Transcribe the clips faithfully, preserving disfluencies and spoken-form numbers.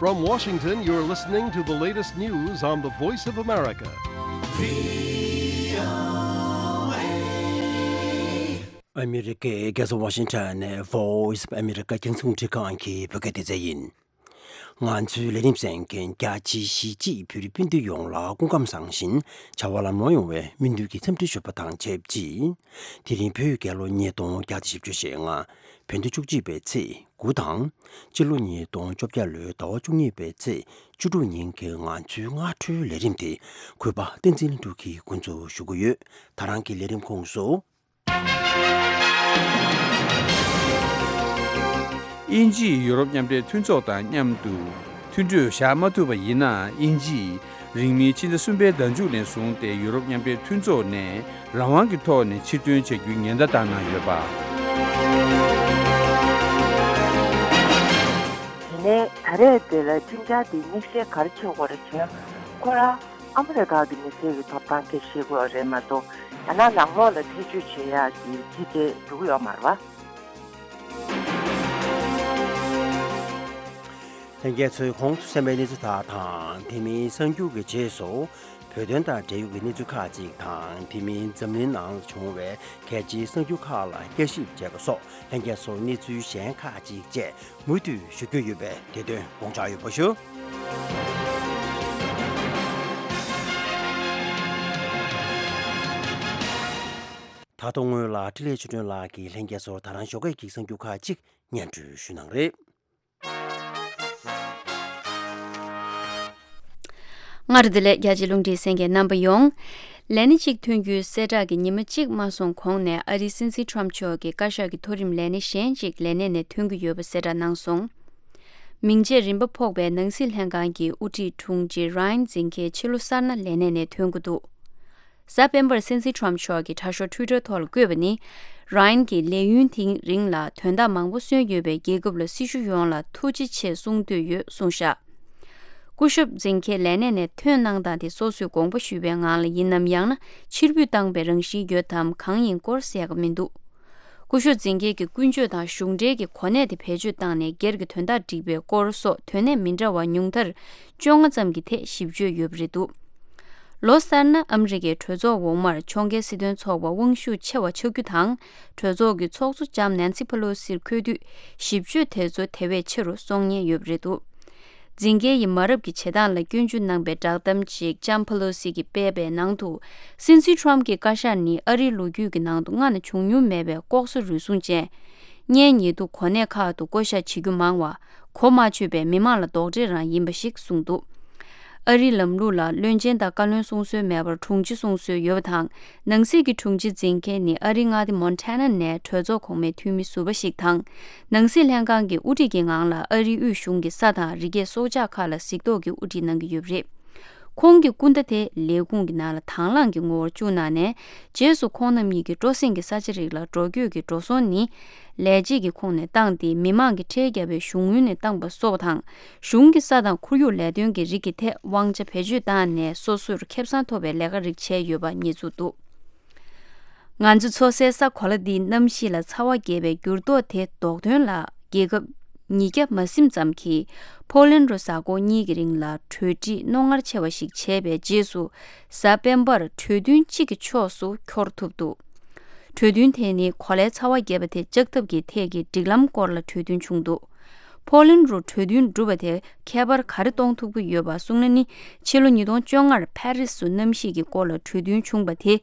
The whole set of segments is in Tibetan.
From Washington, you're listening to the latest news on the Voice of America. ཨ་མི་རི་ཀའི་རྒྱལ་ས་ཝ་ཤིང་ཊོན་ནས་Voice of America རྒྱང་སྲིང་རླུང་འཕྲིན་ཁང་གི་བོད་སྐད་སྡེ་ཚན་ཡིན། ང་ཚོའི་ལས་རིམ་གསན་མཁན་རྒྱ་ཆེའི་གཞིས་བྱེས་བོད་རིགས་སྤུན་ཟླ་ཡོངས་ལ་སྐུ་ཁམས་བཟང་ཞིང་བྱ་བ་ལམ་ལྷོང་ཡོང་བའི་སྨོན་འདུན་གྱི་འཚམས་འདྲི་ཞུ་བ་དང་ཆབས་ཅིག་དེ་རིང་བོད་རྒྱལ་ལོ་ཉིས་སྟོང་བརྒྱ་དང་བཞི་བཅུ་ཞེ་ལྔ། བོད་ཟླ་བཅུ་གཅིག་པའི་ཚེས་དགུ་དང་། སྤྱི་ལོ་ཉིས་སྟོང་བཅོ་བརྒྱད་ལོའི་ཟླ་བ་བཅུ་གཉིས་པའི་ཚེས་བཅུ་དྲུག་ཉིན་གྱི་ང་ཚོའི་སྔ་དྲོའི་ལས་རིམ་དེ་གུས་པ་བསྟན་འཛིན་ལྷུན་གྲུབ་ཀྱིས་འགོ་འཛུགས་ཞུ་གི་ཡོད། ད་རང་གི་ལས་རིམ་ཁོངས་སུ། དབྱིན་ཇིས་ཡུ་རོབ་མཉམ་འབྲེལ་མཐུན་ཚོགས་དང་མཉམ་དུ་མཐུན་གྲོས་བཞག་མ་ཐུབ་པ་ཡིན་ན། དབྱིན་ཇིས་རིང་མིན་ཕྱི་ཟླ་གསུམ་པའི་ཟླ་མཇུག་ནས་བཟུང་སྟེ་ཡུ་རོབ་མཉམ་འབྲེལ་མཐུན་ཚོགས་ནས་རང་དབང་གི་ཐོག་ནས་ཕྱིར་ཐོན་བྱ་རྒྱུའི་ཉེན་བརྡ་བཏང་གནང་ཡོད་པ། དེ་ནས་ད་རེས་དེ་ལ་སྤུན་ཀྱག་དེ་མིག་ཤེལ་ག་རེ་ཕྱེ་དགོས་རེད་ཟེར་ན། ཁོ་རང་ཨ་མི་རི་ཀ་གི་མི་སེར་གྱི་ཐོབ་ཐང་དེ་ཤེས་དགོས་རེད་མ་གཏོགས། ཡང་ན་ནང་ལོགས་ལ་ཐེ་བྱུས་བྱེད་ཡག་གི་ཅི་དེ་འགྲོ་གི་ཡོད་མ་རེད་པ། ལྷན་རྒྱས་ཚོས་གོང་དུ་གསན་པའི་གནས་ཚུལ་དག་དང་། དེ་མིན་གསར་འགྱུར་གྱི་རྗེས་སུ་བོད་དོན་དང་འབྲེལ་ཡོད་ཀྱི་གནས་ཚུལ་ཁག་ཅིག་དང་། དེ་མིན་འཛམ་གླིང་ནང་ལ་བྱུང་བའི་གལ་ཆེའི་གསར་འགྱུར་ཁག་ལ་བསྐྱར་ཞིབ་བྱས་པ་སོགས། ལྷན་རྒྱས་ཚོར་གནས་ཚུལ་གཞན་ཁག་ཅིག་བཅས་མུ་མཐུད་ཞུ་རྒྱུ་ཡོད་པས། དེ་དོན་དགོངས་འཇགས་ཡོད་པ་ཞུ། ད་དུང་སྔོན་ལ་འཕྲིན་ལས་ཆོས་སྒྲོན་ལགས་ཀྱིས་ལྷན་རྒྱས་ཚོར་ད་རང་ཞོགས་ཀས་ཀྱི་གསར་འགྱུར་ཁག་ཅིག་སྙན་སྒྲོན་ཞུ་གནང་རེད། སྔར་དེ་ལས་རྒྱ་ཆེ་རླུང་འཕྲིན་གསན་མཁན་རྣམ་པ་ཡོངས། ལས་གནས་གཅིག་ཐོན་རྒྱུའི་གསལ་བསྒྲགས་ཀྱི་ཉི་མ་གཅིག་མ་སོང་གོང་ནས་ཨ་རིའི་སྲིད་འཛིན་ཊམ་མཆོག་གི་བཀའ་ཤག་གི་མཐོ་རིམ་ལས་སྣེ་གཞན་གཅིག་ལས་གནས་ནས་ཐོན་གྱི་ཡོད་པ་གསལ་བསྒྲགས་གནང་སོང་། མིང་རྗེས་རིམ་པ་ཕོག་པའི་ནང་སྲིད་ལྷན་ཁང་གི་དབུ་ཁྲིད་དྲུང་ཆེ་ར་ཡན་ཛིན་ཁེ་ཕྱི་ལོ་གསར་ན་ལས་གནས་ནས་ཐོན་གྱི་འདུག། གཟའ་སྤེན་པར་སྲིད་འཛིན་ཊམ་མཆོག་གིས་དྲ་ཤོག་ཊུའི་ཊར་ཐོག་ལ་བཀོད་པ་ནི། ར་ཡན་གྱིས་ལས་ཡུན་དེའི་རིང་ལ་དོན་དག་མང་པོ་སོན་ཡོད་པས། རྒྱལ་ཁབ་ལ་སྲི་ཞུ་ཡོངས་ལ་ཐུགས་རྗེ་ཆེ་གསུང་འདོད་ཡོད་གསུངས་བཞག། སྐུ་ཞབས་ཛིན་ཁེ་ལས་གནས་ནས་ཐོན་གནང་སྟངས་དེ་སོ་སོས་དགོངས་པ་ཞུས་པའི་ངང་ལ་ཡིན་ནམ། ཡང་ན་ཕྱིར་འབུད་བཏང་པའི་རང་བཞིན་ཡོད་དམ་གང་ཡིན་སྐོར་གསལ་ཁ་མི་འདུག། སྐུ་ཞབས་ཛིན་ཁེ་གི་ཀུན་སྤྱོད་དང་གཞུང་འབྲེལ་གྱི་གོ་གནས་དེ་བེད་སྤྱོད་བཏང་ནས་སྒེར་གྱི་དོན་དག་སྒྲིག་པའི་སྐོར་སོགས་དོན་གནད་མི་འདྲ་བ་ཉུང་མཐར་བཅོ་ལྔ་ཙམ་གྱི་ཐད་ཞིབ་བརྗོད་ཡོད་པ་རེད་འདུག། ལོ་གསར་ན་ཨ་མི་རི་ཀའི་གྲོས་ཚོགས་འོག་མར་ཕྱོགས་འགལ་སྲིད་དོན་ཚོགས་པ་དབང་ཤུགས་ཆེ་བ་ཆགས་རྒྱུ་དང་། གྲོས་ཚོགས་ཀྱི་ཚོགས་གཙོ་ལྕམ་ནན་སི་ཕེ་ལོ་སིར་འཁོད་དུས་ཞིབ་བརྗོད་དེ་ཚོ་དེ་བས་ཆེ་རུ་སོང་ཉེན་ཡོད་པ་རེད་འདུག། ཛིན་ཀེ་ཡིས་མ་རབས་ཀྱི་བྱེད་སྟངས་ལ་སྐྱོན་བརྗོད་གནང་པའི་བསྒྲགས་གཏམ་ཅིག་ལྕམ་ཕེ་ལོ་སི་གིས་སྤེལ་བའི་ནང་དུ། སྲིད་འཛིན་ཊམ་གྱི་བཀའ་ཤག་ནི་ཨ་རིའི་ལོ་རྒྱུས་ཀྱི་ནང་དུ་སྔ་ན་བྱུང་མྱོང་མེད་པའི་ལྐོག་ཟ་རུལ་སུངས་ཅན། གཉེན་ཉེ་དུ་གོ་གནས་ཁག་ཏུ་བསྐོ་བཞག་བྱེད་རྒྱུ་མང་བ། གོ་མ་ཆོད་པའི་མི་མང་ལ་རྡོག་ཁྲེས་རང་ཡིན་པ་ཞིག་གསུངས་འདུག། ཨ་རིའི་ལམ་ལུགས་ལ་བློན་ཆེན་དང་བཀའ་བློན་གསུང་སྲོལ་མེད་པར་དྲུང་ཆེ་གསུང་སྲོལ་ཡོད་པ་དང་། ནང་སྲིད་ཀྱི་དྲུང་ཆེ་ཛིན་ཁེ་ནི་ཨ་རིའི་མངའ་སྡེ་མོན་ཊ་ན་ནས་གྲོས་ཚོགས་གོང་མའི་འཐུས་མི་ཟུར་པ་ཞིག་དང་། ནང་སྲིད་ལྷན་ཁང་གི་དབུ་ཁྲིད་ཀྱི་ངང་ལ་ཨ་རིའི་དབུས་གཞུང་གི་ས་དང་རི་སྐྱེས་སྲོག་ཆགས་ཁག་ལ་གཟིགས་རྟོག་གི་དབུ་ཁྲིད་གནང་གི་ཡོད་པ་རེད། ཁོང་གི་སྐུ་ཟླ་དེ་ལས་ཁུངས་ཀྱི་ནང་ལ་དང་བླངས་ཀྱི་ངོ་བོར་བཅུག་གནང་ནས། རྗེས་སུ་ཁོང་རྣམ་གཉིས་ཀྱི་སྤྲོ་གསེང་གི་ས་ཆ་རིགས་ལ་འགྲོ་སྐྱོད་ཀྱི་འགྲོ་སོང་ནི། ལས་བྱེད་ཀྱི་ཁོངས་ནས་བཏང་སྟེ། མི་མང་གིས་ཁྲལ་བརྒྱབ་པའི་གཞུང་དངུལ་ནས་བཏང་པ་སོགས་དང་། གཞུང་གི་ས་དང་ཁོར་ཡུག་ལས་དོན་གྱི་རིགས་ཀྱི་ཐད་དབང་ཆ་བེད་སྤྱོད་བཏང་ནས། སོ་སོར་ཁེ་བཟང་ཐོབ་པའི་ལས་ཀ་རིགས་བྱས་ཡོད་པ་ཉེས་འཛུགས་འདུག། ང་ཚོ་འཚོ་སའི་ས་གོ་ལ་འདིའི་གནམ་གཤིས་ལ་ཚ་བ་རྒྱས་པའི་འགྱུར་ལྡོག་དེ་ཟློག་དོན་ལ། རྒྱལ་ཁབ་ཉིས་བརྒྱ་མ་ཟིན་ཙམ་གྱིས་ཕོ་ལན་རུ་གཟའ་འཁོར་གཉིས་ཀྱི་རིང་ལ་གྲོས་འགྲིག་རྣོ་ངར་ཆེ་བ་ཞིག་བྱས་པའི་རྗེས་སུ། གཟའ་སྤེན་པར་གྲོས་མཐུན་གཅིག་གི་ཕྱོགས་སུ་འཁྱོལ་ཐུབ་འདུག། གྲོས་མཐུན་དེ་ནི་གོ་ལའི་ཚ་བ་རྒྱས་པ་དེ་བཅག་ཐབས་ཀྱི་ཐད་ཀྱི་སྒྲིག་ལམ་སྐོར་ལ་གྲོས་མཐུན་བྱུང་འདུག། ཕོ་ལན་རུ་གྲོས་མཐུན་གྲུབ་པ་དེ་ཁྱད་པར་ག་རེ་གཏོང་ཐུབ་ཀྱི་ཡོད་པ་གསུངས་ན་ནི། ཕྱི་ལོ་ཉིས་སྟོང་བཅོ་ལྔར་ཕ་རི་སུ་གནམ་གཤིས་ཀྱི་སྐོར་ལ་གྲོས་མཐུན་བྱུང་བ་དེ།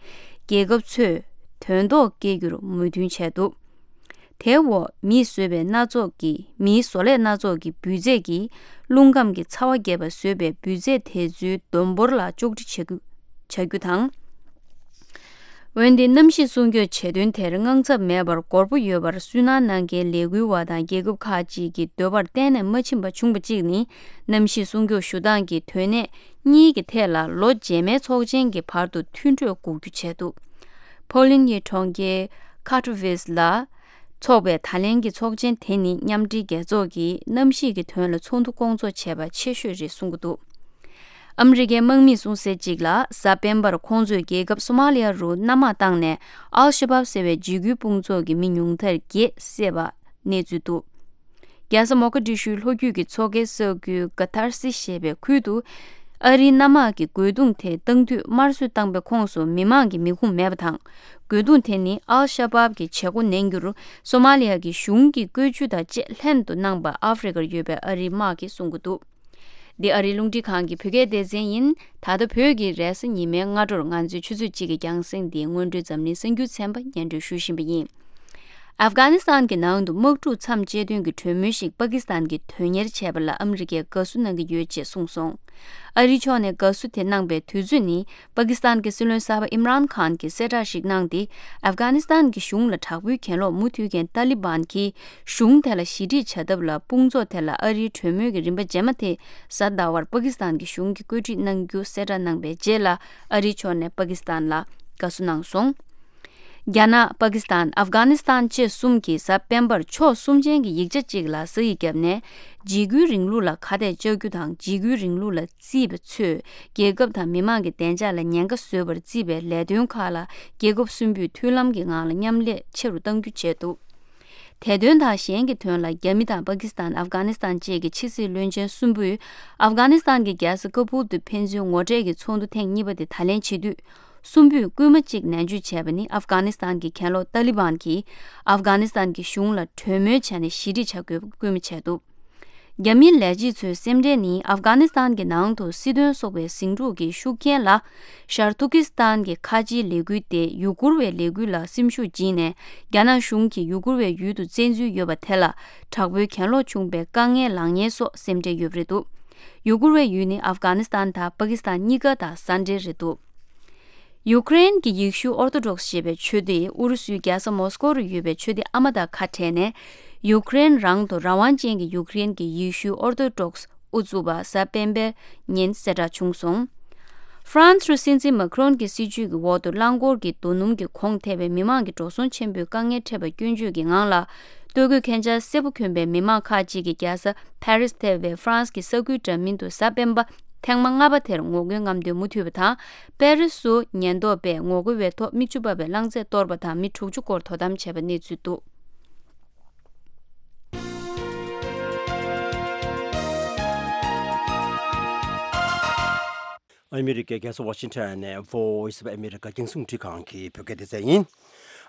རྒྱལ་ཁབ་ཚོས་དོན་ཐོག་སྐྱེལ་རྒྱུར་མོས་མཐུན་བྱས་འདུག། དེའི་འོག་མིས་བཟོས་པའི་སྣ་ཚོགས་ཀྱི། མིའི་བཟོ་ལས་སྣ་ཚོགས་ཀྱི་འབུད་རྫས་ཀྱིས་རླུང་ཁམས་ཀྱི་ཚ་བ་རྒྱས་པ་བཟོས་པའི་འབུད་རྫས་དེ་ཚོའི་བསྡོམས་འབོར་ལ་གཅོག་འཕྲི་བྱ་རྒྱུ། བྱ་རྒྱུ་དང་། འོན་ཏེ་གནམ་གཤིས་སྲུང་སྐྱོབ་བྱེད་དོན་དེར་དངངས་འཚབ་མེད་པར་འགོར་པོ་ཡོད་པར་སུན་སྣང་གནང་མཁན་ལས་འགུལ་བ་དང་རྒྱལ་ཁབ་ཁག་ཅིག་གི་འདོད་པར་གཏན་ནས་མ་ཕྱིན་པ་བྱུང་བ་གཅིག་ནི། གནམ་གཤིས་སྲུང་སྐྱོབ་ཞུ་སྟངས་ཀྱི་དོན་གནད་གཉིས་ཀྱི་ཐད་ལ་ལོ་རྗེས་མའི་ཚོགས་ཆེན་གྱི་བར་དུ་མཐུན་གྲོས་འགོག་རྒྱུ་བྱས་འདུག། ཕོ་ལན་གྱི་གྲོང་ཁྱེར་ཁ་ཐོ་ཝེས་ལ་འཚོགས་པའི་ད་ལན་གྱི་ཚོགས་ཆེན་དེ་ནི་མཉམ་འབྲེལ་རྒྱལ་ཚོགས་ཀྱིས་གནམ་གཤིས་ཀྱི་དོན་ལ་ཚོགས་འདུ་སྐོང་ཚོགས་བྱས་པ་ཆེ་ཤོས་རེད་གསུང་གི་འདུག། ཨ་མི་རི་ཀའི་དམག་མིས་གསུངས་གསལ་གཅིག་ལ། གཟའ་སྤེན་པར་ཁོང་ཚོས་རྒྱལ་ཁབ་སོ་མ་ལི་ཡ་རུ་གནམ་དམག་བཏང་ནས། ཨལ་ཤ་བབ་ཟེར་བའི་འཇིགས་སྐུལ་དཔུང་ཚོགས་ཀྱི་མི་ཉུང་མཐར་བརྒྱད་བསད་པ་གནས་ཚུལ་འདུག། རྒྱལ་ས་མོ་ཀ་ཏི་ཤུའི་ལྷོ་རྒྱུད་ཀྱི་མཚོ་ཁའི་ས་ཁུལ་ག་ཐར་སི་ཞེས་པའི་ཁུལ་དུ། ཨ་རིའི་གནམ་དམག་གིས་རྒོལ་རྡུང་དེ་བཏང་དུས་དམར་གསོད་བཏང་པའི་ཁོངས་སུ་མི་མང་གི་མི་ཁུངས་མེད་པ་དང་། རྒོལ་རྡུང་དེ་ནི་ཨལ་ཤ་བབ་ཀྱི་བྱེད་སྒོ་ནན་གྱུར་སོ་མ་ལི་ཡ་གི་གཞུང་གི་བཀོད་ཇུས་དང་བཅས་ལྷན་དུ་གནང་པ་ཨ་ཧྥེ་རི་ཁར་ཡོད་པའི་ཨ་རིའི་དམག་གིས་གསུང་གི་འདུག། འདི་ཨ་རིའི་རླུང་འཕྲིན་ཁང་གི་བོད་སྐད་སྡེ་ཚན་ཡིན། ད་ལྟ་བོད་ཀྱི་རེས་གཟའ་ཉི་མའི་སྔ་དྲོར་ང་ཚོའི་ཆུ་ཚོད་གཅིག་གི་རྒྱང་སྲིང་འདིའི་སྔོན་འགྲོའི་འཛམ་གླིང་གསར་འགྱུར་ཚན་པ་སྙན་སྒྲོན་ཞུ་བཞིན་པ་ཡིན། ཨབ་གྷ་ནི་སི་ཐན་གྱི་ནང་དུ་དམག་འཁྲུག་མཚམས་བཅད་དོན་གྱི་གྲོས་མོལ་ཞིག་པ་ཀི་སི་ཐན་གྱིས་དོན་གཉེར་བྱས་པ་ལ་ཨ་མི་རི་ཀས་དགའ་བསུ་གནང་གི་ཡོད་ཅེས་གསུངས་སོང་། ཨ་རིའི་ཕྱོགས་ནས་དགའ་བསུ་དེ་གནང་པའི་དུས་ཚོད་ནི། པ་ཀི་སི་ཐན་གྱི་སྲིད་བློན་གསར་པ་ཨིམ་རཱན་ཁཱན་གྱིས་གསལ་བསྒྲགས་ཤིག་གནང་སྟེ། ཨབ་གྷ་ནི་སི་ཐན་གྱི་གཞུང་ལ་དྲག་པོའི་གྱེན་ལོག་མུ་མཐུད་མཁན་ཏཱ་ལི་བན་གྱིས། གཞུང་དེ་ལ་ཞི་འགྲིག་བྱ་ཐབས་ལ་དཔུང་ཚོགས་དེ་ལ་ཨ་རིའི་གྲོས་མོལ་གྱི་རིམ་པ་རྗེས་མ་དེ་གཟའ་ཟླ་བར་པ་ཀི་སི་ཐན་གྱི་གཞུང་གིས་བཀོད་སྒྲིག་གནང་རྒྱུ་གསལ་བསྒྲགས་གནང་པའི་རྗེས་ལ། ཨ་རིའི་ཕྱོགས་ནས་པ་ཀི་སི་ཐན་ལ་དགའ་བསུ་གནང་སོང་། རྒྱ་ནག་པ་ཀི་སི་ཐན། ཨབ་གྷ་ནི་སི་ཐན་བཅས་གསུམ་གྱིས་གཟའ་སྤེན་པར་ཕྱོགས་གསུམ་ཅན་གྱི་ཡིག་ཆ་གཅིག་ལ་ས་ཡིག་བརྒྱབ་ནས། འཇིགས་སྐུལ་རིང་ལུགས་ལ་ཁ་གཏད་གཅོག་རྒྱུ་དང་། འཇིགས་སྐུལ་རིང་ལུགས་ལ་བརྩིས་པ་ཚོས་རྒྱལ་ཁབ་དང་མི་མང་གི་བདེ་འཇགས་ལ་ཉེན་ཁ་བཟོས་པར་བརྩིས་པའི་ལས་དོན་ཁག་ལ་རྒྱལ་ཁབ་གསུམ་པོས་མཐུན་ལམ་གྱི་ངང་ལ་མཉམ་ལས་ཆེ་རུ་གཏང་རྒྱུ་བྱས་འདུག། དེ་དོན་དང་གཞན་གྱི་དོན་ལ། རྒྱ་མི་དང་པ་ཀི་སི་ཐན། ཨབ་གྷ་ནི་སི་ཐན་བཅས་ཀྱི་ཕྱི་སྲིད་བློན་ཆེན་གསུམ་པོས་ཨབ་གྷ་ནི་སི་ཐན་གྱི་རྒྱལ་ས་ཀ་བུལ་དུ་ཕན་ཚུན་ངོ་འཕྲད་ཀྱི་ཚོགས་འདུ་ཐེངས་གཉིས་པ་དེ་ད་ལན་བྱེད་དུས། གསུམ་པོས་སྐུལ་མ་གཅིག་ནན་བརྗོད་བྱས་པ་ནི། ཨབ་གྷ་ནི་སི་ཐན་གྱི་གྱེན་ལོག་ཏཱ་ལི་བན་གྱིས་ཨབ་གྷ་ནི་སི་ཐན་གྱི་གཞུང་ལ་གྲོས་མོལ་བྱས་ནས་ཞི་འགྲིག་བྱ་དགོས་པའི་སྐུལ་མ་བྱས་འདུག། རྒྱ་མིའི་ལས་བྱེད་ཚོའི་སེམས་ཁྲལ་ནི། ཨབ་གྷ་ནི་སི་ཐན་གྱི་ནང་དུ་སྲིད་དོན་སོགས་པའི་ཟིང་འཁྲུག་གི་ཤུགས་རྐྱེན་ལ། ཤར་ཏུར་ཀི་སི་ཐན་གྱི་ཁ་ཆེའི་ལས་འགུལ་ཏེ་ཡུ་གུར་བའི་ལས་འགུལ་ལ་སེམས་ཤུགས་སྦྱིན་ནས། རྒྱ་ནག་གཞུང་གིས་ཡུ་གུར་བའི་ཡུལ་དུ་བཙན་འཛུལ་ཡོད་པ་དེ་ལ་དྲག་པོའི་གྱེན་ལོག་བྱུང་བའི་དཀའ་ངལ་ལངས་ཉེན་སོགས་སེམས་ཁྲལ་ཡོད་པ་རེད་འདུག། ཡུ་གུར་བའི་ཡུལ་ནི་ཨབ་གྷ་ནི་སི་ཐན་དང་པ་ཀི་སི་ཐན་གཉིས་ཀ་དང་ས་འབྲེལ་རེད་འདུག། ཡུ་ཀེ་རེན་གྱི་ཡེ་ཤུ་ཨོར་ཐོ་ཌོག་སི་ཞེས་པའི་ཆོས་སྡེ། ཨུ་རུ་སུའི་རྒྱལ་ས་མོ་སི་ཀོ་རུ་ཡོད་པའི་ཆོས་སྡེ་ཨ་མ་དང་ཁ་བྲལ་ནས། ཡུ་ཀེ་རེན་རང་དུ་རང་དབང་ཅན་གྱི་ཡུ་ཀེ་རེན་གྱི་ཡེ་ཤུ་ཨོར་ཐོ་ཌོག་སི་དབུ་བཙུགས་པ་གཟའ་སྤེན་པའི་ཉིན་གསལ་བསྒྲགས་བྱུང་སོང་། ཧྥ་རན་སི་རུ་སྲིད་འཛིན་མཱ་ཁི་རོན་གྱི་སྲིད་ཇུས་ཀྱི་འོག་ཏུ་རླངས་འཁོར་གྱི་རྡོ་སྣུམ་གྱི་གོང་ཐེབས་པའི་མི་མང་གི་འགྲོ་སོང་ཆེན་པོའི་དཀའ་ངལ་འཕྲད་པ་སྐྱོན་བརྗོད་ཀྱི་ངང་ལ། སྟོད་གོས་ཁན་ཆ་སེར་པོ་གྱོན་པའི་མི་མང་ཁག་ཅིག་གིས་རྒྱལ་ས་ཕ་རི་སི་ཐེ་བའི་ཧྥ་རན་སི་གི་ས་ཁུལ་འདྲ་མིན་དུ་གཟའ་སྤེན་པ་ཐེངས་མ་ལྔ་པ་དེར་ངོ་རྒོལ་རྔམ་སྟོན་མུ་མཐུད་པ་དང་། པེ་རི་སུ་ཉེན་རྟོག་པས་ངོ་རྒོལ་བའི་ཐོག་མིག་ཆུ་འབབ་པའི་རླངས་རྫས་གཏོར་བ་དང་མི་དྲུག་ཅུ་སྐོར་དོ་དམ་བྱས་པའི་གནས་ཚུལ་འདུག། ཨ་མི་རི་ཀའི་རྒྱལ་ས་ཝ་ཤིང་ཊོན་ནས་Voice of America རྒྱང་སྲིང་རླུང་འཕྲིན་ཁང་གི་བོད་སྐད་སྡེ་ཚན་ཡིན།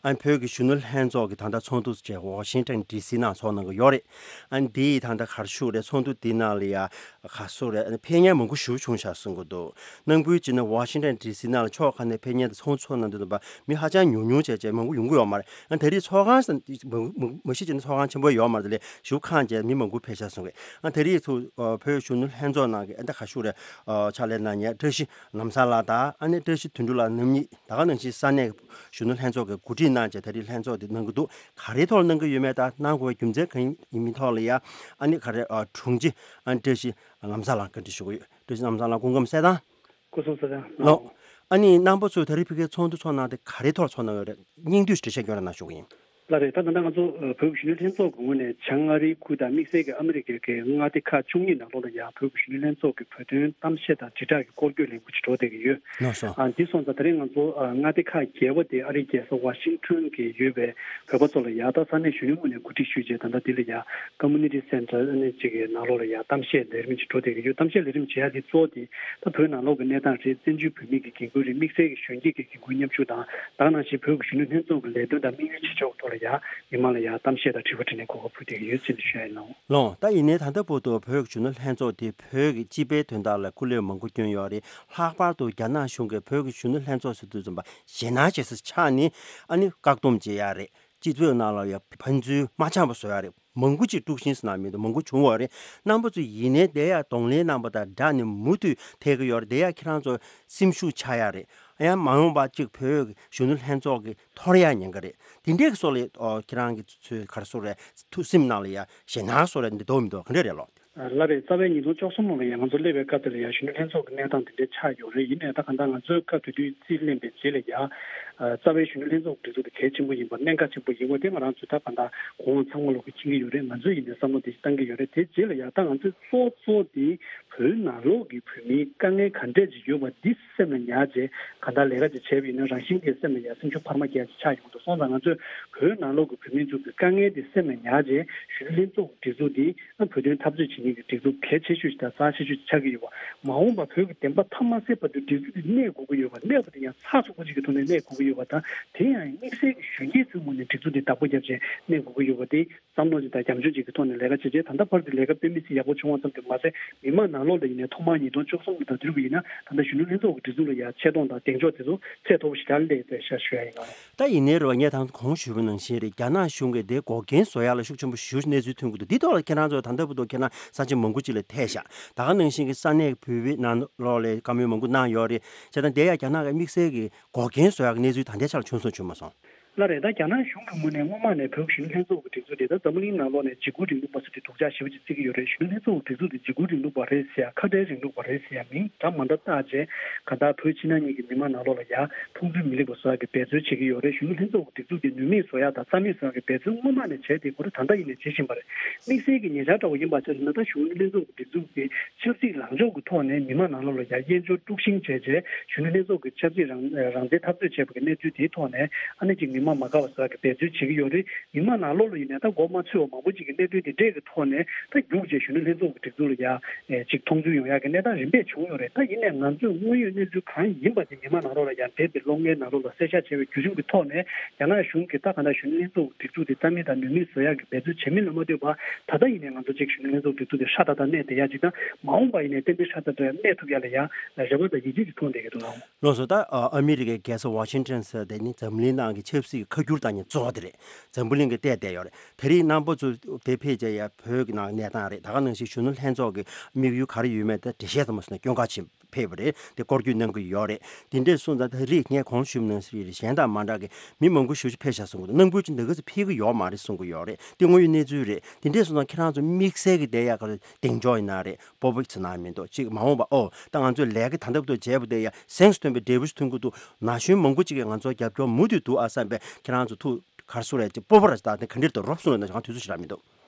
ཨ་ནི་བོད་ཀྱི་གཞོན་ནུ་ལྷན་ཚོགས་ཀྱི་ད་ལྟ་ཚོགས་འདུ་བཅས་ཝ་ཤིང་ཊོན་ཌི་སི་ནང་ཚོགས་གནང་གི་ཡོད་རེད། ཨ་ནི་འདིའི་ད་ལྟ་ག་རེ་ཞུ་རེད། ཚོགས་འདུ་འདི་ནང་ལ་ཡ་ག་སུ་རེད། ཨ་ནི་ཕེབས་མཁན་མང་པོ་ཞེ་པོ་བྱུང་ཤག་གསུང་གི་འདུག། ནང་ཁུལ་བྱས་ན་ཝ་ཤིང་ཊོན་ཌི་སི་ནང་ལ་ཕྱོགས་ཁག་ནས་ཕེབས་མཁན་དང་ཚོགས་ཚོགས་གནང་དུས་ཙམ་པ་མི་ཧ་ཅང་ཉུང་ཉུང་བྱས་བྱས་མང་པོ་ཡོང་གི་ཡོད་མ་རེད། ཨ་ནི་ད་རེས་ཚོགས་ཁང་ས་མ་མ་གཞི་བྱས་ན་ཚོགས་ཁང་ཆེན་པོ་ཡོད་མ་རེད། དེ་ལས་ཞུ་ཁང་བྱས་མི་མང་པོ་ཕེབས་ཤག་གསུང་གི། ཨ་ད་རེས་ཚུ་ཨ་བོད་གཞོན་ནུ་ལྷན་ཚོགས་ནང་གི་ཨ་ད་ག་ཞུ་རེད། ཨ་ཕྱག་ལས་གནང་མཁན་བཀྲ་ཤིས་ལམ་བཟང་ལགས་དང་། ཨ་ནི་བཀྲ་ཤིས་དོན་གྲུབ་ལགས་རྣམ་གཉིས། ད་ག་ནང་བཞིན་ས་གནས་གཞོན་ནུ་ལྷན་ཚོགས་ཀྱི་གོ་སྒྲིག་གནང་བྱས་ད་རེས་ལྷན་ཚོགས་འདི་གནང་གི་འདུག། ག་རེའི་ཐོག་ལ་གནང་གི་ཡོད་མེད་དང་གནང་དགོས་པའི་རྒྱུ་མཚན་གང་ཡིན་མིན་ཐོག་ལ་ཡ་ཨ་ནི་ག་རེ་ཨ་དྲུང་ཆེ་ཨ་ནི་བཀྲ་ཤིས་ལམ་བཟང་ལགས་བཀའ་འདྲི་ཞུ་གི་ཡོད། བཀྲ་ཤིས་ལམ་བཟང་ལགས་སྐུ་ཁམས་གསལ་ཐང་། སྐུ་གཟུགས་གསལ་ཐང་། ལགས། ཨ་ནི་རྣམ་པ་ཚོས་ད་རེས་ཕ་གིའི་ཚོགས་འདུ་ཚོགས་གནང་དེ་ག་རེའི་ཐོག་ཚོགས་གནང་ཡོད་རེད། སྙིང་བསྡུས་འགྲེལ་བཤད་སྐྱོན་ར་གནང་ཞུ་གི་ཡིན། ལགས་རེད། ད་ད་ལྟ་ང་ཚོ་ཨ་བོད་ཀྱི་གཞོན་ནུ་ལྷན་ཚོགས་ཀྱི་ངོས་ནས་བྱང་ཨ་རིའི་ཁུལ་དང་དམིགས་བསལ་གྱི་ཨ་མི་རི་ཀའི་གི་མངའ་སྡེ་ཁག་བཅུ་གཉིས་ནང་ལོགས་ལ་ཡང་བོད་ཀྱི་གཞོན་ནུ་ལྷན་ཚོགས་ཀྱི་བོད་དོན་གཏམ་བཤད་དང་དྲིལ་བསྒྲགས་ཀྱི་སྐོར་སྐྱོད་ལས་འགུལ་ཅིག་འགྲོ་བསྡད་ཀྱི་ཡོད། ལགས་སོ། ཨ་འདི་སོང་ཙང་ད་རེས་ང་ཚོ་ཨ་མངའ་སྡེ་ཁག་བརྒྱད་པ་དེ་ཨ་རིའི་རྒྱལ་ས་ཝ་ཤིང་ཊོན་གྱི་ཡོད་པའི་བོད་པ་ཚོ་ལ་ཡང་ད་ས་གནས་གཞོན་ནུའི་ངོས་ནས་གོ་སྒྲིག་ཞུས་རྗེས་ད་ལྟ་འདི་ལ་ཡང་ཀོ་མུ་ནི་ཊི་སེན་ཊར་ཨ་ནི་གཅིག་གི་ནང་ལོགས་ལ་ཡང་གཏམ་བཤད་ལས་རིམ་ཅིག་འགྲོ་བསྡད་ཀྱི་ཡོད། གཏམ་བཤད་ལས་རིམ་བྱེད་ཡ་དེ་གཙོ་བོ་དེ་ད་བོད་ནང་ལོགས་ཀྱི་གནས་སྟངས་རེད། བཙན་བྱོལ་བོད་མི་གི་འགན་ཁུར་རེད། དམིགས་བསལ་གྱི་གཞོན་སྐྱེས་ཀྱི་འགན་ཁུར་མཉམ་ཞུགས་དང་། ད་ག་ནང་བཞིན་བོད་ཀྱི་གཞོན་ནུ་ལྷན་ཚོགས་ཀྱི་ལས་དོན་དང་དམིགས་ཡུལ་བྱེད་ཕྱོགས་ཐོག་ལ་ཡང་མི་མང་ལ་ཡང་གཏམ་བཤད་དང་དྲི་བ་དྲིས་ལན་གོ་སྐབས་ཕུལ་བསྡད་ཀྱི་ཡོད་ཟེར་ནས་ཞུ་ཡ་ཡིན་ལགས། ལགས། ད་ཡིན་ནའི་ད་ལྟ་བར་དུ་བོད་ཀྱི་གཞོན་ནུ་ལྷན་ཚོགས་དེ་བོད་ཀྱི་སྤྱི་པའི་དོན་དག་ལ་སྐུ་ལས་མང་པོ་བསྐྱོན་ཡོད་རེད། ལྷག་པར་དུ་རྒྱ་ནག་གཞུང་གིས་བོད་ཀྱི་གཞོན་ནུ་ལྷན་ཚོགས་ཟེར་དུས་ཙམ་པ་ཞེད་སྣང་བྱེད་ས་ཆགས་ནས་ཨ་ནི་བཀག་སྡོམ་བྱེད་ཡ་རེད། སྤྱི་ཚོགས་ནང་ལ་ཡང་ཕན་ཚུན་མ་འཆམ་པ་བཟོ་ཡ་རེད། མང་པོ་ཅིག་དཀྲུག་ཤིང་ཟེར་ན་མི་འདུག། མང་པོ་བྱུང་བ་རེད། རྣམ་པ་ཚོ་ཡིན་ནའི་དེ་ཡང་གདོང་ལེན་གནང་པ་དང་སྦྲགས་ནས་མུ་མཐུད་ཐེག་གི་ཡོད་རེད། དེ་ཡང་ཁྱེད་རང་ཚོ་སེམས་ཤུགས་ཆག་ཡ་རེད། ཡང་མ་འོངས་པ་ཅིག་བོད་གཞོན་ནུ་ལྷན་ཚོགས་ཀྱི་འཐོར་ཡ་ཉེན་ཁ་རེད། དེ་འདྲའི་སོགས་ལ་ཨོ་ཁྱེད་རང་གི་ཚོས་ག་རེ་ཟེར་རེད། ཐུགས་སེམས་ནང་ལ་ཡ་ཞེད་སྣང་བཟོ་རེད། འདི་འདུག་མི་འདུག། ག་འདྲ་རེད་ལགས། ལགས་རེད། རྩ་བའི་ཉིས་སྟོང་བཅུ་གསུམ་ལོ་ལ་ཡང་ང་ཚོ་སླེབས་པའི་སྐབས་དེ་ལ་ཡང་གཞོན་ནུ་ལྷན་ཚོགས་ཀྱི་གནས་སྟངས་དེ་འདྲའི་ཆགས་ཡོད་རེད། ཡིན་ནའི་ད་ག་འདྲ་ང་ཚོའི་སྐབས་དེ་དུས་རྩིས་ལེན་པའི་རྗེས་ལ་ཡང་རྩ་བའི་གཞོན་ནུ་ལྷན་ཚོགས་ཀྱི་སྒྲིག་འཛུགས་དེ་གལ་ཆེན་པོ་ཡིན་པ། གནད་འགག་ཆེན་པོ་ཡིན་པ་དེ་ང་རང་ཚོས་ད་ག་འདྲ་གོང་འོག་ཚང་མ་ལོག་གིས་མཁྱེན་གྱི་ཡོད་རེད། ང་ཚོས་ཡིན་ནའི་བསམ་བློ་དེ་བཏང་གི་ཡོད་རེད། དེ་རྗེས་ལ་ཡང་ད་ང་ཚོའི་གཙོ་གཙོ་དེ་བོད་ནང་ལོགས་ཀྱི་བོད་མིའི་དཀའ་ངལ་ག་འདྲས་ཅིག་ཡོད་པ་འདི་སེམས་ལ་ཉར་རྗེས་ག་འདྲ་ལས་ཀ་ཅིག་བྱས་པ་ཡིན་ན་རང་བཞིན་གྱིས་སེམས་ལ་ཡང་སེམས་ཤུགས་འཕར་མ་སྐྱེ་ཡ་ཅིག་ཆགས་ཡོང་འདུག་སོང་ཙང་ང་ཚོས་བོད་ནང་ལོགས་ཀྱི་བོད་མི་ཚོ་གི་དཀའ་ངལ་དེ་སེམས་ལ་ཉར་རྗེས་གཞོན་ནུ་ལྷན་ཚོགས་ཀྱི་སྒྲིག་འཛུགས་འདི་ཨ་བོད་དོན་འཐབ་རྩོད་བྱེད་མཁན་གྱི་སྒྲིག་འཛུགས་གལ་ཆེ་ཤོས་ཤིག་དང་རྩ་ཆེ་ཤོས་ཤིག་ཆགས་ཀྱི་ཡོད་པ། མ་འོངས་པ་བོད་ཀྱི་བདེན་པ་མཐའ་མ་གསལ་བར་དུ་སྒྲིག་འཛུགས་འདི་གནས་དགོས་ཀྱི་ཡོད་པ། གནས་པ་དེ་ཡང་ཚགས་ཚུད་པོ་ཅིག་གི་ཐོག་ནས་གནས་དགོས་ཀྱི་ཡོད་པ་དང་། དེ་ཡང་དམིགས་བསལ་གྱི་གཞོན་སྐྱེས་ཚོའི་ངོས་ནས་སྒྲིག་འཛུགས་འདི་བདག་པོ་རྒྱབ་བྱས་གནས་དགོས་ཀྱི་ཡོད་པ་དེ་བསམ་བློ་ཅིག་དང་རྒྱབ་ལྗོངས་ཅིག་གི་ཐོག་ནས་ལས་ཀ་བྱས་རྗེས་ད་ལྟ་བར་དུ་ལས་ཀ་དཔེ་མི་སྲིད་ཡག་པོ་བྱུང་བ་ཙམ་དུ་མ་ཟད། མི་མང་ནང་ལོགས་ལ་ཡིན་ནའི་ཐོག་མར་ཉིས་སྟོང་བཅུ་གསུམ་ལོ་དང་དེ་རིང་གི་ཡིན་ན་ད་ལྟ་གཞོན་ནུ་ལྷན་ཚོགས་ཀྱི་སྒྲིག་འཛུགས་ལ་ཡང་ཆེ་མཐོང་དང་གདེང་འཇོག་དེ་ཚོ་ཚད་མཐོ་པོ་ཞིག་ལ་སླེབས་ཡོད་པའི་ཤ་ཞུ་ཡ་ཡིན་ལགས། ད་ཡིན་ནའི་རེད་བ། ངས་ད་གོང་ཞུས་པ་ནང་བཞིན་རེད། རྒྱ་ནག་གཞུང་གིས་དེ་འགོག་རྐྱེན་བཟོ་ཡ་ལ་ཤུགས་ཆེན་པོ་ཞེ་པོ་ཅིག་གནས་ཚུལ་ཐོན་གྱི་འདུག་འདི་ཐོག་ལ་ཁྱེད་རང་ཚོ་ད་ལྟ་བར་དུ་ཁྱེད་རང་ས་ཆ་མང་པོ་ཅིག་ལ་ཐད་ཤག་ད་ག་ནང་བཞིན་གྱི་ས་གནས་ཀྱི་བོད་པའི་ནང་ལོགས་ལ་བཀའ་མོལ་མང་པོ་གནང་ཡོད་རེད། བྱས་ཙང་དེ་ཡང་རྒྱ་ནག་གི་དམིགས་བསལ་གྱི་འགོག་རྐྱེན་བཟོ་ཡ་གི་གནས་ཚུལ་ད་ལྟའི་ཆར་ལ་བྱུང་སོང་བྱུང་མ་སོང་། ལགས་རེད། ད་རྒྱ་ནག་གཞུང་གི་ངོས་ནས་སྔོན་མ་ནས་བོད་གཞོན་ནུ་ལྷན་ཚོགས་ཀྱི་སྒྲིག་འཛུགས་དེ་ད་འཛམ་བུ་གླིང་ནང་ལོགས་ནས་འཇིགས་སྐུལ་རིང་ལུགས་པ་ཟེར་དེ་སྡུག་ཅག་ཞེ་པོ་ཅིག་བརྩི་གི་ཡོད་རེད། གཞོན་ནུ་ལྷན་ཚོགས་ཀྱི་སྒྲིག་འཛུགས་དེ་འཇིགས་སྐུལ་རིང་ལུགས་པ་རེད་ཟེར་ཡ། ཁ་བྲལ་རིང་ལུགས་པ་རེད་ཟེར་ཡ་མིང་འདྲ་མ་འདྲ་བཏགས་རྗེས་གང་ལྟར་བོད་ཕྱི་ནང་གཉིས་ཀྱི་མི་མང་ནང་ལོགས་ལ་ཡ་ཕུགས་འདུན་མི་ལེགས་པ་བཟོ་ཡ་གི་འབད་རྩོལ་བྱེད་ཀྱི་ཡོད་རེད། གཞོན་ནུ་ལྷན་ཚོགས་ཀྱི་སྒྲིག་འཛུགས་དེ་ནུས་མེད་བཟོ་ཡ་དང་རྩ་མེད་བཟོ་ཡ་གི་འབད་རྩོལ་སྔོན་མ་ནས་བྱས་ཏེ་ཁོ་རང་ད་ལྟ་ཡིན་ནའི་བྱེད་བཞིན་པ་རེད། དམིགས་བསལ་གྱི་ཉེ་ཆར་འདྲ་བོ་ཡིན་པ་ཆ་བཞག་ན་ད་གཞོན་ནུ་ལྷན་ཚོགས་ཀྱི་སྒྲིག་འཛུགས་དེ་ཆབ་སྲིད་ལངས་ཕྱོགས་ཀྱི་ཐོག་ནས་མི་མང་ནང་ལོགས་ལ་ཡ་དབྱེན་སྦྱོར་དཀྲུག་ཤིང་བྱས་རྗེས་གཞོན་ནུ་ལྷན་ཚོགས་ཀྱི་ཆབ་སྲིད་རང་རང་བཙན་འཐབ་རྩོད་བྱས་པ་གི་གནས་ཚུལ་དེའི་ཐོག་ནས་ཨ་ནི་ཅིག་མི་མང་མ་དགའ་བ་བཟོ་ཡ་གི་འབད་རྩོལ་བྱེད་ཀྱི་ཡོད་རེད། མི་མང་ནང་ལོགས་ལ་ཡིན་ནའི་ད་མགོ་མ་ཚོས་པ་མང་པོ་ཅིག་གི་གནད་དོན་དེ་འདྲས་ཀྱི་ཐོག་ནས་ད་རྒྱུགས་རྗེས་གཞོན་ནུ་ལྷན་ཚོགས་ཀྱི་སྒྲིག་འཛུགས་ལ་ཡ་ཅིག་མཐོང་ཚུལ་ཡོང་ཡ་གི་གནས་སྟངས་རིམ་པས་བྱུང་ཡོད་རེད། ད་ཡིན་ནའི་ང་ཚོས་དངོས་ཡོད་གནས་ཚུལ་གང་ཡིན་པ་དེ་མི་མང་ནང་ལོགས་ལ་ཡ་འདས་པའི་ལོ་ལྔའི་ནང་ལོགས་ལ་གསལ་བཤད་བྱས་པའི་བརྒྱུད་རིམ་གྱི་ཐོག་ནས་རྒྱ་ནག་གཞུང་གིས་ད་ག་ནང་གཞོན་ནུ་ལྷན་ཚོགས་ཀྱི་སྒྲིག་འཛུགས་དེ་རྩ་མེད་དང་ནུས་མེད་བཟོ་ཡ་གི་འབད་རྩོལ་བྱེད་མིན་ལ་མ་ལྟོས་པར་ད་ལྟ་ཡིན་ནའི་ང་ཚོ་ཅིག་གཞོན་ནུ་ལྷན་ཚོགས་སྒྲིག་འཛུགས་དེ་ཧྲ་ཏག་ཏག་གནས་བསྡད་ཡ་ཅིག་དང་། མ་འོངས་པ་ཡིན་ནའི་ཏན་ཏན་ཧྲ་ཏག་ཏག་གནས་ཐུབ་ཡ་ལ་ཡ་རེ་བ་དང་ཡིད་ཆེས་ཀྱི་མཐོང་བསྡད་ཀྱི་འདུག་ལགས། ལགས་སོ། ད་ཨ་ཨ་མི་རི་ཀའི་རྒྱལ་ས་ཝ་ཤིང་ཊོན་ཟེར་དེ་ནི་འཛམ་གླིང་ནང་གི་ཆབ་སྲིད་ཀྱི་ཁ་སྒྱུར་བཏང་མཁན་གཙོ་བོ་དེ་རེད། འཛམ་བུ་གླིང་གི་བལྟས་བསྡད་ཡོད་རེད། དེ་རིང་རྣམ་པ་ཚོ་དེ་ཕེབས་བྱས་ཡ་བོད་ཀྱི་ནང་གནས་སྟངས་རེད། ད་ག་ནང་བཞིན་གཞོན་ནུ་ལྷན་ཚོགས་ཀྱི་དམིགས་ཡུལ་ག་རེ་ཡོད་མེད་དེ་འགྲེལ་བཤད་ཙམ་མ་སོང་ན་སྐྱོན་ག་ཆེ་ཕེབས་པ་རེད། དེ་སྐོར་སྐྱོད་གནང་གི་ཡོད་རེད། དེ་འདྲས་སོང་ཙང་ད་རེས་ངས་གོང་ཞུས་པ་ནང་བཞིན་རེད། གཞན་དང་མ་འདྲ་གི་མི་མང་པོ་ཞེ་པོ་ཅིག་ཕེབས་ཤག་གསུང་གི་འདུག་རྣམ་འགུལ་ཅིག་འདི་ག་ཚོད་ཕེབས་ཀྱི་ཡོད་མ་རེད་གསུང་གི་ཡོད་རེད། དེ་དངོས་ཡོད་གནས་ཚུལ་རེད། དེ་འདྲས་སོང་ཙང་ཁྱེད་རང་ཚོ་དམིགས་བསལ་གྱི་བསྡད་ཡ་ག་རེ་གདེང་འཇོག་ཡིན་ན་རེད། སྤོབས་པ་ཟེར་ན་མི་འདུག་ཅིག་མ་འོངས་པ་ཨོ་ད་ང་ཚོས་ལས་ཀ་ད་ལྟ་བར་དུ་བྱས་པ་དེ་ཡ་གཟེངས་སུ་ཐོན་པའི་འབྲས་བུ་ཞིག་ཐོན་གྱི་འདུག་ན་གཞོན་མང་པོ་ཅིག་གིས་ང་ཚོར་རྒྱབ་སྐྱོར་མུ་མཐུད་འདུག་ཨ་བསམ་པའི་ཁྱེད་རང་ཚོ་ཐུགས་ག་རེ་ཟེར་རེད། ཅིག་སྤོབས་པ་ར་ད་དེ་ག་འདྲ་འདུག་རོབ་གསུངས་རེད་ན་ང་དུས་ཚོད་ཞིག་རག་མི་འདུག་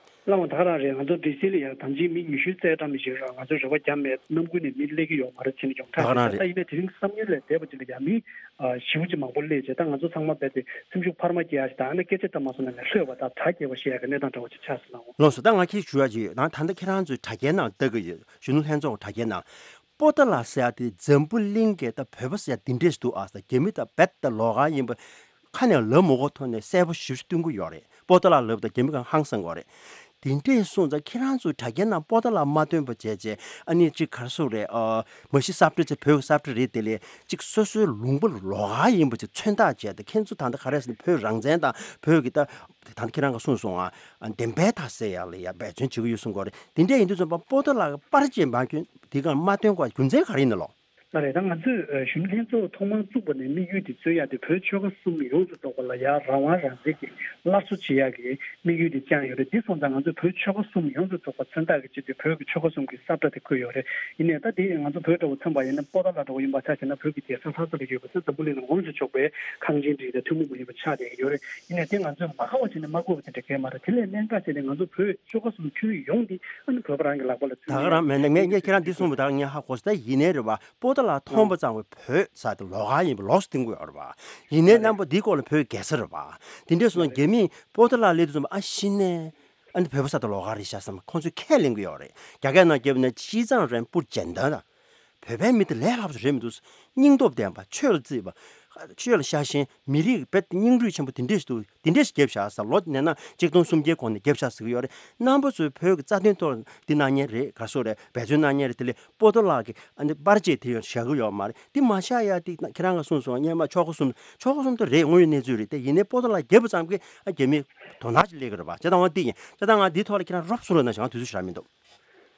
ལགས་འོང་། ད་ག་རང་རེད། ང་ཚོ་ཌི་སི་ལ་ཡང་དམ་ཅིག་མི་ཉི་ཤུ་རྩ་གྲངས་མི་ཞིག་རང་ང་ཚོས་རེ་བ་བརྒྱབ་མེད། གནམ་དགུན་ནས་མི་སླེབས་ཀྱི་ཡོད་མ་རེད་ཟེར་ནས་ཡོང་ད་ག་ཐག་རང་ཆོད། ད་རེད། ཡིན་ནའི་དེ་རིང་བསམ་ཡུལ་ལས་འདས་པ་ཅིག་ལ་ཡང་མི་ཞེ་པོ་ཅིག་མང་པོ་སླེབས་བྱས་ད་ང་ཚོ་ཚང་མ་རྦད་དེ་སེམས་ཤུགས་འཕར་མ་སྐྱེ་ཡ་ཞིག་དང་ཨ་ནི་སྐད་ཆ་ད་མ་སོང་ན་ནས་ལྷོད་པ་དང་གྲ་རྒྱས་པ་བཤད་ཡ་གི་གནས་སྟངས་འདྲ་བོ་ཅིག་ཆགས་སོང་ན་འོང་། ལགས་སོ། ད་ང་ཁྱེད་ཞུ་ཡ་ཅིག་ཡོད། ད་ད་ལྟ་ཁྱེད་རང་ཚོའི་དྲ་རྒྱའི་ནང་ལྟ་གི་ཡོད། གཞོན་ནུ་ལྷན་ཚོགས་དྲ་རྒྱའི་ནང་པོ་ཏཱ་ལ་ཟེར་ཡ་དེ་འཛམ་བུ་གླིང་གི་ད་བོད་པ་ཟེར་ཡ་འདི་འདྲས་ཤིག་འདུག་ཨ། ས་རྒྱ་མི་ད་རྦད་དེ་ལོགས་ཀ་ཡིན་པ་ཁ་ནས་ལབ་མ་དགོས་ཐོག་ནས་གསལ་པོ་ཞེ་པོ་ཞིག་སྟོན་གྱི་ཡོད་རེད། པོ་ཏཱ་ལ་ལབ་དང་རྒྱ་མི་གང་ཧང་སང་གི་ཡོད་རེད། དེ་འདྲས་སོང་ཙང་ཁྱེད་རང་ཚོའི་དྲ་རྒྱའི་ནང་པོ་ཏཱ་ལ་མ་སྟོན་པ་བྱས་བྱས་ཨ་ནི་ཅིག་ག་རེ་ཟེར་རེད། ཨ་མ་གཞི་ས་བཀྲ་ཚེ་བོད་ཀྱི་ས་བཀྲ་རེད། དེ་ལས་ཅིག་སོ་སོའི་ལུང་པ་ལོགས་ཀ་ཡིན་པ་ཅིག་མཚོན་རྟགས་བྱས་ཏེ་ཁྱེད་ཚོ་ད་ལྟ་ག་རེ་ཟེར་ན་བོད་རང་བཙན་དང་བོད་ཀྱི་ད་ད་ལྟ་ཁྱེད་རང་གིས་གསུངས་སོང་ཨ། བདེན་པའི་མཐའ་གསལ་ཡག་ལ་ཡ་འབད་བརྩོན་བྱེད་ཀྱི་ཡོད་གསུང་གི་ཡོད་རེད། དེ་འདྲས་ཡིན་དུས་ཙམ་པ་པོ་ཏཱ་ལ་གི་པར་ཅིག་མ་བསྐྱོན་དེ་ག་མ་སྟོན་དགོས་རྒྱུ་མཚན་ག་རེ་ཡིན་ནམ་ལགས། ལགས་རེད། ད་ང་ཚོས་ཨ་གཞོན་ནུ་ལྷན་ཚོགས་ཐོག་མར་བཙུགས་པ་ནས་དམིགས་ཡུལ་དེ་རྩོད་ཡ་དེ་བོད་ཆོལ་ཁ་གསུམ་ཡོངས་སུ་རྫོགས་པ་ལ་ཡ་རང་དབང་རང་བཙན་གྱི་སླར་གསོ་བྱེད་ཡ་གི་དམིགས་ཡུལ་དེ་བཅངས་ཡོད་རེད། དེ་སོང་ཙང་ང་ཚོས་བོད་ཆོལ་ཁ་གསུམ་ཡོངས་སུ་རྫོགས་པ་མཚོན་རྟགས་ཀྱི་ཆེད་དུ་བོད་ཀྱི་ཆོལ་ཁ་གསུམ་གྱི་ས་བཀྲ་དེ་བཀོད་ཡོད་རེད། ཡིན་ནའི་ད་དེ་ང་ཚོ་བོད་འདྲ་བོ་མཚོན་པ་ཡིན་ན་པོ་ཏཱ་ལ་འདྲ་བོ་ཡིན་པ་ཆ་བཞག་ན་བོད་ཀྱི་རྒྱལ་ས་ལྷ་ས་ལ་ཡོད་པ་ཚོ་འཛམ་བུ་གླིང་ལ་ངོམས་སུ་ཆོག་པའི་ཁང་ཆེན་འདི་དང་ཐུན་མོང་མ་ཡིན་པ་ཆགས་བསྡད་ཀྱི་ཡོད་རེད། ཡིན་ནའི་དེ་ང་ཚོས་མ་ཁ་བ་བྱས་ནས་མ་བཀོད་པ་དེ་འདྲ་གལ་མ་རེད། དེ་ལས་གནད་འགག་བྱས་ནས་ང་ཚོ་བོད་ཆོལ་ཁ་གསུམ་ཁྱོན་ཡོངས་འདི་ཨ་ནི་བོད་པ་རང་གི་ལག་པ་ལ་ད་ག་རང་མེད་ན་ངས་ངས་ཁྱེད་རང་འདི་གསུངས་པ་ད་ངས་ཧ་གོ་སོང་། ད་ཡིན་ནའི་རེད་བ། པོ་ཏཱ་ལ་མཐོང་པ་ཙམ་གྱིས་བོད་ས་དེ་ལོགས་ཀ་ཡིན་པ་ལོགས་སུ་བསྟན་གྱི་ཡོད་རེད་བ། ཡིན་ནའི་རེད། རྣམ་པ་འདིའི་སྐོར་ལ་བོད་རྒྱལ་ས་རེད་བ། དེ་འདྲས་སོང་ན་རྒྱ་མིས་པོ་ཏཱ་ལ་སླེབས་དུས་ཙམ་ཨ་ཤི་ནས་ཨ་ནི་བོད་པ་ས་དེ་ལོགས་ཀ་རེད་ཤག་བསམ་ཁོང་ཚོས་ཁས་ལེན་གྱི་ཡོད་རེད། རྒྱ་སྐད་ནང་བརྒྱབ་ན་ཅི་ཙང་རན་པུར་ཇན་ད་ད། བོད་པའི་མི་དེ་ལས་སླ་པོ་ཞིག་རེད་མི་འདུག་སྙིང་སྟོབས་ལྡན་པ། ཆོས་ལ་བརྩིས་པ། ཆོས་ལ་ཤ་ཞེན། མི་རིགས་རྦད་དེ་སྙིང་རུས་ཆེན་པོ་དེ་འདྲས་ཤིག་འདུག་དེ་འདྲས་ཤིག་བརྒྱབ་བཞག་ཟེར། ལོ་ནས་ན་ཆིག་སྟོང་སུམ་བརྒྱའི་གོང་ནས་བརྒྱབ་བཞག་ཟེར་གྱི་ཡོད་རེད། རྣམ་པ་ཚོས་བོད་ཀྱི་རྩ་དོན་ཐོག་འདི་གནང་མཁན་རེད། ག་རེ་ཟེར་རེད། འབད་བརྩོན་གནང་མཁན་རེད། དེ་ལས་པོ་ཏཱ་ལ་གི་ཨ་ནི་པར་ཆས་དེ་ཡང་བཞག་གི་ཡོད་མ་རེད། དེ་མ་བཞག་ཡ་དེ་ཁྱེད་རང་གིས་གསུངས་སོང་། སྔོན་མ་ཆོལ་ཁ་གསུམ། ཆོལ་ཁ་གསུམ་དེ་རེད། དངོས་ཡོད་གནས་ཚུལ་རེད། དེ་ཡིན་ནའི་པོ་ཏཱ་ལ་བརྒྱབ་པ་ཙམ་གྱིས་ཨ་རྒྱ་མི་དོ་སྣང་ཅིག་སླེབས་ཀྱི་རེད་པ། བྱས་ཙང་འོ་དེ་ཡིན། བྱས་ཙང་ང་འདིའི་ཐོག་ལ་ཁྱེད་རང་རོབ་གསུངས་རོགས་གནང་ཞེས་ང་དུས་ཚོད་ཞེ་དྲག་མི་འདུག་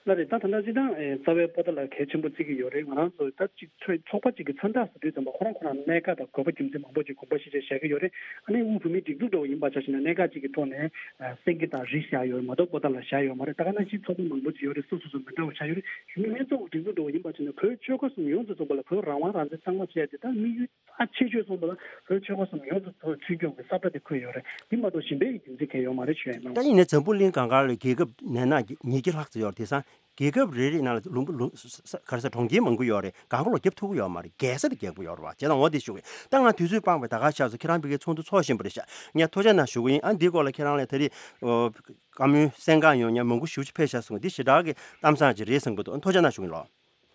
ལགས་རེད། ད་ད་ལྟ་སྤྱིར་བཏང་ཨེ་རྩ་བའི་པོ་ཏཱ་ལ་གལ་ཆེན་པོ་བརྩི་གི་ཡོད་རེད། ང་རང་ཚོ་ད་ཅིག་ཚོགས་ཚོགས་པ་ཅིག་གི་མཚན་རྟགས་སུ་དུས་ཙམ་པ་ཁོ་རང་ཁོ་རང་གནད་འགག་དང་དགོས་པ་རྒྱུ་མཚན་མང་པོ་ཅིག་དགོངས་པ་བཞེས་བྱས་བཞག་གི་ཡོད་རེད། ཨ་ནི་དབུས་བོད་མིའི་སྒྲིག་འཛུགས་འདྲ་བོ་ཡིན་པ་ཆ་བཞག་ན་གནད་འགག་ཅིག་གི་ཐོག་ནས་ཨ་སེང་གེ་དང་རི་བཞག་ཡོད་རེད་མ་གཏོགས་པོ་ཏཱ་ལ་བཞག་ཡོད་མ་རེད། ད་ག་ནང་བཞིན་ཚོགས་པ་མང་པོ་ཅིག་ཡོད་རེད། སོ་སོ་སོ་མི་འདྲ་བ་བཞག་ཡོད་རེད། གཞུང་མིན་ཚོགས་སྒྲིག་འཛུགས་འདྲ་བོ་ཡིན་པ་ཆ་བཞག་ན་བོད་ཆོལ་ཁ་གསུམ་ཡོངས་སུ་རྫོགས་པ་ལ་བོད་རང་དབང་རང་བཙན་གཙང་མ་བྱས་ཏེ་ད་དམིགས་ཡུལ་ཨ་ཆེ་ཤོས་སོང་ཙང་བོད་ཆོལ་ཁ་གསུམ་ཡོངས་སུ་ཐོན་ཚུལ་སྐྱོང་གི་ས་བཀྲ་དེ་འཁོད་ཡོད་རེད། དེ་མ་གཏོགས་གཞན་པའི་རྒྱུ་མཚན་གང་ཡང་ཡོད་མ་རེད་ཞུ་ཡ་ཡིན། ད་ཡིན་ནའི་འཛམ་བུ་གླིང་སྒང་ག་ལ་རྒྱལ་ཁབ་ནས་ན་ཉིས་བརྒྱ་ལྷག་ཙམ་ཡོད་རེད། དེང་སང་རྒྱལ་ཁབ་རེ་རེ་ནང་ལ་ལུང་པ་ལུང་ས་ས་ག་རེ་ཟེར་གྲོང་ཁྱེར་མང་པོ་ཡོད་རེད། སྒང་ག་ལ་རྒྱབ་ཐུབ་ཀྱི་ཡོད་མ་རེད། རྒྱལ་ས་དེ་རྒྱག་གི་ཡོད་རེད་བ། བྱས་ཙང་འོ་དེ་ཞུ་གི་ཡིན། ད་ང་དུས་ཚོད་སྤངས་པས་ད་ག་ཤར་སོང་། ཁྱེད་རང་ཕ་གིའི་ཚོགས་འདུ་ཚོགས་བཞིན་པ་རེད་ཤག་ངས་ཐུགས་རྗེ་གནང་ཞུ་གི་ཡིན། ཨ་འདིའི་སྐོར་ལ་ཁྱེད་རང་ལ་ད་རེས་ཨོ་བཀའ་མོལ་གསན་གང་ཡོང་མཁན་མང་པོ་ཞེ་པོ་ཅིག་ཕེབས་ཤག་གསུངས། འདི་ཞེ་དྲག་གི་གཏམ་བཟང་ཅིག་རེད་བསམ་གི་འདུག་ཐུགས་རྗེ་གནང་ཞུ་གི་ཡིན་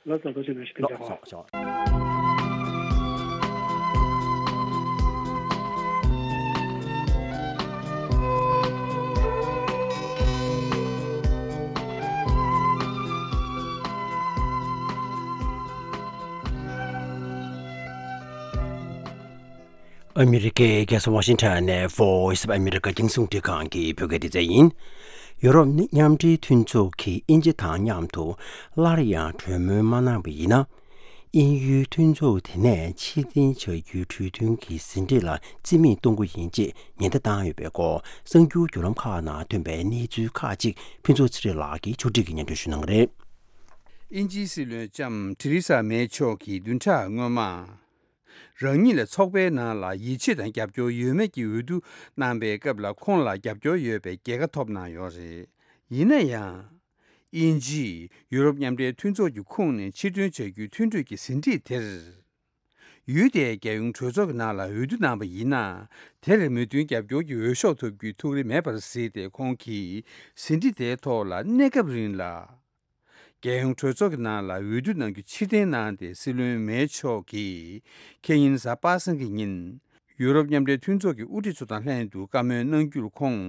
ལགས། ལགས་སོ། ཐུགས་རྗེ་གནང་ཞུ། ཐུགས་རྗེ་གནང་། ལགས་སོ། ཨ་མི་རི་ཀའི་རྒྱལ་ས་ཝ་ཤིང་ཊོན་ནས་Voice of America རྒྱང་སྲིང་རླུང་འཕྲིན་ཁང་གི་བོད་སྐད་སྡེ་ཚན་ཡིན། ཡུ་རོབ་མཉམ་འབྲེལ་མཐུན་ཚོགས་ཀྱིས་དབྱིན་ཇི་དང་མཉམ་དུ་སླར་ཡང་གྲོས་མོལ་མ་གནང་བ་ཡིན་ན། དབྱིན་ཡུལ་མཐུན་ཚོགས་དེ་ནས་ཕྱིར་འཐེན་བྱ་རྒྱུའི་གྲོས་མཐུན་གྱི་ཟིན་བྲིས་ལ་རྩིས་མེད་གཏོང་རྒྱུ་ཡིན་ཅེས་ཉེན་བརྡ་བཏང་ཡོད་པའི་སྐོར་གསར་འགྱུར་བརྒྱུད་ལམ་ཁག་ནང་ཐོན་པའི་གནས་ཚུལ་ཁག་ཅིག་ཕུན་ཚོགས་ཚེ་རིང་ལགས་ཀྱིས་ཕྱོགས་སྒྲིག་གིས་སྙན་སྒྲོན་ཞུ་གནང་གི་རེད། དབྱིན་ཇིའི་སྲིད་བློན་ལྕམ་ཐེ་རེ་ས་མེ་མཆོག་གིས་བདུན་ཕྲག་སྔོན་མ། རང་ཉིད་ལ་ཚོགས་པའི་ནང་ལ་ཡིད་ཆེས་དང་རྒྱབ་སྐྱོར་ཡོད་མེད་ཀྱི་འོས་བསྡུ་གནང་པའི་སྐབས་ལ་ཁོང་ལ་རྒྱབ་སྐྱོར་ཡོད་པའི་རྒྱལ་ཁ་ཐོབ་གནང་ཡོད་རེད། ཡིན་ན་ཡང་། དབྱིན་ཇིས་ཡུ་རོབ་མཉམ་འབྲེལ་མཐུན་ཚོགས་ཀྱི་ཁོངས་ནས་ཕྱིར་ཐོན་བྱ་རྒྱུའི་མཐུན་གྲོས་ཀྱི་ཟིན་བྲིས་དེར། ཡུལ་དེའི་རྒྱལ་ཡོངས་གྲོས་ཚོགས་ཀྱི་ནང་ལ་འོས་བསྡུ་གནང་པ་ཡིན་ན། དེར་མོས་མཐུན་རྒྱབ་སྐྱོར་གྱི་འོས་ཤོག་ཐོབ་རྒྱུའི་ཐུགས་རེ་མེད་པར་གཟིགས་ཏེ། ཁོང་གིས་ཟིན་བྲིས་དེའི་ཐོག་ལ་གནས་སྐབས་རིང་ལ། རྒྱལ་ཡོངས་གྲོས་ཚོགས་ཀྱི་ནང་ལ་འོས་བསྡུ་གནང་རྒྱུ་ཕྱིར་འཐེན་གནང་སྟེ། སྲིད་བློན་མེ་མཆོག་གིས་ཁེ་ཉིན་གཟའ་པ་སངས་ཀྱི་ཉིན། ཡུ་རོབ་མཉམ་འབྲེལ་མཐུན་ཚོགས་ཀྱི་དབུ་ཁྲིད་ཚོ་དང་ལྷན་དུ་བཀའ་མོལ་གནང་རྒྱུར། ཁོང་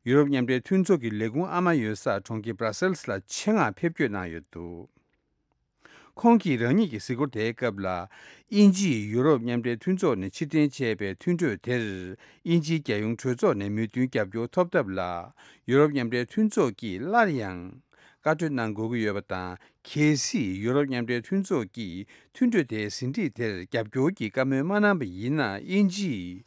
ཡུ་རོབ་མཉམ་འབྲེལ་མཐུན་ཚོགས་ཀྱི་ལས་ཁུངས་ཨ་མ་ཡོད་ས་གྲོང་ཁྱེར་Brussels ལ་ཆེད་མངགས་ཕེབས་སྐྱོད་གནང་ཡོད་འདུག་ཁོང་གིས་རང་ཉིད་ཀྱི་གཟིགས་སྐོར་དེའི་སྐབས་ལ། དབྱིན་ཇིས་ཡུ་རོབ་མཉམ་འབྲེལ་མཐུན་ཚོགས་ནས་ཕྱིར་འཐེན་བྱས་པའི་མཐུན་གྲོས་དེར། དབྱིན་ཇིའི་རྒྱལ་ཡོངས་གྲོས་ཚོགས་ནས་མོས་མཐུན་རྒྱབ་སྐྱོར་ཐོབ་ཐབས་ལ། ཡུ་རོབ་མཉམ་འབྲེལ་མཐུན་ཚོགས་ཀྱིས་སླར་ཡང་བཀའ་གྲོས་གནང་དགོས་ཀྱི་ཡོད་པ་དང་། གལ་སྲིད་ཡུ་རོབ་མཉམ་འབྲེལ་མཐུན་ཚོགས་ཀྱིས་མཐུན་གྲོས་དེའི་ཟིན་བྲིས་དེར་རྒྱབ་སྐྱོར་གྱི་བཀའ་མོལ་མ་གནང་པ་ཡིན་ན། དབྱིན་ཇིས་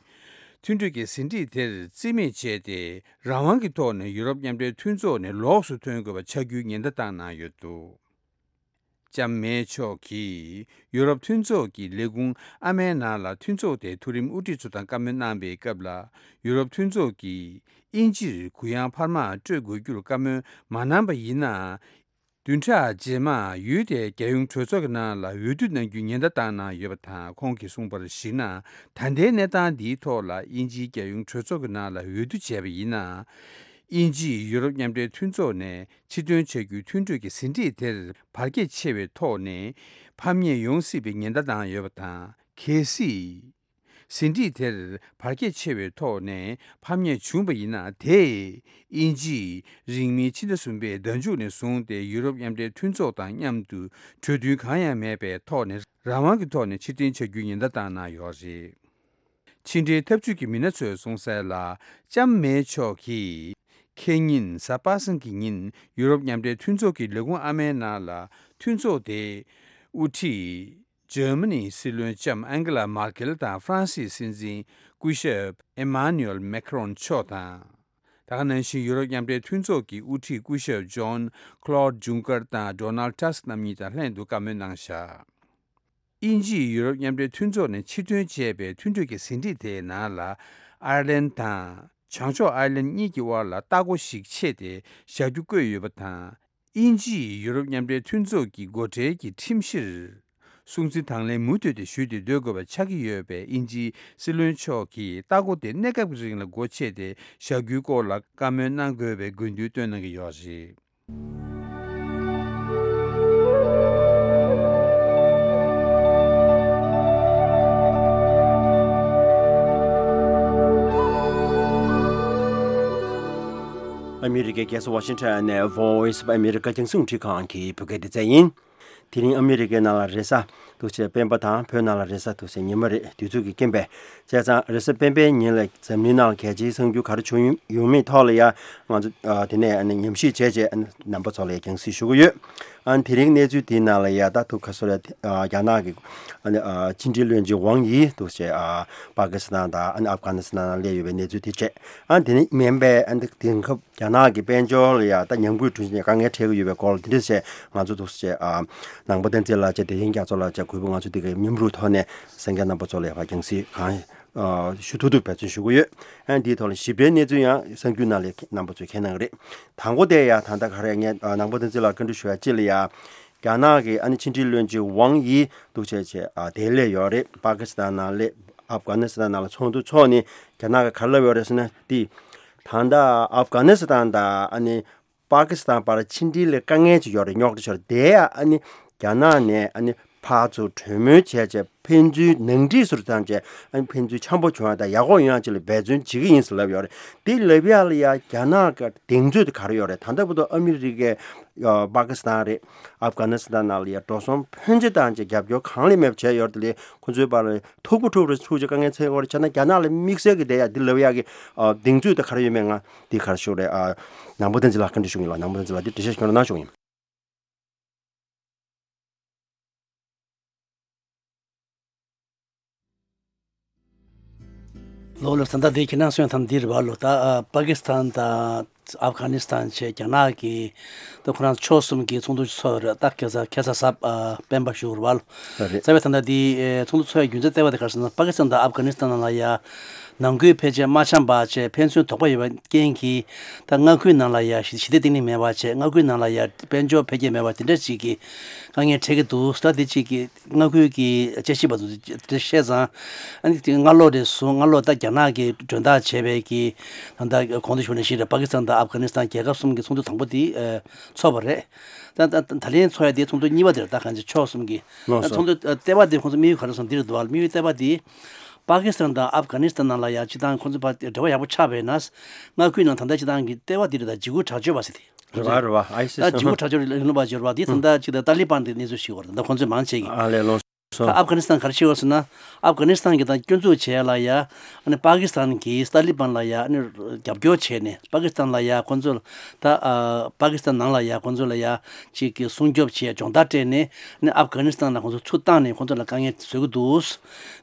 མཐུན་གྲོས་ཀྱི་ཟིན་བྲིས་དེར་རྩིས་མེད་བྱས་ཏེ། རང་དབང་གི་ཐོག་ནས་ཡུ་རོབ་མཉམ་འབྲེལ་མཐུན་ཚོགས་ནས་ལོགས་སུ་ཐོན་དགོས་པ་ཆགས་རྒྱུའི་ཉེན་བརྡ་བཏང་གནང་ཡོད་འདུག་ལྕམ་མེ་མཆོག་གིས་ཡུ་རོབ་མཐུན་ཚོགས་ཀྱི་ལས་ཁུངས་ཨ་མའི་ནང་ལ་མཐུན་ཚོགས་དེའི་མཐོ་རིམ་དབུ་ཁྲིད་ཚོ་དང་བཀའ་མོལ་གནང་པའི་སྐབས་ལ། ཡུ་རོབ་མཐུན་ཚོགས་ཀྱིས་དབྱིན་ཇིར་གུ་ཡངས་འཕར་མ་སྤྲོད་དགོས་རྒྱུར་བཀའ་མོལ་མ་གནང་པ་ཡིན་ན། བདུན་ཕྲག་རྗེས་མར་ཡུལ་དེའི་རྒྱལ་ཡོངས་གྲོས་ཚོགས་ཀྱི་ནང་ལ་འོས་བསྡུ་གནང་རྒྱུའི་ཉེན་བརྡ་བཏང་གནང་ཡོད་པ་དང་། ཁོང་གིས་གསུངས་པར་གཞིགས་ན། ད་ལྟའི་གནས་སྟངས་འདིའི་ཐོག་ལ་དབྱིན་ཇིའི་རྒྱལ་ཡོངས་གྲོས་ཚོགས་ཀྱི་ནང་ལ་འོས་བསྡུ་བྱས་པ་ཡིན་ན། དབྱིན་ཇིས་ཡུ་རོབ་མཉམ་འབྲེལ་མཐུན་ཚོགས་ནས་ཕྱིར་ཐོན་བྱ་རྒྱུའི་མཐུན་གྲོས་ཀྱི་ཟིན་བྲིས་དེར་བར་ཁྱད་ཆེ་བའི་ཐོག་ནས་ཕམ་ཉེས་ཡོང་སྲིད་པའི་ཉེན་བརྡ་བཏང་ཡོད་པ་དང་། གལ་སྲིད། ཟིན་བྲིས་དེར་བར་ཁྱད་ཆེ་བའི་ཐོག་ནས་ཕམ་ཉེས་བྱུང་བ་ཡིན་ན། དེས་དབྱིན་ཇིས་རིང་མིན་ཕྱི་ཟླ་གསུམ་པའི་ཟླ་མཇུག་ནས་བཟུང་སྟེ་ཡུ་རོབ་མཉམ་འབྲེལ་མཐུན་ཚོགས་དང་མཉམ་དུ་གྲོས་མཐུན་གང་ཡང་མེད་པའི་ཐོག་ནས་རང་དབང་གི་ཐོག་ནས་ཕྱིར་འཐེན་བྱ་རྒྱུའི་ཉེན་བརྡ་བཏང་གནང་ཡོད་རེད། ཕྱི་འབྲེལ་འཐབ་ཇུས་ཀྱི་མི་སྣ་ཚོས་གསུངས་གསལ་ལ། ལྕམ་མེ་མཆོག་གིས་ཁེ་ཉིན་གཟའ་པ་སངས་ཀྱི་ཉིན་ཡུ་རོབ་མཉམ་འབྲེལ་མཐུན་ཚོགས་ཀྱི་ལས་ཁུངས་ཨ་མའི་ནང་ལ་མཐུན་ཚོགས་དེའི་དབུ་ཁྲིད། འཇར་མ་ནིའི་སྲིད་བློན་ལྕམ་ཨན་གེ་ལ་མར་ཀེལ་དང་ཧྥ་རན་སིའི་སྲིད་འཛིན་སྐུ་ཞབས་ཨེ་མཱ་ནུ་ཨེལ་མེ་ཁ་རོན་མཆོག་དང་། ད་ག་ནང་བཞིན་ཡུ་རོབ་མཉམ་འབྲེལ་མཐུན་ཚོགས་ཀྱི་དབུ་ཁྲིད་སྐུ་ཞབས་ཇོན་ཁ་ལོད་ཇུང་ཀར་དང་ཌོ་ནལ་ཊ་སི་རྣམ་གཉིས་དང་ལྷན་དུ་བཀའ་མོལ་གནང་བཞག་དབྱིན་ཇིས་ཡུ་རོབ་མཉམ་འབྲེལ་མཐུན་ཚོགས་ནས་ཕྱིར་ཐོན་བྱས་པའི་མཐུན་གྲོས་ཀྱི་ཟིན་བྲིས་དེའི་ནང་ལ། ཨར་ལན་དང་བྱང་ཕྱོགས་ཨར་ལན་གཉིས་ཀྱི་དབར་ལ་ལྟ་སྒོ་ཞིག་ཕྱེ་སྟེ་བཞག་རྒྱུ་བཀོད་ཡོད་པ་དང་། དབྱིན་ཇིས་ཡུ་རོབ་མཉམ་འབྲེལ་མཐུན་ཚོགས་ཀྱི་སྒོ་ཁྲལ་གྱི་ཁྲིམས་གཞིར་སྲུང་བརྩི་དང་ལེན་མུ་མཐུད་དེ་ཞུས་ཏེ་སྡོད་དགོས་པ་ཆགས་ཀྱི་ཡོད་པས། དབྱིན་ཇིའི་སྲིད་བློན་མཆོག་གིས་ལྟ་སྒོ་དེ་གནས་སྐབས་ཀྱི་རིང་ལ་སྒོ་ཕྱེ་སྟེ་བཞག་རྒྱུའི་སྐོར་ལ་བཀའ་མོལ་གནང་དགོས་པའི་དགོས་འདུན་བཏོན་གནང་གི་ཡོད་རེད། ཨ་མི་རི་ཀའི་རྒྱལ་ས་ཝ་ཤིང་ཊོན་ནས་Voice of America རྒྱང་སྲིང་རླུང་འཕྲིན་ཁང་གི་བོད་སྐད་སྡེ་ཚན་ཡིན། དེ་རིང་ཨ་མི་རི་ཀའི་ནང་ལ་རེས་གཟའ་འདུག་བྱས་སྤེན་པ་དང་བོད་ནང་ལ་རེས་གཟའ་འདུག་བྱས་ཉི་མ་རེད། དུས་ཚོད་ཀྱི་རྐྱེན་པས། བྱས་ཙང་རེས་གཟའ་སྤེན་པའི་ཉིན་ལ་འཛམ་གླིང་ནང་ལ་གལ་ཆེའི་གསར་འགྱུར་ག་རེ་བྱུང་ཡོད་མེད་ཐོག་ལ་ཡ་ང་ཚོ་ཨ་དེ་ནས་ཨ་ནི་ཉམས་ཞིབ་བྱས་རྗེས་ཨ་ནི་རྣམ་པ་ཚོ་ལ་ཡ་རྒྱང་སྲིང་ཞུ་གི་ཡོད། ཨ་ནི་དེ་རིང་གནས་ཚུལ་དེའི་ནང་ལ་ཡ་ད་ཐུག་ཁ་སོ་ལ་ཨ་རྒྱ་ནག་གི་ཨ་ནི་ཨ་ཕྱི་འབྲེལ་བློན་ཆེན་ཝང་ཡི་འདུག་བྱས་ཨ་པ་ཀི་སི་ཐན་དང་ཨ་ནི་ཨབ་གྷ་ནི་སི་ཐན་ནང་སླེབས་ཡོད་པའི་གནས་ཚུལ་དེ་བྱས། ཨ་ནི་དེ་ནི་མིན་པའི་ཨ་ནི་དེང་སྐབས་རྒྱ་ནག་གི་དཔལ་འབྱོར་ལ་ཡ་ད་ཉམས་རྒུད་འགྲོ་བཞིན་དཀའ་ངལ་འཕྲད་ཀྱི་ཡོད་པའི་སྐོར་ལ་དེ་འདྲ་བྱས་ང་ཚོ་འདུག་བྱས་ཨ་ནང་པ་བསྟན་འཛིན་ལགས་བཅས་བདེ་ཆེན་རྒྱ་མཚོ་ལགས་བཅས་གུས་པ་ང་ཚོ་འདི་གའི་མཉམ་རུབ་ཐོག་ནས་གསན་མཁན་རྣམ་པ་ཚོ་ལ་ཡ་ཕར་རྒྱང་སྲིང་གང་ཨ་ཞུ་ཐུབ་ཐུབ་འབད་བརྩོན་ཞུ་གི་ཡོད། ཨ་ནི་འདིའི་ཐོག་ལ་ཞིབ་ཕྲའི་གནས་ཚུལ་ཡང་གསར་འགྱུར་ནང་ལ་རྣམ་པ་ཚོས་མཁྱེན་གནང་གི་རེད། དང་པོ་དེ་ཡ་ད་ལྟ་ག་རེ་ངས་ཨ་ནང་པ་བསྟན་འཛིན་ལགས་བཀའ་འདྲི་ཞུ་ཡ་གཅིག་ལ་ཡ། རྒྱ་ནག་གི་ཨ་ནི་ཕྱི་འབྲེལ་བློན་ཆེན་ཝང་ཡི་འདུག་བྱས་བྱས་ཨ་དེ་སླེབས་ཡོད་རེད། པ་ཀི་སི་ཐན་ནང་སླེབས། ཨབ་གྷ་ནི་སི་ཐན་ནང་ལ་ཚོགས་འདུ་འཚོགས་ནས་རྒྱ་ནག་གི་ག་རེ་ལབ་ཡོད་རེད་ཟེར་ན་དེ། ད་ལྟ་ཨབ་གྷ་ནི་སི་ཐན་དང་ཨ་ནི་པ་ཀི་སི་ཐན་བར་ཕྱི་འབྲེལ་ལ་དཀའ་ངལ་ཅིག་ཡོད་རེད། རྙོག་དྲ་ཅིག་ཡོད་རེད། དེ་ཡ་ཨ་ནི་རྒྱ་ནག་ནས་ཨ་ནི་ཕར་ཚུར་གྲོས་མོལ་བྱས་བྱས་ཕན་ཚུན་ནང་འགྲིག་སུ་བཏང་བྱས་ཨ་ནི་ཕན་ཚུན་འཆམ་པོ་བྱུང་ཡ་དང་ཡག་པོ་ཡོང་ཡ་ཅིག་ལ་འབད་བརྩོན་བྱེད་ཀྱི་ཡིན་ཟེར་ལབ་ཡོད་རེད། དེ་ལབ་ཡ་ལ་ཡ་རྒྱ་ནག་གི་གདེང་ཚོད་དེ་ག་རེ་ཡོད་རེད། ད་ལྟ་བར་དུ་ཨ་མི་རི་ཀས་ཨ་པ་ཀི་སི་ཐན་རེད། ཨབ་གྷ་ནི་སི་ཐན་ནང་ལ་ཡ་འགྲོ་སོང་ཕོན་ཆེ་བཏང་བྱས་རྒྱབ་སྐྱོར་གང་ལས་མེད་པ་བྱས་ཡོད་རེད། དེ་ལས་ཁོ་ཚོའི་བར་ལ་འཐུག་པ་འཁྲུག་པ་འཁྲུག་བྱས་དཀའ་ངལ་འཚོལ་གྱི་ཡོད་རེད། བྱས་ན་རྒྱ་ནག་ལ་དམིགས་བསལ་གྱི་དེ་ཡ་འདི་ལབ་ཡ་གི་ཨ་གདེང་ཚོད་དེ་ག་རེ་ཡོད་མེད་ང་འདི་ག་རེ་ཞུ་རེད། ཨ་ནང་པ་བསྟན་འཛིན་ལགས་བཀའ་འདྲི་ཞུ་གི་ཡིན་ལ། ནང་པ་བསྟན་འཛིན་ལགས་འདི་འགྲེལ་བཤད་ཞུ་རོགས་གནང་ཞུ་གི་ཡིན། ལོ་ལ་ད་ལྟ་དེ་ཁྱེད་རང་གསོན་ཐམ་འདིར་བ་ལོ་ད་ཨ་པ་ཀི་སི་ཐན་དང་ཨབ་གྷ་ནི་སི་ཐན་བཅས་རྒྱ་ནག་གི་ད་ཁོ་རང་ཕྱོགས་གསུམ་གྱི་ཚོགས་འདུ་ཚོགས་རེད། ད་ཁ་སང་ཁ་སང་གཟའ་སྤེན་པ་ཞུ་བར་བ་ལོ། ད་རེད། རྩ་བའི་ད་ལྟ་དེ་ཚོགས་འདུ་ཚོགས་ཡ་རྒྱུ་མཚན་ལྟེ་བ་དེ་ག་རེ་ཟེར་ན་པ་ཀི་སི་ཐན་དང་ཨབ་གྷ་ནི་སི་ཐན་ནང་ལ་ཡ་ནང་ཁུལ་ཕལ་ཆེར་མ་འཆམ་པ་བཅས་ཕན་ཚུན་དོགས་པ་ཡོད་པའི་རྐྱེན་གྱིས་ད་མངའ་ཁུལ་ནང་ལ་ཡ་ཞི་ཞི་བདེ་བརྟན་ལྷིང་མེད་པ་བཅས་མངའ་ཁུལ་ནང་ལ་ཡ་དཔལ་འབྱོར་འཕེལ་རྒྱས་མེད་པ་དེ་འདྲ་ཞིག་གི་དཀའ་ངལ་འཕྲད་ཀྱི་འདུག་ད་དེ་གཅིག་གི་མངའ་ཁུལ་གྱི་དཔྱད་ཞིབ་པ་ཚོས་དེ་བཤད་ཙང་། ཨ་ནི་དེ་སྔ་ལོགས་རེ་ཟུང་སྔ་ལོགས་ད་རྒྱ་ནག་གིས་མགྲོན་བདག་བྱས་པའི་གི་ད་ལྟ་གོང་དུ་ཞུས་ནང་བཞིན་རེད། པ་ཀི་སི་ཐན་དང་ཨབ་གྷ་ནི་སི་ཐན་རྒྱལ་ཁབ་གསུམ་གྱི་ཚོགས་འདུ་དང་པོ་དེ་ཨ་ཚོགས་པ་རེད། ད་ད་ད་ལན་ཚོགས་ཡ་དེ་ཚོགས་འདུ་གཉིས་པ་དེ་རེད། ད་གང་ཅི་ཕྱོགས་གསུམ་གྱི་ལགས་སོ། ཚོགས་འདུ་ཨ་ལྟེ་བ་དེ་ཁོང་ཚོ་དམིགས་ཡུལ་ག་རེ་སོང་འདི་རེད་འདུག་བ། དམིགས་ཡུལ་ལྟེ་བ་དེ་པ་ཀི་སི་ཐན་དང་ཨབ་གྷ་ནི་སི་ཐན་ནང་ལ་ཡ་སྤྱི་བཏང་ཁོང་ཚོ་བར་འབྲེལ་བ་ཡག་པོ་ཆགས་པས་ན་མངའ་ཁུལ་ནང་ད་ལྟ་སྤྱི་བཏང་གི་ལྟེ་བ་དེ་རེད། ད་འཇིགས་སྐུལ་དྲག་སྤྱོད་པ་ཟེར་དེ། རེད་བ། རེད་བ། ཨའི་སི་ད་སི་འཇིགས་སྐུལ་དྲག་སྤྱོད་ལས་ལུང་པ་འབྱོར་བ་འདི་ད་ལྟ་ཅིག་ད་ཏཱ་ལི་པན་དེ་གནས་ཚུལ་ཞིག་བར་ད་ཁོང་ཚོས་མང་ཆེ་གི་ཨ་ལས་ལོ་ད་སོ། ཨབ་གྷ་ནི་སི་ཐན་ག་རེ་བྱེད་བ་ཟེར་ན། ཨབ་གྷ་ནི་སི་ཐན་གྱི་ད་སྐྱོན་འཛུགས་བྱས་ལ་ཡ་ཨ་ནི་པ་ཀི་སི་ཐན་གྱིས་ཏཱ་ལི་པན་ལ་ཡ་ཨ་ནི་རྒྱབ་སྐྱོར་བྱས་ནས་པ་ཀི་སི་ཐན་ལ་ཡ་ཁོང་ཚོ་ད་ཨ་པ་ཀི་སི་ཐན་ནང་ལ་ཡ་ཁོང་ཚོ་ལ་ཡ་ཅིག་གི་སྲུང་སྐྱོབ་བྱས་སྦྱོང་བརྡར་སྤྲད་ནས་ཨ་ནི་ཨབ་གྷ་ནི་སི་ཐན་ལ་ཁོང་ཚོ་ཚུར་བཏང་ནས་ཁོང་ཚོ་ལ་དཀའ་ངལ་བཟོ་གི་འདུག་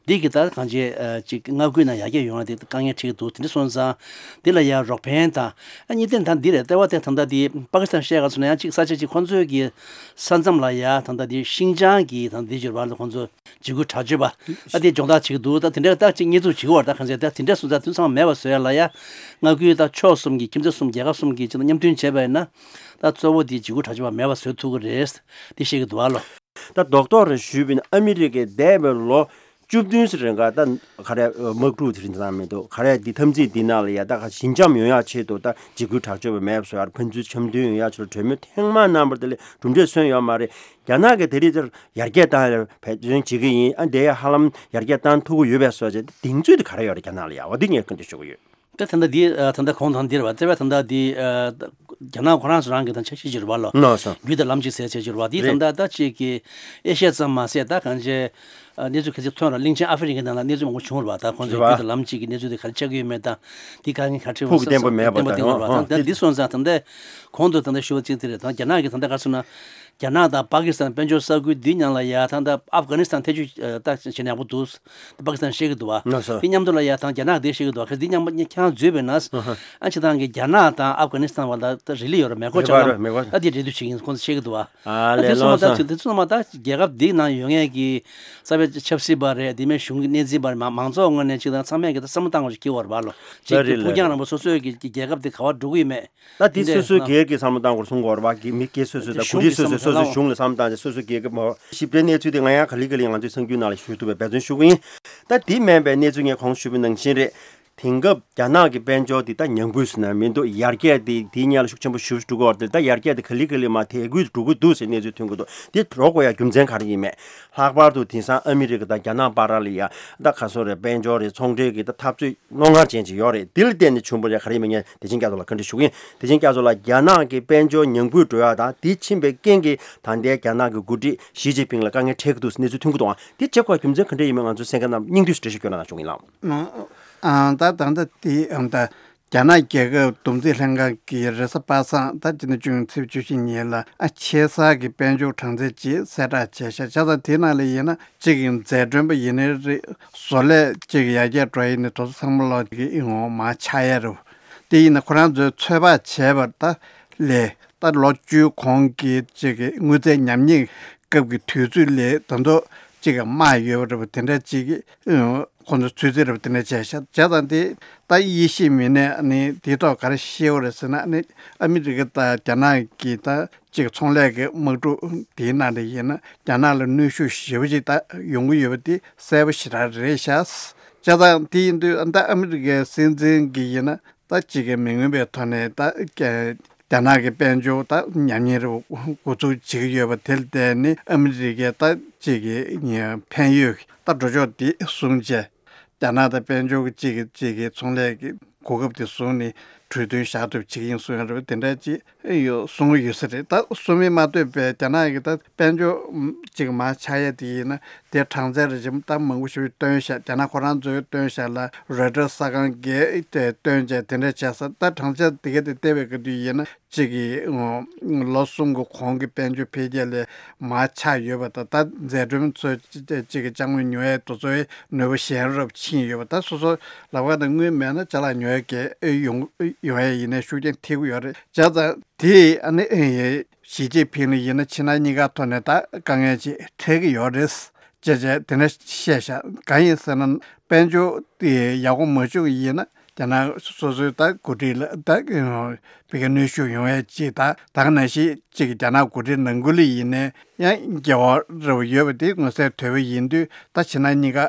འདི་གི་ད་གང་ཅི་ཨ་ཅིག་མངའ་ཁུལ་ནང་ཡར་རྒྱས་ཡོང་ཡ་དེ་དཀའ་ངལ་འཕྲད་ཀྱི་འདུག་དེ་འདྲ་སོང་ཙང་འདི་ལ་ཡ་རོགས་ཕན་དང་ཨ་གཉིས་ལྡན་ད་འདི་རེད། ལྟེ་བ་དེ་ད་ལྟ་དེ་པ་ཀི་སི་ཐན་བཤད་ག་ཚོད་ན་ཡང་ཅིག་ས་ཆ་ཅིག་ཁོང་ཚོའི་གི་ས་མཚམས་ལ་ཡ་ད་ལྟ་དེ་ཤིང་ཅང་གི་ད་འདི་འབྱོར་བ་ལ་ཁོང་ཚོ་འཇིགས་སྐུལ་དྲག་སྤྱོད་པ་ཨ་དེ་སྦྱོང་བརྡར་བྱེད་ཀྱི་འདུག་ད་དེ་འདྲ་ད་ཅིག་གཉེར་འཛུགས་བྱེད་ཀྱི་བར་ད་གང་ཟེར་ད་དེ་འདྲ་སོང་ཙང་དུས་ཚང་མེད་པ་བཟོ་ཡ་ལ་ཡ་མངའ་ཁུལ་ད་ཕྱོགས་གསུམ་གི་ཁྱིམ་མཚེས་གསུམ་རྒྱལ་ཁབ་གསུམ་གྱི་ཅིག་ད་མཉམ་མཐུན་བྱས་པ་ཡིན་ན་ད་གཙོ་བོ་དེ་འཇིགས་སྐུལ་དྲག་སྤྱོད་པ་མེད་པ་བཟོ་ཐུབ་ཀྱི་རེད། འདི་བཤད་ཀྱི་འདུག་ཨ་ལོ། ད་རྡོག་རྡོག་རེ་ཞུས་པ་ཡིན་ན་ཨ་མི་རི་ཀས་འདས་པའི་ལོ་བཅུ་བདུན་ཙམ་རིང་ག་ད་ག་རེ་དམག་འཁྲུག་དེ་རིང་ཙམ་མི་འདུག་ག་རེ་འདི་འཐབ་འཛིང་འདི་ནང་ལ་ཡ་ད་ག་ཞི་འཇམ་ཡོང་ཡ་ཆེད་དུ་ད་འཇིགས་སྐུལ་དྲག་སྤྱོད་པ་མེད་པ་བཟོ་ཡ་ཕན་ཚུན་འཆམ་མཐུན་ཡོང་ཡ་ཆེད་དུ་གྲོས་མོལ་ཐེངས་མང་གནང་བར་དེ་ལས་གྲུབ་འབྲས་སོན་ཡོད་མ་རེད། རྒྱ་ནག་གིས་དེ་རིང་ཙམ་ཡར་རྒྱས་བཏང་ཡ་འབད་བརྩོན་བྱེད་ཀྱི་ཡིན། ཨ་འདི་ཡ་ཧ་ལམ་ཡར་རྒྱས་བཏང་ཐུབ་ཀྱི་ཡོད་པའི་བཟོ་བྱས་གདེང་ཚོད་དེ་ག་རེ་ཡོད་རེད་རྒྱ་ནག་ལ་ཡ། འོ་འདི་ངས་བཀའ་འདྲི་ཞུ་གི་ཡོད། ད་ད་ལྟ་འདི་ཨ་ད་ལྟ་གོང་དང་འདིར་བ་རྩ་བའི་ད་ལྟ་འདི་ཨ་རྒྱ་ནག་ཁོ་རང་ཚོ་རང་གི་དང་འཆར་གཞི་བསྒྱུར་བ་ལོ། ལགས་སོ། རྒྱུད་དང་ལམ་གཅིག་ཟེར་བྱས་བསྒྱུར་བ་འདི་ད་རེད། ལྟ་ད་ཅིག་གི་ཨེ་ཤ་ཡ་ཙམ་མ་ཟད་ད་གང་ཅི་ཨ་གནས་ཚུལ་གལ་ཆེ་ཐོན་ར་གླིང་ཆེན་ཨ་ཧྥེ་རི་ཁའི་ནང་ལ་གནས་ཚུལ་མང་པོ་བྱུང་ར་བ། ད་ཁོང་ཚོའི་རེད་བ། རྒྱུད་དང་ལམ་གཅིག་གི་གནས་ཚུལ་དེ་ག་རེ་ཆགས་ཀྱི་ཡོད་མེད་དང་འདི་ག་ངས་ག་ཁྲིད་ཕུགས་ཀྱི་བརྟན་པོ་མེད་པ་བརྟན་པོ་དང་བརྟན་པོ་ཨ་ར་བ། ད་ཨ་འདི་སོང་ཙང་ད་ལྟ་གོང་དུ་ད་ལྟ་ཞུ་བ་ཅིག་དེ་རེད། ད་རྒྱ་ནག་གི་ད་ལྟ་ག་རེ་ཟེར་ན། རྒྱ་ནག་དང་པ་ཀི་སི་ཐན་དཔལ་འབྱོར་ས་ཁུལ་འདི་མཉམ་ལ་ཡ་ད་ལྟ་ཨབ་གྷ་ནི་སི་ཐན་ཐེ་བྱུས་ད་བྱེད་ན་ཡག་པོ་འདུག་པ་ཀི་སི་ཐན་བཤད་ཀྱི་འདུག་བ། ལགས་སོ། དེ་མཉམ་དུ་ལ་ཡ་ད་རྒྱ་ནག་དེ་བཤད་ཀྱི་འདུག་བ། གལ་སྲིད་འདི་མཉམ་པ་མཉམ་ཁྱང་འཛུལ་བས་ན། ཨ་ནི་ཨ་ཅི་ཐང་གི་རྒྱ་ནག་དང་ཨབ་གྷ་ནི་སི་ཐན་བར་ལ་ད་རི་ལི་ཡོད་ར་མེ་འཁོར་མེ་འཁོར་ཆགས་ལ་མེ་འཁོར་ཨ་དེ་འབྲེལ་མཐུད་བྱེད་ཀྱི་ཡིན་ཁོང་ཚོ་བཤད་ཀྱི་འདུག་བ། ཨ་ཨ་ལས་དེ་ཚོ་མ་ལོངས་ད་སོ། དེ་ཚོ་མ་ད་རྒྱལ་ཁབ་འདི་ནང་ཡོད་མཁན་གྱི་རྩ་བའི་ཆབ་སྲིད་པ་རེད། དེ་མིན་གཞུང་གི་སྣེ་འཛིན་པ་རེད། མ་མང་ཚོགས་ངོས་ནས་ཅིག་དང་ཚང་མས་ཀྱི་ད་བསམ་བློ་བཏང་དགོས་ཞིག་གི་བར་བ་ལོ། ཅིག་ད་གི་རེད་ཕུགས་རྒྱང་ལས་རིང་པོ་སོ་སོའི་གི་རྒྱལ་ཁབ་དེ་ག་བར་འགྲོ་གི་ཡོད་མེད། ད་དེ་སོ་སོའི་སྒེར་གྱི་བསམ་བློ་བཏང་དགོས་གསུང་དགོས་རེད་བ། མི་སྒེར་སོ་སོའི་ད་གོ་སྒྲིག་སོ་སོའི་སོ་སོའི་གཞུང་ལ་བསམ་བློ་བཏང་བྱས་སོ་སོའི་སྒེར་གྱི་མ་ཞིབ་ཕྲའི་གནས་ཚུལ་དེ་ང་ཡང་ག་ལེ་ག་ལེ་ང་ཚོའི་གསར་འགྱུར་ནང་ལ་ཞུ་ཐུབ་པའི་འབད་བརྩོན་ཞུ་གི་ཡིན། ད་དེ་མིན་པའི་གནས་ཚུལ་ངས་གོང་ཞུས་པ་ནང་བཞིན་རེད། དེང་སྐབས་རྒྱ་ནག་གི་དཔལ་འབྱོར་དེ་ད་ཉམས་རྒུད་ཟེར་ན་མི་འདུག་ཡར་རྒྱས་དེ་དེའི་སྔོན་ལ་ཤུགས་ཆེན་པོ་ཞེ་པོ་ཅིག་འགྲོ་གི་ཡོད་རེད་དེ། ད་ཡར་རྒྱས་དེ་ག་ལེ་ག་ལེ་མར་དལ་རྒུད་འགྲོ་གི་འདུག་ཟེར་གནས་ཚུལ་ཐོན་གྱི་འདུག་དེ་འགྲོ་དགོས་ཡ་རྒྱུ་མཚན་ག་རེ་ཡིན་མེད། ལྷག་པར་དུ་དེང་སང་ཨ་མི་རི་ཀ་དང་རྒྱ་ནག་བར་ལ་ཡ་ད་ག་རེ་ཟེར་དགོས་རེད། དཔལ་འབྱོར་རེད། ཚོང་འབྲེལ་གྱི་ད་འཐབ་རྩོད་རྣོ་ངར་ཅན་ཅིག་ཡོད་རེད། དེ་ལ་བརྟེན་ནས་བྱུང་བ་རེད། ག་རེ་ཡིན་མིན་ངས་བདེ་ཆེན་སྐྱབས་མགོན་ལ་བཀའ་འདྲི་ཞུ་གི་ཡིན། བདེ་ཆེན་སྐྱབས་མགོན་ལགས། རྒྱ་ནག་གི་དཔལ་འབྱོར་ཉམས་རྒུད་འགྲོ་ཡ་དང་དེ་ཕྱིན་པའི་རྐྱེན་གྱིས་ད་ལྟའི་རྒྱ་ནག་གི་འགོ་ཁྲིད་ཞི་ཅིན་ཕིང་ལ་དཀའ་ངལ་འཕྲད་ཀྱི་འདུག་ཟེར་གནས་ཚུལ་ཐོན་གྱི་འདུག་ཨང་། དེ་བྱེད་དགོས་རྒྱུ་མཚན་ག་འདྲ་ཡིན་མིན་ང་ཚོའི་གསན་མཁན་རྣམས་སྙིང་བསྡུས་ཤིག་འགྲེལ་བཤད་སྐྱོན་གནང་ཞུ་གི་ཡིན་ལགས། ཨང་། ད་ད་ལྟ་དེ་ཨང་ད་རྒྱ་ནག་རྒྱལ་ཁབ་བསྡོམས་རྩིས་ལྷན་ཁང་གིས་རེས་གཟའ་པ་སངས་ད་སྤྱི་ཟླ་བཅུ་གཉིས་ཚེས་བཅུ་བཞི་ཉིན་ལ་ཨ་ཆེ་ས་གི་དཔལ་འབྱོར་གྲངས་ཚད་ཅིག་གསལ་བསྒྲགས་བྱས་ཤག་བྱས་ཙང་དེ་ནང་ལ་ཡིན་ན་གཅིག་གི་འཛད་གྲོན་པ་ཡིན་ནའི་རེད། བཟོ་ལས་གཅིག་གི་ཡར་རྒྱས་འགྲོ་ཡིན་ནའི་དེ་ཚོ་ཚང་མ་ལོག་གི་ངོ་མ་ཆག་ཡས་རེད། དེ་ཡིན་ན་ཁོ་རང་ཚོས་ཚོད་དཔག་བྱས་པ་ད་ལས་ད་ལོ་བཅུའི་གོང་གི་གཅིག་གི་དངུལ་རྩའི་ཉམས་ཉེས་སྐབས་ཀྱི་དུས་ཚོད་ལས་ད་དུང་གཅིག་གི་དམའ་ཡོད་པ་རེད་པ། དེ་འདྲ་གཅིག་གི་ཁོ་ཚོ་ཚོད་རྩིས་རེད་པ། དེ་འདྲ་བྱས་ཤག་བྱས་ཙང་དེ་ད་དབྱེ་ཞིབ་མི་སྣས་ནི་དེའི་ཐོག་ག་རེ་བཤད་ཡོད་རེད་ཟེར་ན་ནི་ཨ་མི་རི་ཀ་དང་རྒྱ་ནག་གི་ད་གཅིག་ཚོང་ལས་ཀྱི་དམག་འཁྲུག་དེའི་ནང་ལ་ཡིན་ན་རྒྱ་ནག་ལ་གནོན་ཤུགས་ཞེ་པོ་ཅིག་ད་ཡོང་གི་ཡོད་པ་དེ་གསལ་པོ་ཞེ་དྲག་རེད་ཤག་བྱས་ཙང་དེ་ཡིན་དུས་ད་ཨ་མི་རི་ཀའི་སྲིད་འཛིན་གྱི་ཡིན་ན་ད་གཅིག་གི་མི་མངོན་པའི་ཐོག་ནས་ད་རྒྱ་ནག་གི་དཔལ་འབྱོར་ད་ཉམས་ཉེས་རུ་འགོ་ཚུགས་བྱེད་ཀྱི་ཡོད་པ་དེ་ལ་བརྟེན་ནས་ཨ་མི་རི་ཀའི་ད་གཅིག་གི་ཕན་ཡོད་ད་འགྲོ་ཕྱོགས་དེ་བཟུང་བྱས། རྒྱ་ནག་དང་དཔལ་འབྱོར་གྱི་གཅིག་གི་གཅིག་གི་ཚོང་ལས་ཀྱི་གོ་སྐབས་དེ་བཟུང་ནས་གྲོས་མཐུན་བཞག་ཐུབ་བྱེད་ཀྱི་ཡིན་གསུངས་ཡོད་རེད་པ། དེ་འདྲ་ཅིག་ཡོད་གསུང་གི་ཡོད་ས་རེད། ད་གསུང་མིན་མ་གཏོགས་པའི་རྒྱ་ནག་གི་ད་དཔལ་འབྱོར་གཅིག་མར་ཆག་ཡས་དེ་ཡིན་ན་དེ་གྲངས་ཚད་རེ་ཅིག་ད་མང་པོ་ཞིག་བཏོན་ཤག་རྒྱ་ནག་ཁོ་རང་ཚོས་བཏོན་ཤག་ལ་རོའི་ཊར་གསར་ཁང་གིས་དེ་བཏོན་བྱས་དེ་འདྲ་བྱས་ས། ད་གྲངས་ཚད་དེ་ག་དེ་བལྟས་པའི་ག་དུས་ཡིན་ན། གཅིག་གི་ལོ་གསུམ་གྱི་གོང་གི་དཔལ་འབྱོར་འཕེལ་རྒྱས་ལས་མར་ཆག་ཡོད་པ་དང་། ད་འཛད་གྲོན་ཚོས་གཅིག་གི་ཅ་དངོས་ཉོ་ཡས་དེ་ཚོའི་ནུས་པ་ཞན་རུ་ཕྱིན་ཡོད་པ། ད་སོ་སོ་ལབ་ཀ་ན་དངུལ་མེད་ན་ཅ་ལག་ཉོ་ཡས་གལ་ཡོང་ཡོང་ཡས་ཡིན་ནའི་ཤུགས་རྐྱེན་ཐེབས་ཀྱི་ཡོད་རེད། བྱས་ཙང་དེ་ཨ་ནི་ཞི་ཅིན་ཕིང་ལ་ཡིན་ན་ཕྱི་ནང་གཉིས་ཀ་ཐོག་ནས་ད་དཀའ་ངལ་ཅིག་འཕྲད་ཀྱི་ཡོད་རེད། ཅེས་བྱས་དེ་འདྲ་བཤད་ཤག་གང་ཡིན་ཟེར་ན་དཔལ་འབྱོར་དེ་ཡག་པོ་མ་བྱུང་ཡིན་ན་རྒྱ་ནག་སོ་སོའི་ད་འགོ་ཁྲིད་ལ་ད་ཕ་གི་གནོན་ཤུགས་ཡོང་ཡས་ཅིག་ད་ད་ག་ནང་བཞིན་གཅིག་རྒྱ་ནག་འགོ་ཁྲིད་ནང་ཁུལ་ལ་ཡིན་ནའི་ཡང་འགལ་བ་རེ་བ་ཡོད་པ་དེ་མངོན་གསལ་དོད་པོ་ཡིན་དུས་ད་ཕྱི་ནང་གཉིས་ཀ་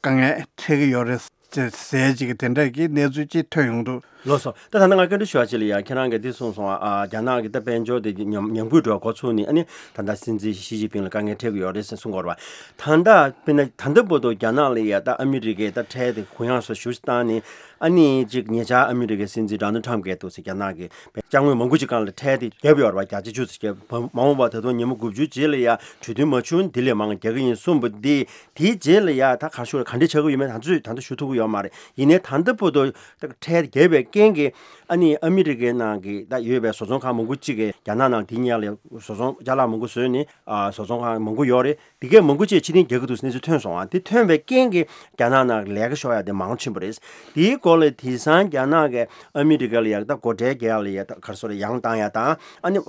དཀའ་ངལ་འཕྲད་ཀྱི་ཡོད་རེད་ཅེས་ཟེར་ཅིག་དེ་འདྲ་གི་གནས་ཚུལ་ཅིག་ཐོན་ཡོང་འདུག་ལགས་སོ། ད་ད་ལྟ་ང་བཀའ་འདྲི་ཞུ་བ་ཅིག་ལ་ཡ། ཁྱེད་རང་གིས་འདི་གསུངས་སོང་ཨ། རྒྱ་ནག་གི་ད་དཔལ་འབྱོར་དེ་ཉམས་ཉམས་རྒུད་འགྲོ་བ་འགོ་ཚུགས་ནས་ཨ་ནི་ད་ལྟ་སྲིད་འཛིན་ཞི་ཅིན་ཕིང་ལ་དཀའ་ངལ་འཕྲད་ཀྱི་ཡོད་རེད་ཟེར་གསུངས་ཡོད་རེད་པ། ད་ལྟ་དཔེར་ན་ད་ལྟ་བར་དུ་རྒྱ་ནག་ལ་ཡ་ད་ཨ་མི་རི་ཀས་ད་ཁྲལ་དེ་གུ་ཡངས་སུ་ཞེ་པོ་ཅིག་བཏང་ནས་ཨ་ནི་ཅིག་ཉེ་ཆར་ཨ་མི་རི་ཀའི་སྲིད་འཛིན་ཌོ་ནལ་ཊམ་གྱིས་འདུག་སེ་རྒྱ་ནག་གི་ཅ་དངོས་མང་པོ་ཅིག་སྒང་ལ་ཁྲལ་དེ་བརྒྱབ་ཡོད་རེད་པ། བརྒྱ་ཆ་བཅུ་ཙམ་བརྒྱབ། མ་འོངས་པ་ད་དུང་ཉིན་མོ་དགུ་བཅུའི་རྗེས་ལ་ཡ་གྲོས་མཐུན་མ་བྱུང་དེ་ལས་མང་རྒྱག་གི་ཡིན་གསུངས་པ་འདི། དེའི་རྗེས་ལ་ཡ་ད་ག་རེ་ཞུ་དགོས་རེད། ག་འདྲ་ཆགས་ཀྱི་ཡོད་མེད་ད་ཚོད་ད་ལྟ་ཞུ་ཐུབ་ཀྱི་ཡོད་མ་རེད། ཡིན་ནའི་ད་ལྟ་བར་དུ་ད་ཁྲལ་བརྒྱབ་པའི་རྐྱེན་གྱིས་ཨ་ནི་ཨ་མི་རི་ཀའི་ནང་གི་ད་ཡོད་པའི་བཟོ་ཚོང་ཁང་མང་པོ་ཅིག་གིས་རྒྱ་ནག་ནང་དེ་སྔོན་ལ་བཟོ་ཚོང་ཅ་ལག་མང་པོ་བཟོས་ནས་ཨ་བཟོ་ཚོང་ཁང་མང་པོ་ཡོད་རེད། དེ་གས་མང་པོ་ཅིག་ཕྱིར་འཐེན་རྒྱག་གི་འདུག་གནས་ཚུལ་ཐོན་སོང་ཨ། དེ་ཐོན་པའི་རྐྱེན་གྱིས་རྒྱ་ནག་ནང་ལས་ཀ་ཤོར་ཡ་དེ་མང་ཕྱིན་པ་རེད། དེའི་སྐོར་ལ་དེང་སང་རྒྱ་ནག་གིས་ཨ་མི་རི་ཀ་ལ་ཡ་ད་སྒོ་ཁྲལ་རྒྱག་ཡ་ལ་ཡ་ད་ག་རེ་ཟེར་ཡང་བཏང་ཡ་དང་ཨ་ནི་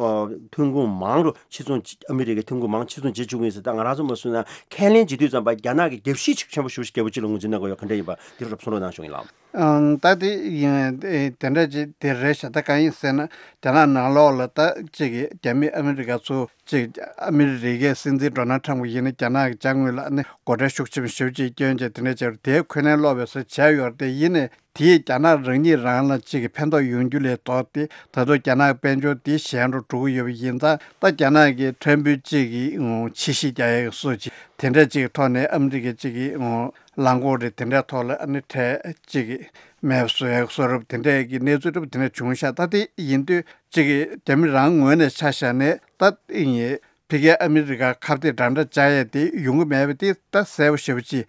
ཐོན་ཁུངས་མང་རུ་ཕྱིར་ཚོང་ཨ་མི་རི་ཀའི་ཐོན་ཁུངས་མང་ཕྱིར་ཚོང་བྱེད་བཅུག་གི་ཡིན་ཟེར། ད་ང་རང་ཚོ་མ་སུ་ན་ཁས་ལེན་བྱེད་དུས་ཙམ་པ་རྒྱ་ནག་གིས་རྒྱབ་བཤིག་ཆེན་པོ་ཞེ་པོ་ཞིག་བརྒྱབ་པ་ཅིག་ལ་ངོས་འཛིན་གནང་དགོས་ཡོད། ག་འདྲ་ཡིན་པ་འདི་རུ་གསུང་རོགས་གནང་ཞུ་ཡིན་ལགས། ཨང་། ད་དེ་ཡིན་དེ་འདྲ་ཅིག་དེ་རེད་ཤག་ད་གང་ཡིན་ཟེར་ན་རྒྱ་ནག་ནང་ལོགས་ལ་ད་གཅིག་གི་རྒྱ་མི་ཨ་མི་རི་ཀ་ཚོ་གཅིག་ཨ་མི་རི་ཀའི་སྲིད་འཛིན་ཌོ་ནལ་ཊམ་གྱིས་ཡིན་ན་རྒྱ་ནག་གི་ཅ་དངོས་ལ་ནི་སྒོ་ཁྲལ་ཤུགས་ཆེན་པོ་ཞེ་པོ་ཅིག་བསྐྱོན་བྱས་དེ་འདྲ་བྱས་རུ་དེའི་ཁས་ལེན་སློག་པའི་བཟོ་བྱས་ཡོད་རེད། དེ་ཡིན་ནའི་དེས་རྒྱ་ནག་རང་ཉིད་རང་ལ་གཅིག་གི་ཕན་ཐོགས་ཡོང་རྒྱུ་ལས་ལྡོག་སྟེ་ད་དུང་རྒྱ་ནག་དཔལ་འབྱོར་དེ་ཞན་རུ་འགྲོ་གི་ཡོད་པ་ཡིན་ཙང་ད་རྒྱ་ནག་གི་ཕྲན་བུ་གཅིག་གི་ཕྱིར་བཤིག་རྒྱག་ཡག་གི་སྲོལ་ཅིག་དེ་འདྲ་གཅིག་གི་ཐོག་ནས་ཨ་མི་རི་ཀའི་གཅིག་གི་རླངས་འཁོར་རེད་དེ་འདྲའི་ཐོག་ལ་ཨ་ནི་ཁྲལ་གཅིག་གི་མེད་པ་བཟོ་ཡག་གི་གསོལ་རབ་དེ་འདྲའི་གི་གནས་ཚུལ་འདྲ་པོ་དེ་འདྲ་བྱུང་ཤག་ད་དེ་ཡིན་དུས་གཅིག་གི་རྒྱ་མི་རང་ངོས་ནས་ཆ་བཞག་ནས་ད་ཨིན་ཡེ་ཕ་གིའི་ཨ་མི་རི་ཀར་ཁ་གཏད་འདྲ་འདྲ་བཅག་ཡས་དེ་ཡོང་གི་མེད་པ་དེ་ད་གསལ་པོ་ཞེ་པོ་ཅིག་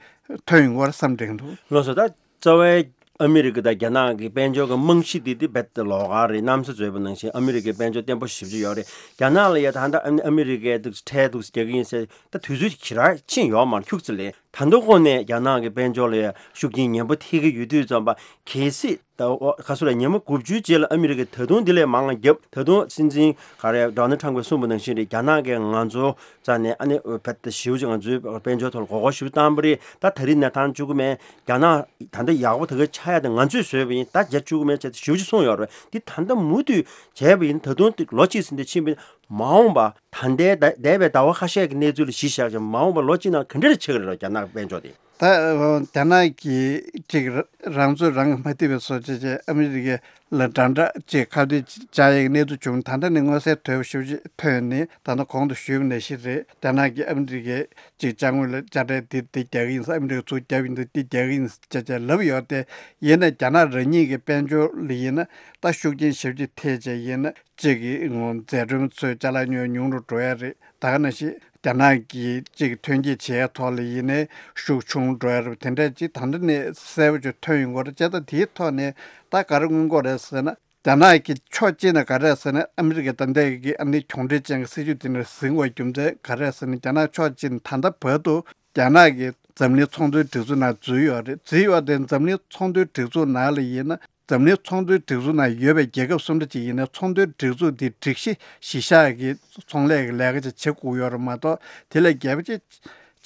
ཐོན་ཡོང་གི་རེད་བསམ་དྲན་འདུག་ལགས་སོ། ད་རྩ་བའི་ཨ་མི་རི་ཀ་དང་རྒྱ་ནག་གི་དཔལ་འབྱོར་གྱི་རྨང་གཞི་དེ་དེ་རྦད་དེ་ལོགས་ཀ་རེད། གནམ་ས་འཛོལ་བ་ནང་བཞིན་ཨ་མི་རི་ཀའི་དཔལ་འབྱོར་བརྟན་པོ་ཞེ་པོ་ཅིག་ཡོད་རེད། རྒྱ་ནག་ལ་ཡ་ད་ལྟ་ཨ་མི་རི་ཀས་འདུག་ཁྲལ་འདུག་རྒྱག་གི་ཡིན་ཟེར་ད་དུས་ཚོད་ཞེ་དྲག་ཕྱིན་ཡོད་མ་རེད། ཁྱུག་ཙམ་ལས་ད་དུང་ཁོ་ནས་རྒྱ་ནག་གི་དཔལ་འབྱོར་ལ་ཡ་ཤུགས་རྐྱེན་ངན་པ་ཐེབས་ཀྱི་ཡོད་དུས་ཙམ་པ་གལ་སྲིད་ད་ཨོ་ཁ་སོ་ར་ཉིན་མོ་དགུ་བཅུའི་རྗེས་ལ་ཨ་མི་རི་ཀས་ད་དུང་འདི་ལས་མང་བ་བརྒྱབ། ད་དུང་སྲིད་འཛིན་ག་རེ་ཌོ་ནལ་ཊམ་གྱིས་གསུངས་པ་ནང་བཞིན་རེད། རྒྱ་ནག་གིས་ང་ཚོ་རྩ་ནས་ཨ་ནི་བེད་ཞེ་པོ་ཅིག་ང་ཚོའི་དཔལ་འབྱོར་ཐོག་ལ་མགོ་སྐོར་ཞེ་པོ་བཏང་པ་རེད། ད་ད་རིང་ནས་བཏང་བཅུག་གི་མེད། རྒྱ་ནག་ད་ལྟ་ཡག་པོ་ད་ག་ཆགས་ཡ་དེ་ང་ཚོས་བཟོས་པ་ཡིན། ད་རྒྱག་བཅུག་གི་མེད་ཅེས་ཞེ་པོ་ཅིག་གསུངས་ཡོད་རེད། འདི་ད་ལྟ་མུ་མཐུད་བྱས་པ་ཡིན། ད་དུང་ལོ་གཅིག་ཟིན་ཏེ་ཕྱིན་པ་ཡིན། མ་འོངས་པ་ད་ལྟའི་ད་འདས་པའི་ཟླ་བ་ཁ་ཤས་ཀྱི་གནས་ཚུལ་ལ་གཞི་བཞག་ཅིང་མ་འོངས་པ་ལོ་གཅིག་ནང་ག་འདྲ་ཆགས་ཀྱི་རེད་ལ་རྒྱ་ནག་དཔལ་འབྱོར་དེ། ད་རྒྱ་ནག་གིས་ཅིག་རང་ཚོད་རང་གིས་མ་ཐེག་པའི་བཟོ་བྱས་བྱས་ཨ་མི་རི་ཀའི་ལ་འདྲ་འདྲ་ཅིག་ཁ་གཏད་བཅག་ཡས་ཀྱི་གནས་ཚུལ་བྱུང་། ད་ལྟ་ནས་མངོན་གསལ་དོད་པོ་ཞེ་པོ་ཅིག་ཐོན་ནས། ད་ལྟ་གོང་དུ་ཞུས་པ་ནང་བཞིན་རེད། རྒྱ་ནག་གིས་ཨ་མི་རི་ཀའི་ཅིག་ཅ་དངོས་ལ་དཔྱ་ཁྲལ་འདི་འདི་རྒྱག་གི་ཡིན་ཟེར། ཨ་མི་རི་ཀས་ཚུར་བརྒྱབ་ཡིན་འདུག་འདི་རྒྱག་གི་ཡིན་ཟེར་བྱས་བྱས་ལབ་ཡོད་དེ། ཡིན་ན་རྒྱ་ནག་རང་ཉིད་ཀྱི་དཔལ་འབྱོར་ལ་ཡིན་ན་ད་ཤུགས་རྐྱེན་ཞེ་པོ་ཅིག་ཐེབས་བྱས་ཡིན་ན། གཅིག་གི་ངོ་། འཛད་གྲོན་ཚོའི་ཅ་ལག་ཉོ་ཉུང་རུ་འགྲོ་ཡ་རེད། ད་ག་ནང་བཞིན་རྒྱ་ནག་གིས་གཅིག་ཐོན་སྐྱེད་བྱེད་ཡ་ཐོག་ལ་ཡིན་ནའི་ཤུགས་ཆུང་འགྲོ་ཡ་རེད། དེ་འདྲ་ཅིག་ད་ལྟ་ནས་གསལ་པོ་ཅིག་ཐོན་ཡོང་གི་རེད། བྱས་ཙང་དེའི་ཐོག་ནས་ད་ག་རེ་མངོན་གྱི་རེད་ཟེར་ན། རྒྱ་ནག་གི་ཕྱོགས་གཅིག་ནས་ག་རེ་ཟེར་ན། ཨ་མི་རི་ཀའི་ད་ལྟའི་གི་ཨ་ནི་གྱོང་འབྲེལ་ཅན་གྱི་སྲིད་ཇུས་དེ་འདྲ་འཛིན་དགོས་རྒྱུ་མཚན་ག་རེ་ཟེར་ན། རྒྱ་ནག་ཕྱོགས་གཅིག་ནས་ད་ལྟ་བར་དུ་རྒྱ་ནག་གིས་འཛམ་གླིང་ཚོང་དོན་སྒྲིག་འཛུགས་ནང་འཛུལ་ཡོད་རེད། འཛུལ་ཡོད་དེ་འཛམ་གླིང་ཚོང་དོན་སྒྲིག་འཛུགས་ནང་ལ་ཡིན་ན། འཛམ་གླིང་ཚོང་དོན་སྒྲིག་འཛུགས་ནང་ཡོད་པའི་རྒྱལ་ཁབ་སུ་འདྲ་ཅིག་ཡིན་ན་ཚོང་དོན་སྒྲིག་འཛུགས་འདི་སྒྲིག་གཞི་གཞི་བཞག་གི་ཚོང་ལས་ཀྱི་ལས་ཀ་ཅིག་བྱེད་དགོས་ཡོད་རེད་མ་གཏོགས། དེ་ལས་རྒྱས་པ་ཅིག་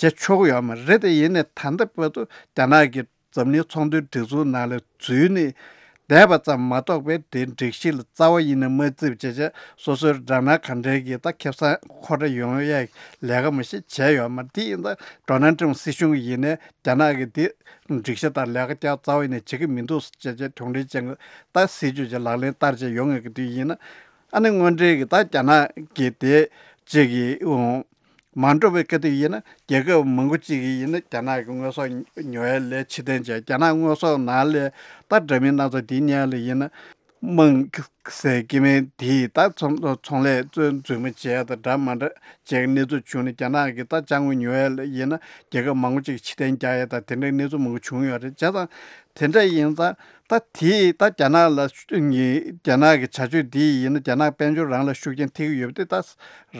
བྱེད་ཆོག་གི་ཡོད་མ་རེད། དེ་ཡིན་ནའི་ད་ལྟ་བར་དུ་རྒྱ་ནག་གིས་འཛམ་གླིང་ཚོང་དོན་སྒྲིག་འཛུགས་ནང་ལ་འཛུལ་ནས་བསྡད་པ་ཙམ་མ་གཏོགས་པའི་དེ་སྒྲིག་གཞི་ལ་རྩ་བ་ཡིན་ནའི་མ་བརྩིས་པ་བྱས་བྱས་སོ་སོའི་དགྲ་ནག་ག་འདྲའི་གི་ད་ཁེ་བཟང་ཁོ་ར་ཡོང་ཡས་ལས་ཀ་མ་ཞིག་བྱས་ཡོད་མ་རེད། དེ་ཡིན་ད་ཌོ་ནལ་ཊམ་སྲིད་གཞུང་ཡིན་ནའི་རྒྱ་ནག་གི་དེ་སྒྲིག་གཞི་དང་ལས་ཀ་རྒྱག་རྩ་བ་ཡིན་ནའི་བྱེད་ཀྱི་མི་འདུག་ཟེར་བྱས་བྱས་གྱོང་འབྲེལ་ཅན་གྱི་ད་སྲིད་ཇུས་ཅིག་ལག་ལེན་བསྟར་བྱས་ཡོང་ངེས་ཀྱི་དུས་ཡིན་ན། ཨ་ནི་དངོས་འབྲེལ་གྱི་ད་རྒྱ་ནག་གི་དེ་ཅིག་གི་འོང་མ་འགྲོ་བའི་སྐབས་དེ་ཡིན་ན། རྒྱལ་ཁབ་མང་པོ་ཅིག་གིས་ཡིན་ན་རྒྱ་ནག་གི་དངོས་ཟོག་ཉོ་ཡ་ལས་ཕྱིར་འཐེན་བྱས། རྒྱ་ནག་དངོས་ཟོག་ནང་ལས་ད་འདྲ་མིན་སྣ་ཚོགས་དེ་ཉར་ལས་ཡིན་ན། དམངས་ཟེར་གྱི་མིན་དེས་ད་ཚོང་ཚོང་ལས་རྩོད་འཛུལ་མ་བྱས་དང་འདྲ་མ་འདྲ་བྱས་གནས་ཚུལ་བྱུང་ནས། རྒྱ་ནག་གི་ད་ཅ་དངོས་ཉོ་ཡ་ལ་ཡིན་ན་རྒྱལ་ཁབ་མང་པོ་ཅིག་ཕྱིར་འཐེན་རྒྱག་ཡ་དང་དེ་འདྲའི་གནས་ཚུལ་མང་པོ་བྱུང་ཡོད་རེད། བྱས་ཙང་དེ་འདྲ་ཡིན་ཙང་ད་དེས་ད་རྒྱ་ནག་ལ་ཤུ་ངི་རྒྱ་ནག་གི་བྱ་སྤྱོད་འདི་ཡིན་ན་རྒྱ་ནག་དཔལ་འབྱོར་རང་ལ་ཤུགས་རྐྱེན་ཐེབས་ཀྱི་ཡོད་པ་དེ་ད་ར་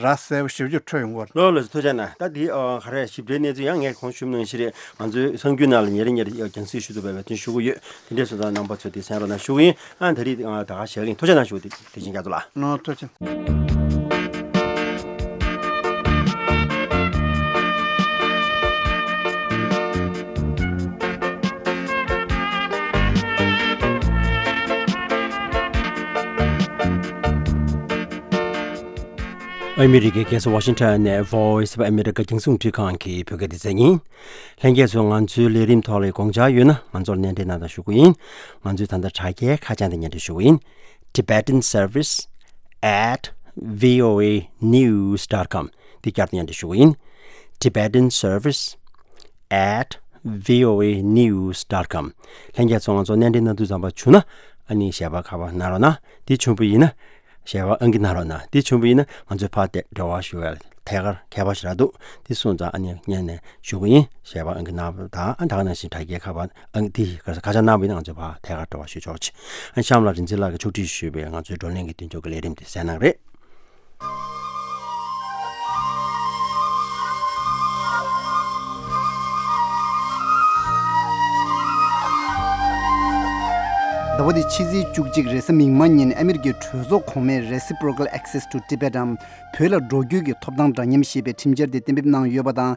གསལ་པོ་ཞེ་པོ་ཅིག་འཕྲོད་ཡོང་གི་རེད། ལགས་ལགས་སོ། ཐུགས་རྗེ་གནང་། ད་འདི་ཨ་ག་རེ་ཞིབ་ཕྲའི་གནས་ཚུལ་ཡང་ངས་གོང་ཞུས་ནང་བཞིན་རེད། ང་ཚོའི་གསར་འགྱུར་ནང་ལ་ཉེ་རིང་ཉེ་རིང་རྒྱང་སྲིང་ཞུ་ཐུབ་པའི་འབད་བརྩོན་ཞུ་གི་ཡོད། དེ་འདྲས་སོང་ཙང་རྣམ་པ་ཚོས་དེ་གསན་རོགས་གནང་ཞུ་གི་ཡིན། ཨ་ད་རེས་ཨ་ད་ག་ཞལ་ཡིན། ཐུགས་རྗེ་གནང་ཞུ། དེ་དེ་བཞིན་རྒྱ་མཚོ་ལགས། ནོ། ཐུགས་རྗེ། ཨ་མི་རི་ཀའི་རྒྱལ་ས་ཝ་ཤིང་ཊོན་ནས་Voice of America རྒྱང་སྲིང་རླུང་འཕྲིན་ཁང་གི་བོད་སྐད་སྡེ་ཚན་ཡིན། ལྷན་རྒྱས་ཚོས་ང་ཚོའི་ལས་རིམ་ཐོག་ལ་དགོངས་འཆར་ཡོད་ན་ང་ཚོར་སྣེ་འདྲེན་གནང་དང་ཞུ་གི་ཡིན། ང་ཚོའི་ད་ལྟ་དྲ་རྒྱའི་ཁ་བྱང་དེ་སྙན་སྒྲོན་ཞུ་གི་ཡིན། Tibetan Service at V O A news dot com འདི་བསྐྱར་དུ་སྙན་སྒྲོན་ཞུ་གི་ཡིན། Tibetan Service at V O A news dot com ལྷན་རྒྱས་ཚོ་ང་ཚོར་སྣེ་འདྲེན་གནང་དུས་ཙམ་པ་བྱུང་ན། ཨ་ནི་ཞལ་པར་ཁ་པར་གནང་རོགས་གནང་། འདི་བྱུང་བ་ཡིན་ན། ཞལ་པར་ཨང་ཀི་གནང་རོགས་གནང་། འདི་བྱུང་བ་ཡིན་ན་ང་ཚོས་ཕར་དེ་འབྲེལ་བ་ཞུ་བའི་ཐད་ཀར་ཁྱད་པར་ཞེ་དྲག་འདུག་འདི་སོང་ཙང་ཨ་ནི་སྔོན་ནས་ཞུ་གི་ཡིན། ཞལ་པར་ཨང་ཀི་གནང་བ་དང་། ཨ་ད་ག་ནང་བཞིན་དྲ་རྒྱའི་ཁ་པར་ཨང་ཀི་འདི་ཁ་བྱང་གནང་བ་ཡིན་ན་ང་ཚོས་ཕར་ཐད་ཀར་འབྲེལ་བ་ཞུ་ཆོག་ཆེ། ཨ་གཤམ་ལ་རིག་འཛིན་ལགས་ཀྱིས་ཕྱོགས་སྒྲིག་ཞུས་པའི་ང་ཚོའི་བགྲོ་གླེང་གི་མདུན་ལྕོག་གི་ལས་རིམ་དེ་གསན་གནང་རེད། ཟླ་བ་འདིའི་ཕྱི་ཚེས་བཅུ་གཅིག་རེས་གཟའ་མིག་དམར་ཉིན་ཨ་མི་རི་ཀའི་གྲོས་ཚོགས་གོང་མས་Reciprocal Access to Tibet འམ་བོད་ལ་འགྲོ་སྐྱོད་ཀྱི་ཐོབ་ཐང་འདྲ་མཉམ་ཞེས་པའི་ཁྲིམས་འཆར་དེ་གཏན་འབེབས་གནང་ཡོད་པ་དང་།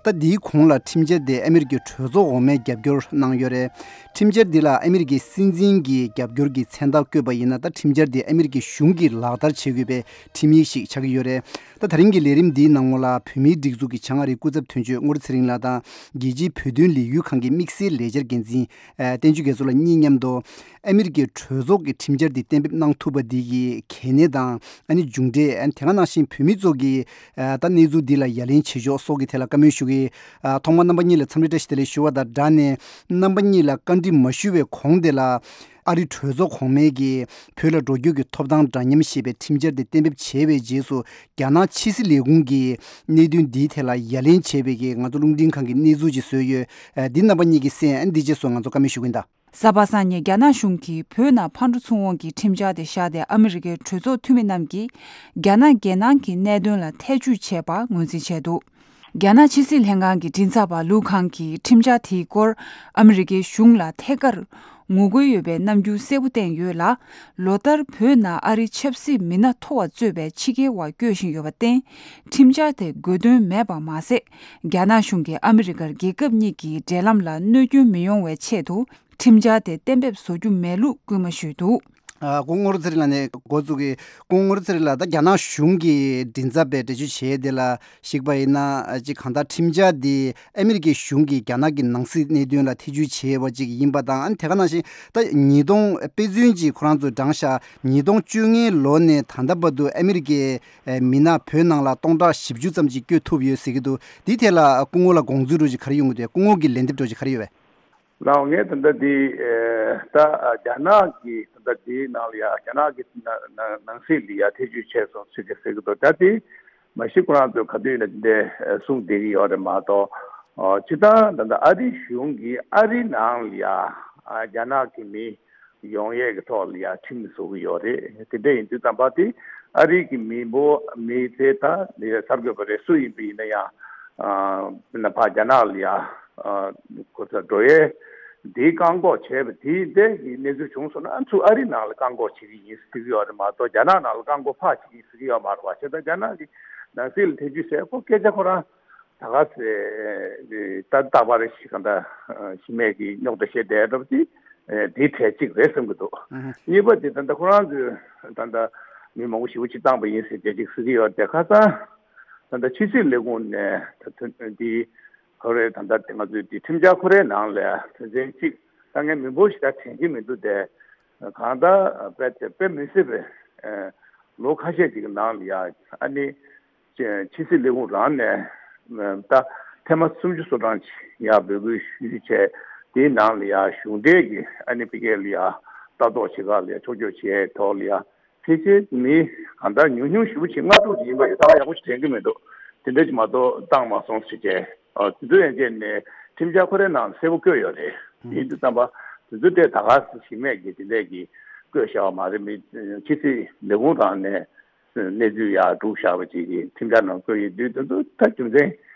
ད་འདིའི་གོང་ལ་ཁྲིམས་འཆར་དེ་ཨ་མི་རི་ཀའི་གྲོས་ཚོགས་འོག་མས་རྒྱབ་སྐྱོར་གནང་ཡོད་རེད། ཁྲིམས་འཆར་འདི་ལ་ཨ་མི་རི་ཀའི་སྲིད་འཛིན་གྱི་རྒྱབ་སྐྱོར་གྱི་མཚན་རྟགས་བཀོད་པ་ཡིན་ན། ད་ཁྲིམས་འཆར་དེ་ཨ་མི་རི་ཀའི་གཞུང་གིས་ལག་བསྟར་བྱེད་དགོས་པའི་ཁྲིམས་ཡིག་ཞིག་ཆགས་ཀྱི་ཡོད་རེད། ད་ད་རིང་གི་ལས་རིམ་འདིའི་ནང་ལོགས་ལ་བོད་མིའི་སྒྲིག་འཛུགས་ཀྱི་བྱང་ཨ་རིའི་སྐུ་ཚབ་དོན་གཅོད་རྔོག་རི་ཚེ་རིང་ལགས་དང་། རྒྱལ་སྤྱིའི་བོད་དོན་ལས་འགུལ་ཁང་གི་དམིགས་བསལ་ལས་འཆར་འགན་འཛིན་བསྟན་ཆོས་རྒྱ་མཚོ་ལགས་གཉིས་མཉམ་དུ། ཨ་མི་རི་ཀའི་གྲོས་ཚོགས་ཀྱི་ཁྲིམས་འཆར་འདི་གཏན་འབེབས་གནང་ཐུབ་པ་འདི་གི་གལ་གནད་དང་། ཨ་ནི་མཇུག་འབྲས། ཨ་ནི་དེ་ག་ནང་བཞིན་བོད་མི་ཚོ་གིས་ཨ་ད་གནས་ཚུལ་འདི་ལ་ཡ་ལན་བྱེད་ཕྱོགས་སོགས་ཀྱི་ཐད་ལ་བཀའ་མོལ་ཞུ་གི། ཨ་ཐོག་མར་རྣམ་པ་གཉིས་ལ་འཚམས་འདྲི་བཀྲ་ཤིས་བདེ་ལེགས་ཞུ་བ་དང་སྦྲགས་ནས། རྣམ་པ་གཉིས་ལ་བཀའ་འདྲི་མ་ཞུ་བའི་གོང་དེ་ལ། ཨ་རིའི་གྲོས་ཚོགས་གོང་མས་ཀྱིས་བོད་ལ་འགྲོ་སྐྱོད་ཀྱི་ཐོབ་ཐང་འདྲ་མཉམ་ཞེས་པའི་ཁྲིམས་འཆར་དེ་གཏན་འབེབས་བྱས་པའི་རྗེས་སུ། རྒྱ་ནག་ཕྱི་སྲིད་ལས་ཁུངས་ཀྱིས་གནད་དོན་འདིའི་ཐད་ལ་ཡ་ལན་བྱས་པའི་གི་ང་ཚོ་རླུང་འཕྲིན་ཁང་གི་གནས་ཚུལ་ཅིག་བཟོས་ཡོད། ཨ་འདི་རྣམ་པ་གཉིས་ཀྱིས་གསན། ཨ་འདི་རྗེས་སུ་ང་ཚོ་བཀའ་མོལ་ཞུ་གི་ཡིན་ད། གཟའ་པ་སངས་ཉིན་རྒྱ་ནག་གཞུང་གིས་བོད་ནང་ཕར་འགྲོ་ཚུར་འོང་གི་ཁྲིམས་འཆར་དེ་བཞག་སྟེ། ཨ་མི་རི་ཀའི་གྲོས་ཚོགས་འཐུས་མི་རྣམས་ཀྱིས་རྒྱ་ནག་རྒྱལ་ནང་གི་གནད་དོན་ལ་ཐེ་ཇུས་བྱས་པ་ངོས་འཛིན་བྱས་འདུག་རྒྱ་ནག་ཕྱི་སྲིད་ལྷན་ཁང་གི་མགྲིན་ཚབ་པ་ལུའུ་ཁང་གིས་ཁྲིམས་འཆར་དེའི་སྐོར་ཨ་མི་རི་ཀའི་གཞུང་ལ་ཐད་ཀར་ངོ་རྒོལ་ཡོད་པའི་རྣམ་འགྱུར་གསལ་པོ་བསྟན་ཡོད་ལ། ལོ་ལྟར་བོད་ནང་ཨ་རིའི་ཆབ་སྲིད་མི་སྣ་མཐོ་བ་གཙོས་པའི་ཕྱི་རྒྱལ་བ་བསྐྱོད་བཞིན་ཡོད་པར་བརྟེན། ཁྲིམས་འཆར་དེ་དགོས་དོན་མེད་པ་མ་ཟད། རྒྱ་ནག་གཞུང་གིས་ཨ་མི་རི་ཀར་རྒྱལ་ཁབ་གཉིས་ཀྱི་འབྲེལ་ལམ་ལ་གནོད་སྐྱོན་མི་ཡོང་བའི་ཆེད་དུ། ཁྲིམས་འཆར་དེ་གཏན་འབེབས་བཟོ་རྒྱུ་མེད་ལུགས་སྐུལ་མ་ཞུས་འདུག་ཨ། སྐུ་ངོ་རུ་ཚེ་རིང་ལགས་ནས་འགོ་བཙུགས་ཀྱི། སྐུ་ངོ་རུ་ཚེ་རིང་ལགས། ད་རྒྱ་ནག་གཞུང་གི་མགྲིན་ཚབ་པའི་འགྲེལ་བརྗོད་བྱས་དེ་ལ་གཞིགས་པ་ཡིན་ན། ཨ། ཅིག་གང་ལྟར་ཁྲིམས་འཆར་འདི་ཨ་མི་རི་ཀའི་གཞུང་གིས་རྒྱ་ནག་གི་ནང་སྲིད་གནད་དོན་ལ་ཐེ་བྱུས་བྱས་པ་ཅིག་ཡིན་པ་དང་། ཨ་ནི་དེ་ག་ནང་བཞིན་ད་ཉིས་སྟོང་། དཔེ་མཚོན་ཅིག་ཁོ་རང་ཚོས་བགྲངས་ཤག་ཉིས་སྟོང་བཅོ་ལྔའི་ལོ་ནས་ད་ལྟ་བར་དུ་ཨ་མི་རི་ཀའི་མི་སྣ་བོད་ནང་ལ་སྟོང་ཕྲག་བཞི་བཅུ་ཙམ་ཅིག་བསྐྱོད་ཐུབ་ཡོད་ཟེར་གྱི་འདུག་འདིའི་ཐད་ལ་སྐུ་ངོ་ལ་དགོངས་ཚུལ་འདྲ་ཅིག་ག་རེ་ཡོང་གི་འདུག་སྐུ་ངོ་གི་ལན་འདེབས་འདྲ་ཅིག་ག་རེ་ཡོད་པས། ལགས་འོང་། ངས་ད་ལྟ་འདི། ཨེ། ད་རྒྱ་ནག་གི་ད་ལྟ་འདིའི་ནང་ལ་ཡ་རྒྱ་ནག་གི་ནང་ནང་ནང་སྲིད་ལ་ཡ་ཐེ་བྱུས་བྱས་སོང་ཟེར་གྱི་ཟེར་གྱི་འདུག་ད་དེ་མ་གཞི་ཁོ་རང་ཚོས་ག་དུས་ཡིན་ན་དེ་འདྲའི་གསུངས་བསྡད་ཀྱི་ཡོད་རེད་མ་གཏོགས། ཨོ། སྤྱིར་བཏང་ད་ལྟ་ཨ་རི་གཞུང་གིས་ཨ་རི་ནང་ལ་ཡ། ཨ། རྒྱ་ནག་གི་མི་ཡོང་ཡས་ཀྱི་ཐོག་ལ་ཡ་ཁྲིམས་བཟོ་གི་ཡོད་རེད། དེ་འདྲ་ཡིན་དུས་ཙམ་པ་དེ་ཨ་རི་གི་མི་འབོར་མི་དེ་ད་ནི་གསར་འགོད་པ་རེད། སུ་ཡིན་པ་ཡིན་ན་ཡང་། ཨ། ཕ་རྒྱ་ནག་ལ་ཡ། ཨ། ཁོ་ཚོ་འགྲོ་ཡས་དེའི་བཀག་འགོག་བྱས་པ་དེའི་འདྲའི་གི་གནས་ཚུལ་བྱུང་སོང་ན། ཨ། ཚུར་ཨ་རི་ནང་ལ་བཀག་འགོག་བྱེད་ཀྱི་ཡིན་ཟེར་གྱི་ཡོད་རེད་མ་གཏོགས། རྒྱ་ནག་ནང་ལ་བཀག་འགོག་ཕར་བྱེད་ཀྱི་ཡིན་ཟེར་གྱི་ཡོད་མ་རེད་པ། བྱས་ཙང་རྒྱ་ནག་གི་ནང་སྲིད་ལ་ཐེ་བྱུས་ཟེར་ཁོ་སྐད་ཆ་ཁོ་རང་ད་ག་ཚོད་ད་རྟག་པར་ཞིག་གང་འདྲ་ཞི་མེད་ཀྱི་རྙོག་དྲ་བཤད་བསྡད་འདྲ་པོ་དེ། ཨེ། དེའི་གྲས་གཅིག་རེད་བསམ་གྱི་འདུག་ཨ་ཧུ། གཉིས་པ་དེ་ད་ལྟ་ཁོ་རང་ཚོས་ད་ལྟ་མི་མང་པོ་ཞེ་པོ་ཅིག་བཏང་པ་ཡིན་ཟེར་དེ་གཅིག་ཟེར་གྱི་ཡོད་དེ། ཁ་སང་ད་ལྟ་ཕྱི་སྲིད་ལས་ཁུངས་ནས་ད་དོན་འདི་ཁོ་རེ་ད་ལྟ་དེ་ང་ཚོའི་དེ་ཁྲིམས་འཆར་ཁོ་རའི་ནང་ལ་དོན་ཚན་གཅིག་ད་ངས་མི་འབོར་ཞིག་ད་དྲན་གྱི་མི་འདུག་དེ། གང་ལྟར་དཔེ་དེ་དཔེ་མི་སྲིད་པའི། ཨེ། ལོ་ཁ་ཤས་ཅིག་གི་ནང་ལ་ཡ། ཨ་ནི་ཕྱི་སྲིད་ལས་ཁུངས་རང་ནས་ད་ཐེངས་མ་སུམ་ཅུ་སོ་གྲངས་ཅིག་ཡར་འབོད་སྐུལ་ཞུས་བྱས། དེའི་ནང་ལ་ཡ་གཞུང་འབྲེལ་གྱི་ཨ་ནི་ཕ་གིར་ལ་ཡ་ལྟ་རྟོག་བྱེད་ག་ལ་ཡ་ཕྱོགས་བསྐྱོད་བྱས་ཐོག་ལ་ཡ་ཕལ་ཆེར་མི་གང་ལྟར་ཉུང་ཉུང་ཞེ་པོ་ཅིག་ལྔ་དྲུག་ཅིག་ཡིན་པ་ཡོད། ད་ཡག་པོ་ཞིག་དྲན་གྱི་མི་འདུག་དེ་འདྲ་ཅིག་མ་གཏོགས་བཏང་མ་སོང་ཟེར་བྱས། ཨ། དེ་ཚོ་ཡན་ཆད་ནས་ཁྲིམས་འཆར་ཁོ་རའི་ནང་གསལ་པོ་བཀོད་ཡོད་རེད། ཡིན་དུས་ཙམ་པ་དེ་ཚོ་དེ་ད་ག་ཞི་མེད་ཀྱི་དེ་འདྲས་ཀྱི་བཀོད་བཞག་པ་མ་རེད། མི་ཕྱི་སྲིད་ལས་ཁུངས་རང་ནས་གནས་ཚུལ་ཡར་སྒྲུག་བཞག་པ་ཅིག་གི་ཁྲིམས་འཆར་ནང་བཀོད་ཡོད་དུས། དེ་ཚོ་ད་རྒྱུ་མཚན།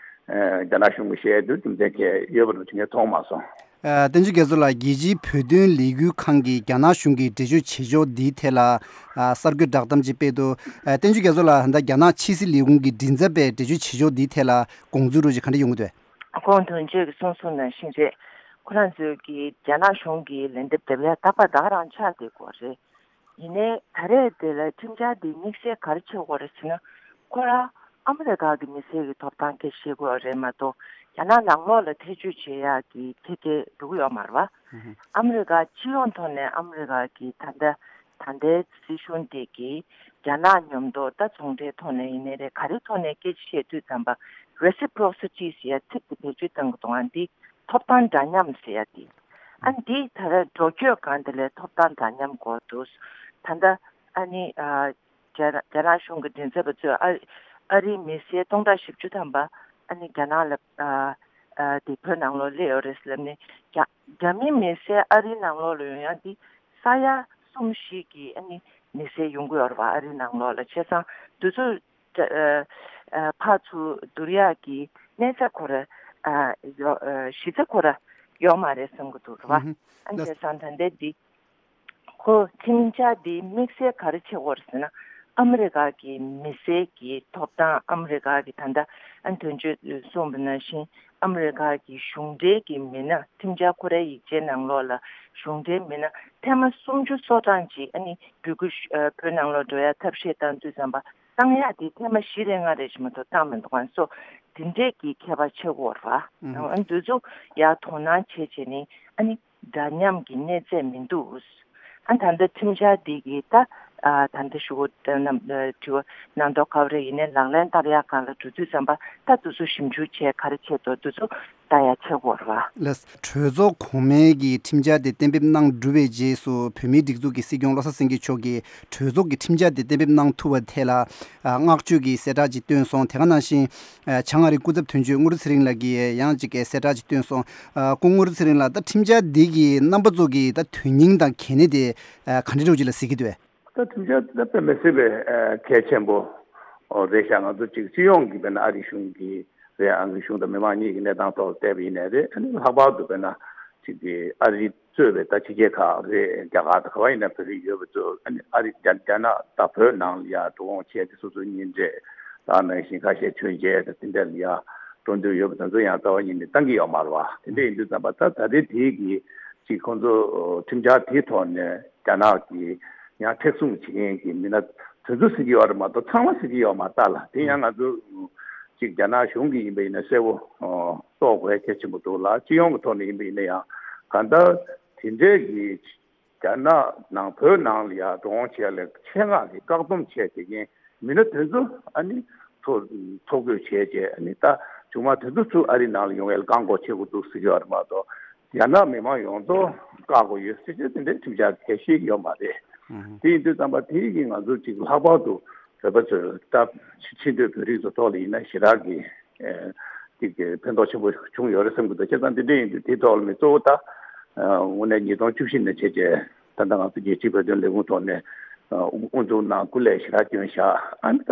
ཨ། རྒྱ་ནག་གཞུང་གིས་བཤད་དུས་རྒྱུ་མཚན་གང་ཡང་ཡོད་པ་འདྲ་ཅིག་ངས་མཐོང་མ་སོང་། ཨ། བསྟན་ཆོས་རྒྱ་མཚོ་ལགས། རྒྱལ་སྤྱིའི་བོད་དོན་ལས་འགུལ་ཁང་གིས་རྒྱ་ནག་གཞུང་གིས་འགྲེལ་བརྗོད་བྱེད་ཕྱོགས་འདིའི་ཐད་ལ། ཨ། གསར་འགོད་བསྒྲགས་གཏམ་ཅིག་སྤེལ་འདུག་ཨ། བསྟན་ཆོས་རྒྱ་མཚོ་ལགས། ད་རྒྱ་ནག་ཕྱི་སྲིད་ལས་ཁུངས་ཀྱི་མགྲིན་ཚབ་པས་འགྲེལ་བརྗོད་བྱེད་ཕྱོགས་འདིའི་ཐད་ལ་དགོངས་ཚུལ་འདྲ་ཅིག་ག་འདྲ་ཡོང་གི་འདུག་ཁོང་དོན་གཅོད་ཀྱིས་གསུངས་གསུངས་ནང་བཞིན་རེད། ཁོ་རང་ཚོས་ཀྱི་རྒྱ་ནག་གཞུང་གི་ལན་འདེབས་དེ་ལ་རྟག་པར་ད་ག་རང་ཆགས་བསྡད་ཀྱི་ཡོད་རེད། ཡིན་ནའི་ད་རེས་དེ་ལ་ཁྲིམས་འཆར་འདི་དམིགས་བསལ་ག་རེ་བྱེད་དགོས་རེད་ཟེར་ན། ཁོ་རང་ཨ་མི་རི་ཀ་གི་མི་སེར་གྱི་ཐོབ་ཐང་སྐད་ཆ་བཤད་ཀྱི་ཡོད་རེད་མ་གཏོགས། རྒྱ་ནག་ནང་ལོགས་ལ་ཐེ་བྱུས་བྱེད་ཡག་གི་ཐད་ཀར་འགྲོ་གི་ཡོད་མ་རེད་པ། ཨ་མི་རི་ཀ་སྤྱི་ཡོངས་ཐོག་ནས་ཨ་མི་རི་ཀ་གི་ད་ལྟ་ད་ལྟའི་སྲིད་གཞུང་དེ་གིས་རྒྱ་ནག་མཉམ་དུ་ད་ཚོང་འབྲེལ་ཐོག་ནས་ཡིན་ནའི་རེད། ག་རེ་ཐོག་ནས་སྐད་ཆ་བཤད་དུས་ཙམ་པ། རེ་སི་པོ་རོ་སི་ཊི་ཟེར་ཡ་ཚིག་དེ་བེད་སྤྱོད་གཏང་གི་འདུག་ཨ། འདི་ཐོབ་ཐང་འདྲ་མཉམ་ཟེར་ཡ་དེ། ཨ། འདི་ད་རེས་འགྲོ་སྐྱོད་སྒང་དེ་ལ་ཐོབ་ཐང་འདྲ་མཉམ་དགོས་འདུག་ད་ལྟ་ཨ་ནི། ཨ། རྒྱ་རྒྱ་ནག་གཞུང་གི་མགྲིན་ཚབ་པ་ཚོས་ཨ་ཨ་རིའི་མི་སེར་སྟོང་ཕྲག་བཞི་བཅུ་ཐམ་པ་ཨ་ནི་རྒྱ་ནག་ལ། ཨ། ཨ། དེ་བོད་ནང་ལོགས་སླེབས་ཡོད་རེད་ཟེར་ལབ་ནས། རྒྱ་རྒྱ་མི་མི་སེར་ཨ་རིའི་ནང་ལོགས་ལ་ཡོང་ཡ་འདི་ས་ཡ་གསུམ་བཞི་གི་ཨ་ནི་མི་སེར་ཡོང་གི་ཡོད་རེད་པ། ཨ་རིའི་ནང་ལོགས་ལ། བྱས་ཙང་དེ་ཚོ། ཨ། ཨ། ཕར་ཚུར་བསྡུར་ཡག་གི་གནས་ཚད་ཁོ་ར། ཨ། ཡོ། ཨ། གཞི་རྩ་ཁོ་ར་ཡོད་མ་རེད་བསམ་གྱི་འདུག་རེད་པ། ཨ། བྱས་ཙང་ད་ལྟའི་འདི་ཁོ་ཁྲིམས་འཆར་འདི་དམིགས་བསལ་ག་རེ་བྱེད་དགོས་རེད་ཟེར་ན། ཨ་མི་རི་ཀ་གི་མི་སེར་གྱི་ཐོབ་ཐང་། ཨ་མི་རི་ཀ་གི་ད་ལྟ་ཨ་དོན་གཅོད་གསུངས་པ་ནང་བཞིན་ཨ་མི་རི་ཀ་གི་གཞུང་འབྲེལ་གྱི་མི་སྣ། ཁྲིམས་འཆར་ཁོ་རའི་ཡིག་ཆའི་ནང་ལོགས་ལ་གཞུང་འབྲེལ་མི་སྣ་ཐེངས་མ་སུམ་ཅུ་སོ་གྲངས་ཅིག་ཨ་ནི་འབོད་སྐུལ་ཞུ། ཨ། བོད་ནང་ལོགས་འགྲོ་ཡ་ཐབས་ཤེས་བཏང་དུས་ཙམ་པ། བཏང་ཡག་དེ་ཐེངས་མ་བཞི་རེ་ལྔ་རེ་ཞིག་མ་གཏོགས་བཏང་མི་འདུག་ཨ་ནི་སོ་དེ་འདྲས་ཀྱི་ཁྱད་པར་ཕྱེ་དགོས་རེད་པ། ཨ་ནི་འདི་ཚོ་ཡར་དོ་སྣང་བྱས་བྱས་ནས། ཨ་ནི་འདྲ་མཉམ་གྱི་གནས་ཚད་མི་འདུག་ཨ། ད་ལྟ་ཁྲིམས་འཆར་འདི་གི་ད། ཨ། ད་ལྟ་ཞུ་གོ་རྣམ། ཨ། དྲི་བ་གནང་མདོག་ཁ་པོ་རེ་ཡིན་ནའི་ལག་ལེན་བསྟར་ཡག་སྒང་ལ་འགྲོ་དུས་ཙམ་པ། ད་དེ་ཚོ་ཞིབ་འཇུག་བྱས་ག་རེ་བྱས་འདུག་དེ་ཚོ་ལྟ་ཡག་བྱེད་དགོས་རེད་པ། ལགས། གྲོས་ཚོགས་གོང་མའི་གི་ཁྲིམས་འཆར་དེ་གཏན་འབེབས་གནང་གྲུབ་པའི་རྗེས་སུ། བོད་མིའི་སྒྲིག་འཛུགས་ཀྱི་སྲིད་སྐྱོང་བློ་བཟང་སེང་གེ་མཆོག་གིས་གྲོས་ཚོགས་ཀྱི་ཁྲིམས་འཆར་དེ་གཏན་འབེབས་གནང་ཐུབ་པ་ཐད་ལ། ཨ། བསྔགས་བརྗོད་ཀྱི་གསལ་བསྒྲགས་ཅིག་བཏོན་སོང་། དེ་ག་ནང་བཞིན། ཨ། བྱང་ཨ་རིའི་སྐུ་ཚབ་དོན་གཅོད་དངུལ་ལྷུན་ཚེ་རིང་ལགས་ཀྱིས་ཡང་ཅིག་གསལ་བསྒྲགས་ཅིག་བཏོན་སོང་། ཨ། སྐུ་ངོ་དངུལ་ལྷུན་ཚེ་རིང་ལགས། ད་ཁྲིམས་འཆར་འདི་གི་རྣམ་པ་ཚོ་གིས་ད་དོན་སྙིང་དང་གལ་གནད་དེ། ཨ། ག་འདྲ་འདྲ་ཅིག་ལ་གཟིགས་ཀྱི་འདུག་གས། ད་ཁྲིམས་འཆར་དེ་ད་དཔེ་མི་སྲིད་པའི། ཨ། གལ་ཆེན་པོ་རེད་ཤག་ང་ཚོ་ཅིག་སྤྱི་ཡོངས་ཀྱི་དཔེར་ན་ཨ་རིའི་གཞུང་གི་རེད། ཨ་རིའི་གཞུང་དང་མི་མང་གཉིས་ཀྱི་གནས་སྟངས་ཐོག་ལ་བལྟས་པ་ཡིན་ནའི་རེད། ཨ་ནི་ལྷག་པར་དུ་དཔེར་ན་ཅིག་གི་ཨ་རི་གཙོས་པའི་ད་ཕྱི་རྒྱལ་ཁག་རེད། རྒྱ་གར་དང་ག་པར་ཡིན་ན་བོད་རིགས་ཡོད་པ་ཚོ། ཨ་ནི་ཨ་རི་རྒྱ་རྒྱ་ནག་དང་བོད་ནང་ལ་ཡ་འགྲོ་འོང་བྱས་ཏེ་སོ་སོའི་གཉེན་འཕྲད་དང་ནང་བཞིན་ཁ་ཤས་མཆོད་མཇལ་དང་དེ་འདྲ་ལ་ཡ་འགྲོ་འདོད་ཡོད་པ་དེ་ཚོ་ཡང་རྩ་བ་ཉིད་ནས་བཏང་གི་ཡོད་མ་རེད་པ། དེ་འདྲ་ཡིན་དུས་ཙམ་པ་ད་ད་ལྟའི་དེའི་གི་ཅིག་ཁོང་ཚོ་ཁྲིམས་འཆར་དེའི་ཐོག་ནས་རྒྱ་ནག་གི་ ཡང་མཁྲེགས་བཟུང་བྱེད་མཁན་གྱི་མི་སྣ་དེ་ཚོ་ཟེར་གྱི་ཡོད་རེད་མ་གཏོགས་ཚང་མ་ཟེར་གྱི་ཡོད་མ་རེད་ད་ལགས། དེ་ཡང་ང་ཚོ་ཅིག་རྒྱ་ནག་གཞུང་གི་ཡིན་པ་ཡིན་ན་གསལ་པོ་རྟོགས་དགོས་གལ་ཆེན་པོ་འདུག་ལགས། སྤྱི་ཡོངས་ཀྱི་ཐོག་ནས་ཡིན་པ་ཡིན་ན་ཡང་གང་ལྟར་དེ་འདྲའི་གི་རྒྱ་ནག་ནང་བོད་ནང་ལ་ཡང་འགྲོ་འོང་བྱེད་ཡ་ལ་ཆེད་མངགས་ཀྱི་བཀག་སྡོམ་བྱས་བྱེད་མཁན་མི་སྣ་དེ་ཚོ་ཨ་ནི་ཐོ་ཐོ་འགོད་བྱས་བྱས་ཨ་ནི་ད་བྱུང་མ་དེ་ཚོ་ཚུར་ཨ་རི་ནང་ལ་ཡོང་ཡ་ལ་བཀག་འགོག་བྱེད་དགོས་འདུག་ཟེར་གྱི་ཡོད་རེད་མ་གཏོགས། རྒྱ་ནག་མི་མང་ཡོངས་རྫོགས་བཀག་དགོས་ཡོད་ཟེར་གྱི་དེ་འདྲའི་ཁྲིམས་འཆར་གལ་ཆེ་ཡོད་མ་རེད། དེ་ཡིན་དུས་ཙམ་པ་དེ་གི་ང་ཚོ་ཅིག་ལྷག་པར་དུ་བོད་པ་ཚོས་ད་ཕྱི་ཕྱི་སྡོད་བོད་རིགས་ཚོ་ཐོག་ལ་ཡིན་ན་ཞེ་དྲག་གི་ཅིག་གི་ཕན་ཐོགས་ཆེན་པོ་བྱུང་ཡོད་རེད་བསམ་གྱི་འདུག་བྱས་ཙང་དེ་འདྲ་ཡིན་དུས་དེའི་ཐོག་ལ་ནི་གཙོ་བོ་ད་དངོས་གནས་ཉིས་སྟོང་བཅུ་བཞི་ནས་བྱས་རྗེས་ད་ལྟ་ང་ཚོ་རྒྱལ་སྤྱིའི་བོད་དོན་ལས་ཁུངས་ཐོག་ནས་དབུ་འཛུགས་གནང་སྐུ་ལས་ཞེ་དྲག་བསྐྱོན་བཞག་ཨ་ནི་ད་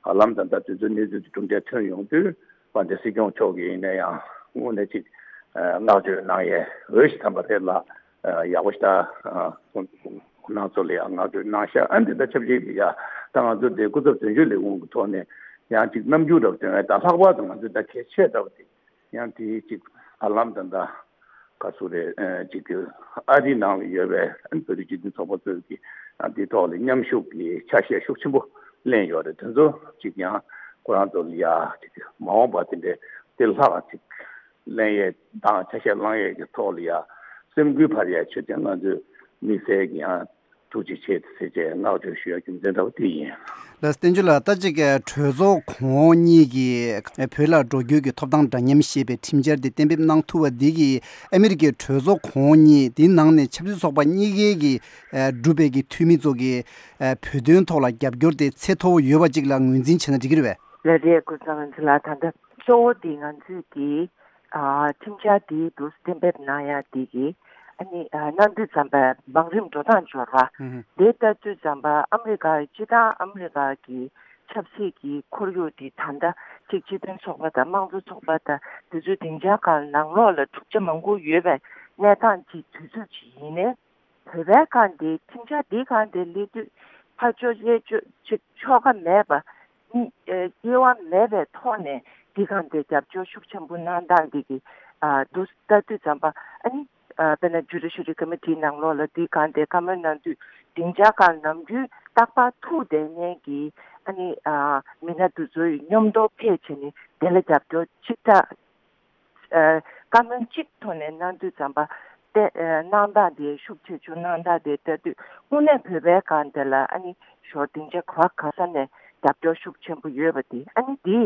བར་ལམ་ད་ལྟ་དུས་ཚོད་གནས་ཚུལ་དེ་གྲུབ་འབྲས་ཐོན་ཡོང་དུས། དཔལ་ལྡན་སྲིད་སྐྱོང་མཆོག་གིས་ཡིན་ན་ཡང་དངོས་གནས་ཅིག་བསྔགས་བརྗོད་གནང་ཡས་འོས་ཤིག་ཐམ་པ་རེད་ལ། ཡག་པོ་ཞིག་ད་ཁོང་ཁོང་རྣམ་ཚོ་ལ་ཡང་བསྔགས་བརྗོད་གནང་ཤག་ཨ་འདི་ད་ཆབས་ཅིག་ཡ་ད་ང་ཚོ་དེ་སྐུ་ཚབ་དོན་གཅོད་ལས་ཁུངས་ཀྱི་ཐོག་ནས་ཡང་ཅིག་རྣམ་འགྱུར་འདྲ་བོ་སྟོན་ཡས་ད་ལྷག་པར་དུ་ང་ཚོ་ད་གལ་ཆེ་འདྲ་བོ་དེ་ཡང་དེ་ཅིག་བར་ལམ་ད་ད་ག་ཚོད་རེད་ཅིག་ཨ་རི་ནང་ལ་ཡོད་པའི་བོད་རིགས་སྤྱི་མཐུན་ཚོགས་པ་ཚོས་ཀྱི་དེ་ཐོག་ལ་མཉམ་ཞུགས་ཀྱི་ཆ་ཤས་ཤུགས་ཆེན་པོ་ལེན་ཡོད་རེད། དེ་ཚོ་ཅིག་ཡང་ཁོ་རང་ཚོ་ལ་ཡ་ཅིག་མ་འོངས་པ་དེ་འདྲའི་དེ་ལྷག་ཅིག་ལེན་ཡས་དང་ཆ་ཤས་བླང་ཡས་ཀྱི་ཐོག་ལ་ཡ་སེམས་འགུལ་འཕར་ཡས་ཆེད་དུ་ང་ཚོས་དམིགས་བསལ་གྱི་ཡང་ཐུགས་རྗེ་ཆེ་ཟེར་བྱས་བསྔགས་བརྗོད་ཞུ་ཡ་རྒྱུ་མཚན་འདྲ་བོ་དེ་ཡིན། ལགས་བསྟན་ཆོས་ལགས། ད་ཅིག་གྲོས་ཚོགས་གོང་འོག་གཉིས་ཀྱིས་བོད་ལ་འགྲོ་རྒྱུ་གི་ཐོབ་ཐང་འདྲ་མཉམ་ཞེས་པའི་ཁྲིམས་འཆར་དེ་གཏན་འབེབས་གནང་ཐུབ་པ་འདི་གིས་ཨ་མི་རི་ཀའི་གྲོས་ཚོགས་གོང་འོག་གཉིས་དེའི་ནང་ནས་ཆབ་སྲིད་ཚོགས་པ་གཉིས་ཀའི་གི་གྲུབ་པའི་གི་འཐུས་མི་ཚོ་གི་བོད་དོན་ཐོག་ལ་རྒྱབ་སྐྱོར་དེ་ཚད་མཐོ་བོ་ཡོད་པ་ཅིག་ལ་ངོས་འཛིན་བྱས་ན་འགྲིག་གི་རེད་པས། ལགས་རེད། ཀུན་བཟང་རིག་འཛིན་ལགས། ད་ལྟ་གཙོ་བོ་དེ་ང་ཚོས་དེ་ཨ་ཁྲིམས་འཆར་དེ་འདུག་གཏན་འབེབས་གནང་ཡ་དེ་གི་ཨ་ནི་ཨ་གནང་དུས་ཙམ་པ་བང་རིམ་འགྲོ་སྟངས་འབྱོར་བ་ཧུམ་ཧུམ། དེ་ལྟ་དུས་ཙམ་པ་ཨ་མི་རི་ཀ་སྤྱི་བཏང་ཨ་མི་རི་ཀ་གི་ཆབ་སྲིད་ཀྱི་ཁོར་ཡུག་དེ་ད་ལྟ་གཅིག་སྤྱི་མཐུན་ཚོགས་པ་དང་དམངས་གཙོ་ཚོགས་པ་དང་དེ་ཚོའི་སྡིངས་ཆ་སྒང་ནང་ལོགས་ལ་འཁྲུག་ཆ་མང་པོ་ཡོད་པའི་གནས་སྟངས་ཅིག་དུས་ཚོད་ཅིག་ཡིན་ནའི། བོད་པའི་སྒང་དེ་ཁྲིམས་འཆར་འདིའི་སྒང་དེ་སླེབས་དུས་ཕར་ཕྱོགས་གཡས་ཕྱོགས་ཅིག་ཕྱོགས་ཁ་མེད་པ། གཉིས་ཨེ་དབྱེ་བ་མེད་པའི་ཐོག་ནས་འདིའི་སྒང་དེ་རྒྱབ་སྐྱོར་ཤུགས་ཆེན་པོ་གནང་སྟངས་འདི་གི་ཨ་འདུག་ལྟ་དུས་ཙམ་པ་ཨ་ནི་ཨ་དཔེར་ན་ཇུ་ཌི་ཤ་རི་ཀོ་མི་ཊིའི་ནང་ལོགས་ལ་འདིའི་སྒང་དེ་བཀའ་མོལ་གནང་དུས་སྡིངས་ཆ་སྒང་ནམ་རྒྱུན་རྟག་པར་ཐུག་བསྡད་མཁན་གྱི་ཨ་ནི་ཨ་མི་སྣ་འདི་ཚོའི་མཉམ་དུ་ཕེབས་བྱས་ནས་དེ་ལ་རྒྱབ་སྐྱོར་ཅིག་ད། ཨ་བཀའ་མོལ་གཅིག་ཐོག་ནས་གནང་དུས་ཙམ་པ་ཏེ་ཨ་གནང་སྟངས་དེ་ཤུགས་ཆེ་ཆུང་གནང་སྟངས་དེ་ལྟ་དུས་དངོས་གནས་བོད་པའི་སྒང་དེ་ལ་ཨ་ནི་ཞོར་སྡིངས་ཆ་ག་བ་ག་ས་ནས་རྒྱབ་སྐྱོར་ཤུགས་ཆེན་པོ་ཡོད་པ་དེ་ཨ་ནི་དེ་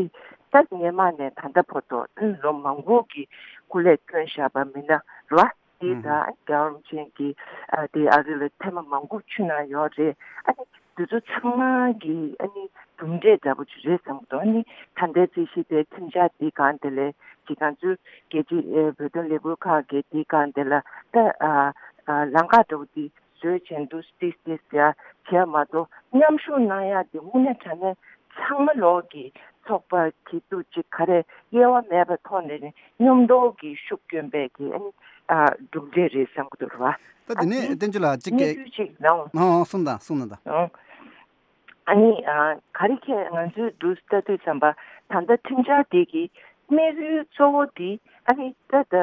ད་སྔོན་མ་ནས་ད་ལྟ་བར་དུ་ཨ་ནི་ལོ་མང་པོ་གི་སྐུ་ལས་བསྐྱོན་བཞག་པ་མི་སྣ་རེད་བ། དེ་ད་ཨ་ནི་རྒྱལ་བ་རིན་པོ་ཆེ་གིས་ཨ་དེ་ཨ་རི་ལ་ཐེངས་མ་མང་པོ་ཕྱིན་གནང་ཡོད་རེད། ཨ་ནི་དེ་ཚོ་ཚང་མ་གི་ཨ་ནི་གྲུབ་འབྲས་འདྲ་པོ་ཅིག་རེད་བསམ་གྱི་འདུག་ཨ་ནི་ད་ལྟའི་རྩིས་གཞི་དེ་ཁྲིམས་འཆར་འདི་སྒང་དེ་ལས་ཅིག་ང་ཚོའི་རྒྱལ་སྤྱི་ཨེ་བོད་དོན་ལས་འགུལ་ཁག་གི་འདི་སྒང་དེ་ལ་ད་ཨ་ཨ་ལམ་ཁ་འདྲ་པོ་འདི་བཟོས་བྱས་འདུག་ཏིས་ཏིས་ཡ་བྱས་མ་གཏོགས་མཉམ་ཞུགས་གནང་ཡ་འདི་དངོས་གནས་དྲང་གནས་ཚང་མ་ལོག་གི་ཚོགས་པ་གི་འདུག་ཅིག་ག་རེ་དབྱེ་བ་མེད་པའི་ཐོག་ནས་མཉམ་དུ་གི་ཤུགས་བསྐྱོན་པའི་གི་ཨ་ནི་ཨ་གྲུབ་འབྲས་རེད་བསམ་གྱི་འདུག་ར། ད་དེ་ནས་བསྟན་ཆོས་ལགས་གཅིག་གི་གནས་ཚུལ་ཅིག་ནང་། ཨང་ཨང་གསུངས་དང་གསུངས་དང་ད། ཨང་། ཨ་ནི་ཨ་ག་རེ་ཁྱེད་ང་ཚོའི་འདུག་ལྟ་དུས་ཙམ་པ་ད་ལྟ་ཁྲིམས་འཆར་དེ་གི་དམིགས་ཡུལ་གཙོ་བོ་དེ་ཨ་ནི་ད་ད་ཨ་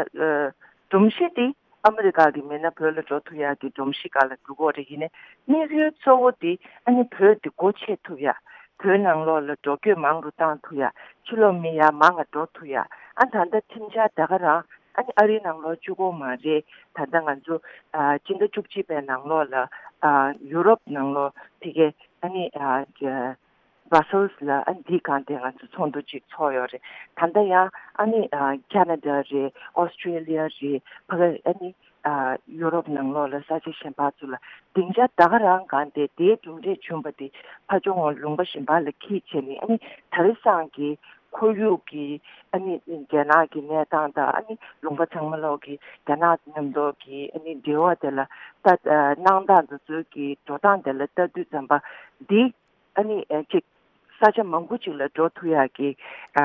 སྒྲོམ་གཞི་དེ་ཨ་མི་རི་ཀ་གི་མི་སྣ་བོད་ལ་འགྲོ་ཐུབ་ཡག་གི་སྒྲོམ་གཞི་སྒང་ལ་འགྲོ་གི་ཡོད་རེད། ཡིན་ནའི་དམིགས་ཡུལ་གཙོ་བོ་དེ་ཨ་ནི་བོད་དེ་སྒོ་ཕྱེ་ཐུབ་ཡག་བོད་ནང་ལོགས་ལ་འགྲོ་སྐྱོད་མང་རུ་བཏང་ཐུབ་ཡག་ཕྱི་ལོགས་མི་ཡར་མང་ང་འགྲོ་ཐུབ་ཡག་ཨ་ད་ལྟ་ཁྲིམས་འཆར་ད་ག་རང་ཨ་ནི་ཨ་རིའི་ནང་ལོགས་གཅིག་པོ་མ་རེད། ད་ལྟ་ང་ཚོ་ཨ་སྤྱི་ཟླ་བཅུ་གཅིག་པའི་ནང་ལོགས་ལ་ཨ་ཡུ་རོབ་ནང་ལོགས་ཕ་གི་ཨ་ནི་ཨ་ཇ་Brussels་ལ་ཨ་ནི་འདིའི་སྒང་དེ་ང་ཚོ་ཚོགས་འདུ་ཅིག་ཚོགས་ཡོད་རེད། ད་ལྟ་ཡང་ཨ་ནི་ཨ་Canada་རེད། Australia་རེད། ཕ་གི་ཨ་ནི་ཨ་ཡུ་རོབ་ནང་ལོགས་ལ་ས་ཆ་གཞན་པ་ཚོ་ལ་སྡིངས་ཆ་ད་ག་རང་སྒང་དེ་དེའི་གྲུབ་འབྲས་བྱུང་བ་དེ་ཕར་ཕྱོགས་ལུང་པ་གཞན་པ་ལ་འཁྱེར་བྱས་ནས་ཨ་ནི་དེང་སང་གི་ཁོར་ཡུག་གི་ཨ་ནི་རྒྱ་ནག་གི་གནས་སྟངས་དང་ཨ་ནི་ལུང་པ་ཚང་མ་ལོག་གི་རྒྱ་ནག་མཉམ་དུ་གི་ཨ་ནི་འབྲེལ་བ་དེ་ལ་ད་གནང་སྟངས་དེ་ཚོའི་གི་འགྲོ་སྟངས་དེ་ལ་ལྟ་དུས་ཙམ་པ་འདི་ཨ་ནི་ཨ་ཅིག་ས་ཆ་མང་པོ་ཅིག་ལ་འགྲོ་ཐུབ་ཡག་གི་ཨ་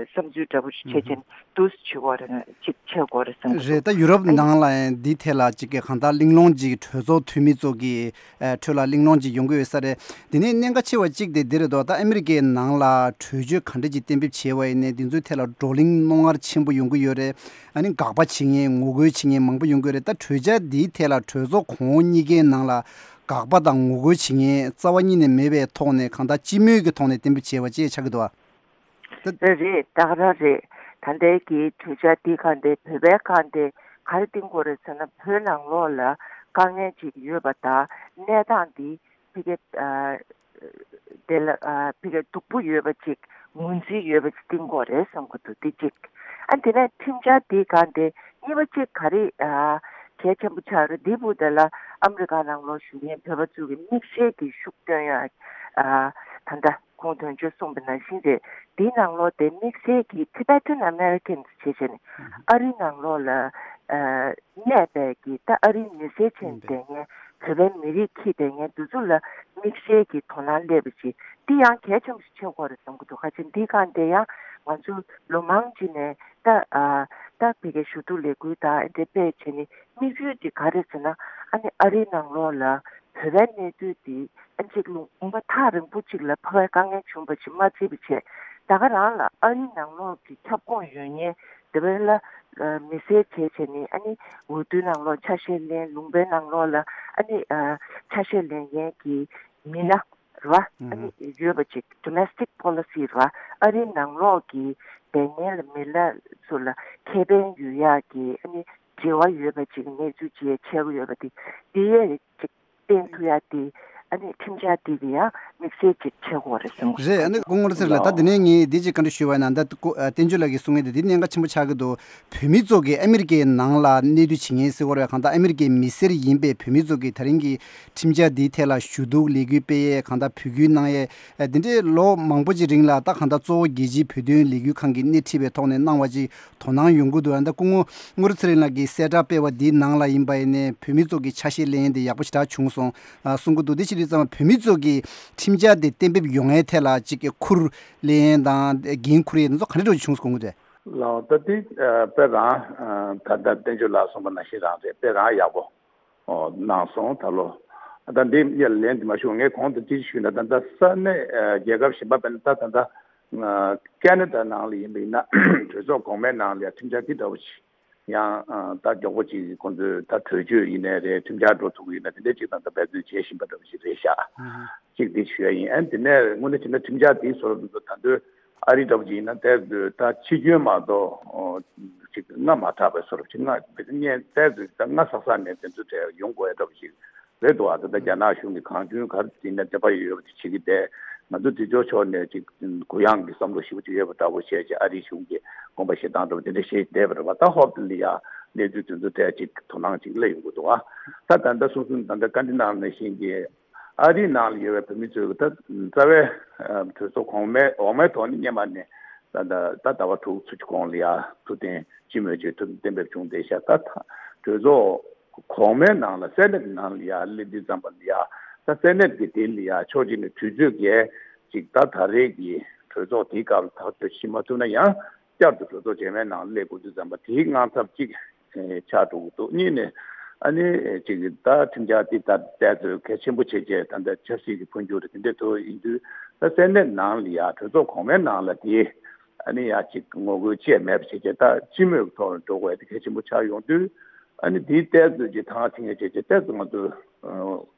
བསམ་ཚུལ་འདྲ་པོ་ཞིག་བྱེད་ཅིང་འདུག་བྱེད་དགོས་རེད་ཅིག་བྱེད་དགོས་རེད་བསམ་གྱི་འདུག་ད་ཡུ་རོབ་ཨ་ནི་ནང་ལ་ཡང་འདི་ཐད་ལ་ཅིག་གི་གང་ལྟར་གླེང་སློང་ཅིག་གྲོས་ཚོགས་འཐུས་མི་ཚོ་གི་ཨ་ཁྲོད་ལ་གླེང་སློང་ཅིག་ཡོང་གི་ཡོད་ས་རེད། དེ་ནས་གནད་འགག་ཆེ་བ་གཅིག་དེ་འདི་རེད་དོ། ད་ཨ་མི་རི་ཀའི་ནང་ལ་གྲོས་ཆོད་ག་འདྲ་ཅིག་གཏན་འབེབས་བྱས་པ་ཡིན་ནའི་འདི་ཚོའི་ཐད་ལ་བགྲོ་གླེང་རྣོ་ངར་ཆེན་པོ་ཡོང་གི་ཡོད་རེད། ཨ་ནི་དགག་པ་བྱེད་མཁན་ངོ་རྒོལ་བྱེད་མཁན་མང་པོ་ཡོང་གི་ཡོད་རེད། ད་གྲོས་འཆར་འདིའི་ཐད་ལ་གྲོས་ཚོགས་གོང་འོག་གཉིས་ཀའི་ནང་ལ་ དགག་པ་དང་ངོ་རྒོལ་བྱེད་མཁན་རྩ་བ་ཉིད་ནས་མེད་པའི་ཐོག་ནས་གང་ལྟར་སྤྱི་མོས་ཀྱི་ཐོག་ནས་གཏན་འབེབས་བྱས་པ་ཅིག་ཆགས་ཀྱི་འདུག་ཨ། ད་རེད་རེད། ད་ག་རང་རེད། ད་ལྟའི་གི་གྲོས་འཆར་འདི་གང་དེ་བོད་པའི་གང་དེ་ག་རེ་བསྟན་དགོས་རེད་ཟེར་ན། བོད་ནང་ལོགས་ལ་དཀའ་ངལ་ཅིག་ཡོད་པ་དང་གནས་སྟངས་འདི་ཕ་གི་ཨ་དེ་ལ་ཨ་ཕ་གི་སྡུག་པོ་ཡོད་པ་ཅིག་ངོས་འཛིན་ཡོད་པ་ཅིག་བསྟན་དགོས་རེད་བསམ་གྱི་འདུག་འདི་གཅིག་ཨ་དེ་ནས་ཁྲིམས་འཆར་འདི་གང་དེ་གཉིས་པ་ཅིག་ག་རེ་ཨ་གལ་ཆེན་པོ་ཆགས་རེད། འདི་བུ་དེ་ལ་ཨ་མི་རི་ཀ་ནང་ལོགས་བཞུགས་མཁན་བོད་པ་ཚོ་གི་དམིགས་བསལ་གྱི་ཤུགས་བཏོན་ཡ་ཨ་ད་ལྟ་ཁོང་དོན་གཅོད་གསུངས་པ་ནང་བཞིན་རེད། འདིའི་ནང་ལོགས་དེ་དམིགས་བསལ་གྱི་Tibetan Americans་བྱས་བྱས་ནས་ཨ་རིའི་ནང་ལོགས་ལ་ཨ་གནས་པའི་གི་ད་ཨ་རིའི་མི་སེར་ཆེན་བསྡད་མཁན་བོད་པའི་མི་རིགས་ཁྱི་བསྡད་མཁན་འདི་ཚོ་ལ་དམིགས་བསལ་གྱི་དོ་སྣང་སླེབས་པ་ཅིག་འདི་ཡང་གལ་ཆེན་པོ་ཞིག་ཆགས་ཀྱི་ཡོད་རེད་བསམ་གྱི་འདུག་ཁ་ཆེ་འདི་གང་དེ་ཡང་ང་ཚོ་ལོ་མང་ཅིག་ནས་ད་ཨ་ད་ཕ་གི་ཞུ་གཏུག་ལས་འགུལ་དང་འདི་སྤེལ་བྱས་ནས་དམིགས་ཡུལ་དེ་ག་རེ་ཟེར་ན། ཨ་ནི་ཨ་རིའི་ནང་ལོགས་ལ་བོད་པའི་གནས་སྡུད་དེ་ཨ་གཅིག་ལུང་པ་ཐག་རིང་པོ་གཅིག་ལ་ཕ་གའི་དཀའ་ངལ་བྱུང་བ་ཞིག་མ་བརྩིས་པ་བྱས། ད་ག་རང་ལ་ཨ་རིའི་ནང་ལོགས་ཀྱི་ཁྱབ་ཁོངས་ཡོད་མཁན་དེ་བས་ལ་ཨ་མི་སེར་བྱས་བྱས་ནས་ཨ་ནི་འོས་བསྡུའི་ནང་ལོགས་ཆ་ཤས་ལེན། ལུང་པའི་ནང་ལོགས་ལ་ཨ་ནི་ཨ་ཆ་ཤས་ལེན་མཁན་གྱི་མི་སྣ་རེད་བ། ཨ་ནི་ཡོད་པ་ཅིག་domestic policy་རེད་བ། ཨ་རིའི་ནང་ལོགས་ཀྱི་བསྡད་མཁན་ལ་མི་སྣ་ཚོ་ལ་ཁེ་ཕན་ཡོད་ཡག་གི་ཨ་ནི་འབྲེལ་བ་ཡོད་པ་ཅིག་གནས་ཚུལ་ཅིག་ཆགས་ཀྱི་ཡོད་པ་དེ་འདི་ཡས་ཅིག་བསྟན་ཐུབ་ཡ་དེ་ཨ་ནི་ཁྲིམས་འཆར་འདི་གི་ཡང་དམིགས་བསལ་ཅིག་ཆགས་ཀྱི་ཡོད་རེད་བསམ་གྱི་འདུག་རེད། ཨ་ནི་སྐུ་ངོ་ཚེ་རིང་ལགས། ད་དེ་ནས་ངས་འདི་ཅིག་བཀའ་འདྲི་ཞུ་བ་ཡིན་ན། ད་སྐུ་ཨ་བསྟན་ཆོས་ལགས་ཀྱིས་གསུང་མཁན་དེ་འདི་གནད་འགག་ཆེན་པོ་ཆགས་ཀྱི་འདུག་བོད་མི་ཚོ་གིས་ཨ་མི་རི་ཀའི་ནང་ལ་གནས་སྡོད་བྱེད་མཁན་ཟེར་བ་རེད། གང་ལྟར་ཨ་མི་རི་ཀའི་མི་སེར་ཡིན་པའི་བོད་མི་ཚོ་གིས་ད་རིང་གི་ཁྲིམས་འཆར་འདིའི་ཐད་ལ་ཞུ་གཏུག་ལས་འགུལ་སྤེལ་ཡས། གང་ལྟར་འབོད་སྐུལ་གནང་ཡས། ཨ་འདི་འདྲའི་ལོ་མང་པོ་ཅིག་རིང་ལ་ད་གང་ལྟར་གཙོ་བོ་རྒྱལ་སྤྱིའི་བོད་དོན་ལས་འགུལ་ཁང་གིས་སྣེ་ཁྲིད་པའི་ཐོག་ནས་གནང་བ་ཅིག་དོ་སྣང་ཡོང་གི་འདུག་ཨ་ད་སྐུ་ངོ་དངོས་གྲུབ་ཚེ་རིང་ལགས་ཀྱིས་གསལ་བསྒྲགས་སྤེལ་བ་འདིའི་ནང་ལ་ཡིན་པ་ཡིན་ནའི་བོད་མི་ཚོ་གི་ཆ་ཤས་ལེན་ཡས་དེ་ཡག་པོ་ཞེ་དྲག་བྱུང་སོང་ཨ་གསུང་གི་འདུག་དེ་བྱེད་དུས་ཙམ་པ་བོད་མི་ཚོ་གི་ཁྲིམས་འཆར་དེ་གཏན་འབེབས་ཡོང་ཡས་ཐད་ལ་ཅིག་གི་ཁུར་ལེན་ཡས་དང་འགན་འཁུར་ཡས་དེ་ཚོ་ག་འདྲ་འདྲ་བྱུང་སོང་གི་རེད། ལགས། ད་དེ་ཨ་དཔེ་རང་ཨ་ད་ལྟ་བསྟན་ཆོས་ལགས་གསུངས་པ་ནང་བཞིན་རང་རེད། དཔེ་རང་ཡག་པོ་ཨོ་གནང་སོང་ད་ལོ། ད་འདི་ཡ་ལན་དེ་མ་ཞུ་ངས་གོང་དུ་ཅི་ཞུས་ན། ད་ལྟ་ས་གནས་ཨ་རྒྱལ་ཁབ་གཞན་པ་དཔེར་ན་ད་ད་ལྟ་ཨ་ཁེ་ན་ཌ་ནང་ལ་ཡིན་པ་ཡིན་ན་གྲོས་ཚོགས་གོང་མའི་ནང་ལ་ཡ་ཁྲིམས་འཆར་དེ་འདྲ་བོ་ཞིག་ཡང་ཨ་ད་མགྱོགས་པོ་ཅིག་ཁོང་ཚོས་ད་གྲོས་ཆོད་ཡིན་ནའི་རེད། ཁྲིམས་འཆར་འགྲོ་ཐུབ་ཀྱི་ཡིན་ན་དེ་འདྲའི་ཅིག་ད་ལྟ་འབད་བརྩོན་བྱེད་བཞིན་པ་འདྲ་བོ་ཞིག་རེད་ཤག་ཨ་ཧ། ཅིག་འདི་ཞུ་ཡ་ཡིན། ཨ་དེ་ནས་དངོས་གནས་བྱས་ན་ཁྲིམས་འཆར་དེའི་བཟོ་འདྲ་ད་དུང་ཨ་རི་འདྲ་བོ་ཅིག་ཡིན་ན་དེ་ད་ཕྱི་སྐྱོན་མ་གཏོགས་ཨོ་ཅིག་སྔ་མ་དྲག་པའི་བཟོ་འདྲ་ཅིག་སྔ་བས་ད་སྔ་ས་ས་ནས་དེ་ཚོ་དེ་ཡོང་དགོས་ཡ་འདྲ་བོ་ཞིག་རེད་འདུག་ཨ་ད་ལྟ་རྒྱ་ནག་གཞུང་གིས་གང་བྱུང་ག་རེ་བྱས་ན་དེ་པ་ཡོད་པ་དེ་བྱེད་ཀྱི་བསྡད། ང་ཚོ་དེ་ཚོའི་ཕྱོགས་ནས་ཅིག་གུ་ཡངས་ཀྱི་བསམ་བློ་ཞེ་པོ་ཅིག་ཡོད་པ་འདྲ་བོ་བྱས་ཅིག་ཨ་རིའི་གཞུང་གིས་དགོངས་པ་བཞེས་སྟངས་འདྲ་བོ་དེ་འདྲ་བྱས་བསྡད་པ་རེད་པ། ད་ཧོབ་ལ་ཡ་གནས་ཚུལ་དེ་ཚོ་ཐད་ཅིག་དོ་སྣང་ཅིག་སླེབས་ཡོང་གི་འདུག་ཨ་ད་ད་ལྟ་སོ་སོ་ད་ལྟ་བཀའ་འདྲི་གནང་ནང་བཞིན་གྱི་ཨ་རིའི་ནང་ལ་ཡོད་པའི་བོད་མི་ཚོས་ད་རྩ་བའི་ཨ་གྲོས་ཚོགས་གོང་མའི་འོག་མའི་ཐོག་ནས་སྔོན་མ་ནས་ད་ད་ད་ཟླ་བ་དྲུག་ཚོ་གཅིག་གོང་ལ་ཡ་ཐུགས་གཏན་སྤྱི་མོས་ཀྱི་ཐུགས་གཏན་འབེབས་བྱུང་བསྡད་ཤག་ད་ད་གྲོས་ཚོགས་གོང་མའི་ནང་ལ་སེ་ནེ་ཊི་ནང་ལ་ཡ་སླེབས་དུས་ཙམ་པ་ལ་ཡ་ད་སེ་ནེ་ཊི་གི་དེ་ལ་ཡ་ཕྱོགས་གཅིག་ནས་དུས་ཚོད་འགལ་ཅིག་ད་ད་རེས་ཀྱི་གྲོས་ཚོགས་དེའི་སྐབས་ལ་ཐག་གཅོད་བྱེད་མ་ཐུབ་ན་ཡང་བསྐྱར་དུ་གྲོས་ཚོགས་རྗེས་མའི་ནང་སླེབས་དགོས་དུས་ཙམ་པ་དེའི་དངངས་འཚབ་གཅིག་ཆགས་འགྲོ་གི་འདུག་གཉིས་ནས་ཨ་ནི་ཅིག་ད་ཁྲིམས་འཆར་དེ་ད་བསྡད་ཚོད་གལ་ཆེན་པོ་བྱས་རྗེས་ད་ལྟ་ཆབ་སྲིད་ཀྱི་འཕོ་འགྱུར་དེ་འདྲ་ཐུག་ཡིན་དུས་ད་སེ་ནེ་ཊི་ནང་ལ་ཡ་གྲོས་ཚོགས་གོང་མའི་ནང་ལ་དེ་ཨ་ནི་ཡ་ཅིག་ངོ་རྒོལ་བཅས་མེད་པ་བྱས་རྗེས་ད་སྤྱི་མོས་ཀྱི་ཐོག་ལ་འགྲོ་དགོས་དེ་གལ་ཆེན་པོ་ཆགས་ཡོང་དུས། ཨ་ནི་དེའི་ཏོག་ཙམ་གྱི་ཐང་ཐིང་ངེ་བྱས་ཏེ་ཏོག་ཙམ་ང་ཚོ་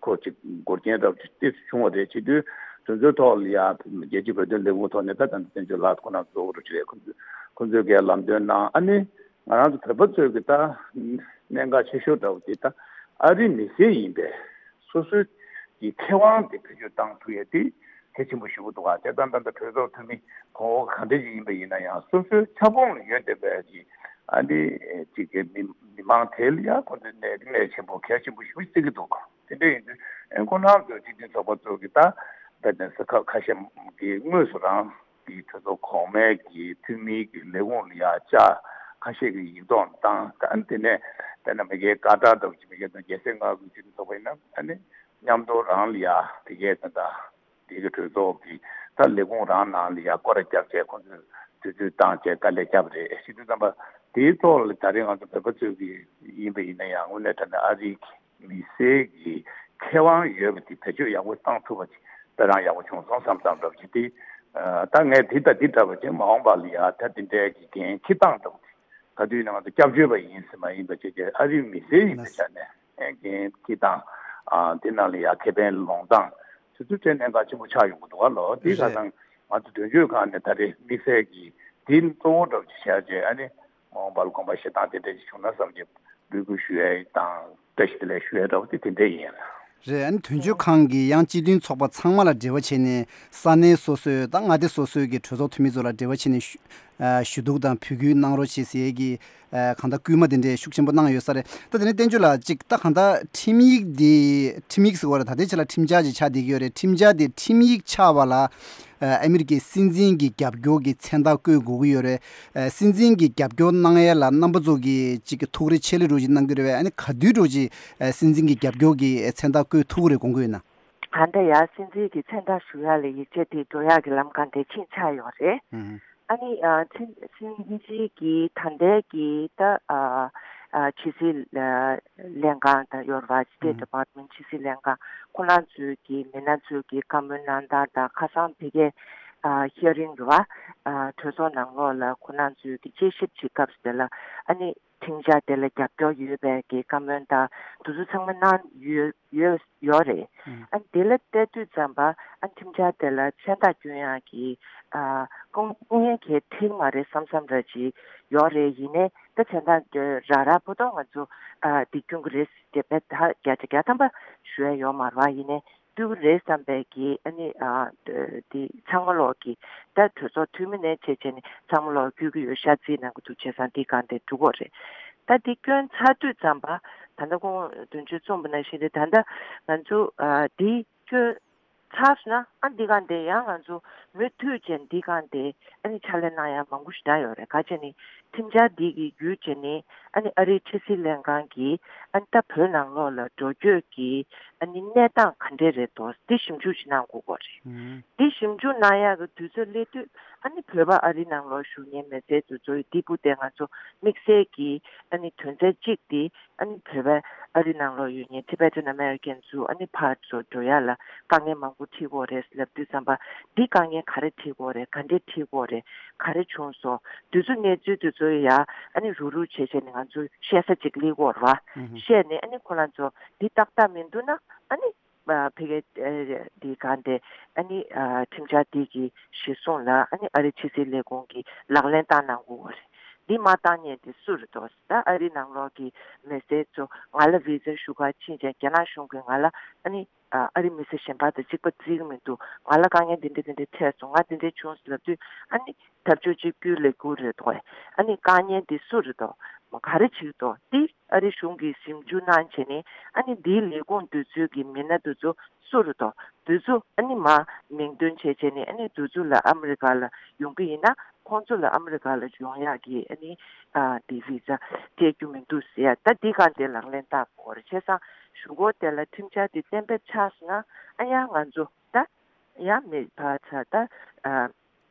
ཁོ་ཅིག་འགོར་རྐྱེན་རབ་ཅིག་ཏོག་ཙམ་བྱུང་བ་རེད། བྱེད་དུས་དེ་ཚོའི་ཐོག་ལ་ཡ་རྒྱལ་སྤྱིའི་བོད་དོན་ལས་ཁུངས་ཐོག་ནས་ད་ད་བསྟན་ཆོས་ལགས་ཁོ་རང་གཙོ་བོ་རུ་བྱས་ཁོ་ཚོས་ཁོ་ཚོས་གའི་ལམ་སྟོན་གནང་། ཨ་ནི་ང་རང་ཚོ་བོད་པ་ཚོས་གི་ད་གནད་འགག་ཆེ་ཤོས་འདྲ་བོ་དེ་ད་ཨ་རིའི་མི་སེར་ཡིན་པས་སོ་སོའི་གི་ཁེ་དབང་དེ་བེད་སྤྱོད་བཏང་ཐུབ་ཡ་དེ་གལ་ཆེན་པོ་ཞེ་པོ་འདུག་ག་དེ་ལྟར་ད་ལྟ་གྲོས་ཚོགས་འཐུས་མི་གོང་འོག་ག་འདྲ་ཞིག་ཡིན་པ་ཡིན་ན་ཡང་སོ་སོའི་ཁྱབ་ཁོངས་ལ་ཡོད་བསྡད་པའི་གི་ཨ་ནི་ཅིག་གི་མི་མི་མང་དེ་ལ་ཡང་ཁོ་ཚོས་གནད་གནད་ཆེན་པོ་གལ་ཆེན་པོ་ཞེ་པོ་བརྩི་གི་འདུག་དེ་འདྲ་ཡིན་དུས་ཁོ་རང་ཚོའི་སྤྱི་མཐུན་ཚོགས་པ་ཚོ་གི་ད་ད་ལྟ་ས་ཁག་ཁ་ཤས་ཀྱི་དངོས་སུ་རང་གི་གྲོས་ཚོགས་གོང་མའི་གི་འཐུས་མིའི་གི་ལས་ཁུངས་ལ་ཡང་བཅར། ཁ་ཤས་ཀྱི་ཡིག་ཐོག་བཏང་། ད་ཨ་ནི་དེ་ནས་དཔེར་ན་མི་སྒེར་ཀ་ཏར་འདྲ་བོ་ཅིག་མི་སྒེར་དང་རྒྱལ་སའི་མངའ་ཁུལ་སྤྱི་མཐུན་ཚོགས་པ་ཡིན་ན་ཨ་ནི་མཉམ་དུ་རང་ལ་ཡ་དེ་གའི་ད་ལྟ་དེ་གི་གྲོས་ཚོགས་ཀྱི་ད་ལས་ཁུངས་རང་ནང་ལ་ཡ་སྐོར་ར་བརྒྱབ་བྱས་ཁོང་ཚོས་དུས་ཚོད་བཏང་བྱས་དཀའ་ལས་བརྒྱབ་རེད། བྱེད་དུས་ཙམ་པ་དེའི་ཐོག་ལ་ད་རེས་ང་ཚོ་བོད་པ་ཚོས་ཀྱི་ཡིན་པ་ཡིན་ན་ཡང་དངོས་གནས་དྲང་གནས་ཨ་རིའི་མི་སེར་གྱི་ཁེ་དབང་ཡོད་པ་དེ་བེད་སྤྱོད་ཡག་པོ་བཏང་ཐུབ་པ་ཅིག་དཔེ་རང་ཡག་པོ་བྱུང་སོང་བསམ་བསམ་འདྲ་བ་ཅིག་དེ་ད་ངས་དེ་ལྟ་འདི་འདྲ་བ་ཅིག་མ་འོངས་པ་ལ་ཡ་ད་དེ་འདྲའི་གི་འགན་འཁྱེར་སྟངས་འདྲ་བ་དེ། ག་དུས་ནང་དུ་སྐྱབས་བཅོལ་བ་ཡིན་ཟེར་མ་ཡིན་པ་བྱས་ཏེ་ཨ་རིའི་མི་སེར་ཡིན་པའི་ཆ་ནས་འགན་འཁྱེར་སྟངས་ ཨ་དེ་ནང་ལ་ཡ་ཁེ་ཕན་ལོངས་སྟངས་དེ་ཚོ་དེ་གནད་འགག་ཆེན་པོ་ཆགས་ཡོང་གི་འདུག་ག་ལོ། དེ་ག་རེད། ཚང་ང་ཚོ་དོན་གཅོད་ཁང་ནས་ད་རེས་དམིགས་བསལ་གྱིས་དེ་གཙོ་བོ་འདྲ་པོ་ཅིག་བྱས་རྗེས་ཨ་ནི་འོང་བ་ལ་དགོངས་པ་བཞེས་སྟངས་དེ་འདྲ་ཅིག་བྱུང་ན་བསམ་གྱི་འབོད་སྐུལ་ཞུ་ཡ་དང་བཀྲ་ཤིས་བདེ་ལེགས་ཞུ་ཡ་འདྲ་པོ་དེ་དེ་འདྲ་ཡིན། རེད། ཨ་ནི་དོན་གཅོད་ཁང་གིས་ཡང་སྤྱི་མཐུན་ཚོགས་པ་ཚང་མ་ལ་འབྲེལ་བ་བྱས་ནས་ས་གནས་སོ་སོའི་དང་མངའ་སྡེ་སོ་སོའི་གི་གྲོས་ཚོགས་འཐུས་མི་ཚོ་ལ་འབྲེལ་བ་བྱས་ནས་ཞུ་ཨ་ཞུ་གཏུག་དང་བོད་སྐུལ་གནང་རོགས་བྱེད་ཟེར་གི་ཨ་གང་ལྟར་སྐུལ་མ་དེ་འདྲས་ཤུགས་ཆེན་པོ་གནང་ཡོད་ས་རེད། ད་དེ་ནས་བསྟན་ཆོས་ལགས་ཅིག་ད་གང་ལྟར་ཁྲིམས་ཡིག་འདི་ཁྲིམས་ཡིག་ཟེར་བ་རེད། ད་ལྟའི་ཆ་ལ་ཁྲིམས་འཆར་ཅིག་ཆགས་བསྡད་ཀྱི་ཡོད་རེད། ཁྲིམས་འཆར་དེ་ཁྲིམས་ཡིག་ཆགས་པ་ལ་ཨ་ཨ་མི་རི་ཀའི་སྲིད་འཛིན་གྱི་རྒྱབ་སྐྱོར་གྱི་མཚན་རྟགས་བཀོད་དགོས་ཀྱི་ཡོད་རེད། ཨ་སྲིད་འཛིན་གྱི་རྒྱབ་སྐྱོར་གནང་ཡས་ལ་རྣམ་པ་ཚོ་གིས་ཅིག་གི་ཐུགས་རེ་ཆེ་ལེ་རོགས་ཅིག་གནང་གི་རེད་བས། ཨ་ནི་ག་དུས་རོགས་ཅིག་ཨ་སྲིད་འཛིན་གྱི་རྒྱབ་སྐྱོར་གྱི་མཚན་རྟགས་བཀོད་ཐུབ་ཀྱི་རེད་དགོངས་ཀྱི་ཡོད་ན། ད་ལྟ་ཡང་སྲིད་འཛིན་གྱི་མཚན་རྟགས་ཞུ་ཡག་ལ་ཡིག་ཆ་དེ་འགྲོ་ཡག་གི་ལམ་ཁ་འདི་ཕྱིན་ཆགས་ཡོད་རེད། ཨ་ནི་ཨ་སྲིད་སྲིད་འཛིན་གྱི་ད་ལྟའི་གི་ད་ཨ་ཨ་ཕྱི་སྲིད་ལ་ལྷན་ཁང་དང་ཡོད་རེད་པ། State Department ཕྱི་སྲིད་ལྷན་ཁང་ཁོ་རང་ཚོའི་གི་མི་སྣ་ཚོའི་གི་བཀའ་མོལ་གནང་སྟངས་དང་ཁ་སང་ཕ་གིའི་ཨ་hearing རེད་པ། ཨ་གྲོས་ཚོགས་ནང་ལོགས་ལ་ཁོ་རང་ཚོའི་གི་དཔྱད་ཞིབ་བྱེད་སྐབས་དེ་ལ་ཨ་ནི་ཁྲིམས་འཆར་དེ་ལ་རྒྱབ་སྐྱོར་ཡོད་པའི་གི་བཀའ་མོལ་དང་དེ་ཚོ་ཚང་མ་གནང་ཡོད་ཡོད་ཡོད་རེད། ཨ་དེ་ལ་བལྟས་དུས་ཙམ་པ་ཨ་ཁྲིམས་འཆར་དེ་ལ་མཚན་རྟགས་སྐྱོན་ཡག་གི་ཨ་སྐུ་སྐུ་ངལ་གལ་འཕྲད་མ་རེད་བསམ་བསམ་འདྲ་ཅིག་ཡོད་རེད། ཡིན་ནའི་ད་མཚན་རྟགས་རག་རག་པོ་ཏོ་ང་ཚོ་ཨ་འདི་སྐྱོན་གི་རེད་ཟེར་བས། ད་བརྒྱ་ཆ་བརྒྱ་ཐམ་པ་ཞུ་ཡ་ཡོད་མ་རེད་པ། ཡིན་ནའི་སྐྱོན་གི་རེད་བསམ་པའི་གི་ཨ་ནི་ཨ་འདི་ཚང་མ་ལོག་གི་ད་གྲོས་ཚོགས་འཐུས་མི་ནས་བྱས་བྱས་ནས་ཚང་མ་ལོག་སྐྱོན་གི་ཡོད་ཤག་རྩིས་གནང་གི་འདུག་བྱས་ཙང་འདི་གང་དེ་འགྲུབ་དགོས་རེད། ད་འདི་སྐྱོན་ཚར་དུས་ཙམ་པ་ད་ལྟ་ཁོང་དོན་གཅོད་གསུངས་པ་ནང་བཞིན་རེད། ད་ལྟ་ང་ཚོ་ཨ་འདི་སྐྱོན་ཚར་སོང་ན་ཨ་འདི་གང་དེ་ཡང་ང་ཚོ་མུ་མཐུད་བྱས་འདི་གང་དེ་ཨ་ནི་ཕྱག་ལས་གནང་ཡ་མང་པོ་ཞེ་དྲག་ཡོད་རེད། ག་བྱས་ནི་ཁྲིམས་འཆར་འདི་གི་བརྒྱུད་བྱས་ནི་ཨ་ནི་ཨ་རིའི་ཕྱི་སྲིད་ལྷན་ཁང་གིས་ཨ་ནི་ད་བོད་ནང་ལོགས་ལ་འགྲོ་སྐྱོད་ཀྱི་ཨ་ནི་གནས་སྟངས་ག་འདྲས་རེད་དོ་འདི་ཞིབ་འཇུག་ཅིག་གནང་དགོས་ཀྱི་རེད། འདི་ཞིབ་འཇུག་གནང་ཡག་གི་དུས་ཚོད་སླེབས་དུས་ཨ་ནི་བོད་པ་ཨ་རི་ནང་ལོགས་བཞུགས་མཁན་མི་སེར་དེ་ཚོ་ཡི་འདི་སྤུ་དེ་ང་ཚོ་དམིགས་བསལ་གྱི་ཨ་ནི་དོན་ཚན་གཅིག་དེ་ཨ་ནི་བོད་པ་ཨ་རི་ནང་ལོགས་ཡོད་མཁན་Tibetan American ཚོ་ཨ་ནི་ཕར་ཚུར་འགྲོ་ཡག་ལ་དཀའ་ངལ་མང་པོ་འཕྲད་ཀྱི་ཡོད་རེད་ལབ་དུས་ཙམ་པ་འདི་དཀའ་ངལ་ག་རེ་འཕྲད་ཀྱི་ཡོད་རེད། ག་འདྲས་འཕྲད་ཀྱི་ཡོད་རེད། ག་རེ་བྱུང་སོང་། དུས་ཚོད་གནས་ཚུལ་དེ་ཚོ་ཡ་ཨ་ནི་རུག་རུག་བྱས་བྱས་ནས་ང་ཚོ་བཤད་ས་ཅིག་སླེབས་ཀྱི་ཡོད་རེད་པ། བཤད་ནས་ཨ་ནི་ཁོ་རང་ཚོ་འདི་ཏག་ཏག་མི་འདུག་ན་ཨ་ནི་ཨ་ཕ་གི་ཨ་འདི་གང་དེ་ཨ་ནི་ཨ་ཁྲིམས་འཆར་འདི་གི་གཞིར་བཟུང་ལ་ཨ་ནི་ཨ་རི་ཕྱི་སྲིད་ལས་ཁུངས་ཀྱིས་ལག་ལེན་བསྟར་གནང་དགོས་པ་རེད། འདི་མ་བཏང་མཁན་དེ་སུ་རེད་དོ། ད་ཨ་རི་ནང་ལོགས་ཀྱི་མི་སེར་ཚོ་ང་ལ་བི་ཟ་ཞུ་ག་ཕྱིན་ཙང་རྒྱ་ནག་གཞུང་གིས་ང་ལ་ཨ་ནི་ཨ་ཨ་རི་མི་སེར་གཞན་པ་དང་གཅིག་པ་བརྩི་གི་མི་འདུག་ང་ལ་དཀའ་ངལ་འདི་འདྲ་འདི་འདྲ་འཕྲད་སོང་། ང་འདི་འདྲ་བྱུང་ཟེར་ལབ་དུས་ཨ་ནི་ཐབས་ཇུས་གཅིག་གྱུར་ལས་འགུལ་རེད་དོ། ཨ་ནི་དཀའ་ངལ་འདི་སུ་རེད་དོ། ག་རེ་བྱེད་དོ། འདི་ཨ་རི་གཞུང་གིས་ཞིབ་འཇུག་གནང་བྱས་ནས་ཨ་ནི་འདིའི་ལས་ཁུངས་དེ་ཚོའི་གི་མི་སྣ་དེ་ཚོ་སུ་རེད་དོ། དེ་ཚོ་ཨ་ནི་མར་མིང་འདོན་བྱས་བྱས་ནས་ཨ་ནི་དེ་ཚོ་ལ་ཨ་མི་རི་ཀ་ལ་ཡོང་གི་ཡིན་ན་ཁོང་ཚོ་ལ་ཨ་མི་རི་ཀ་ལ་ཡོང་ཡག་གི་ཨ་ནི་ཨ་དེ་བི་ཟ་སྤྲད་རྒྱུ་མི་འདུག་ཟེར་ཡ། ད་འདི་གང་དེ་ལག་ལེན་བསྟར་དགོས་རེད། བྱས་ཙང་གཞུག་གུ་དེ་ལ་ཁྲིམས་འཆར་དེ་གཏན་འབེབས་ཆགས་སོང་ན་ཨ་ཡང་ང་ཚོ་ད་ཡང་མི་ཕར་ཚུར་ད་ཨ།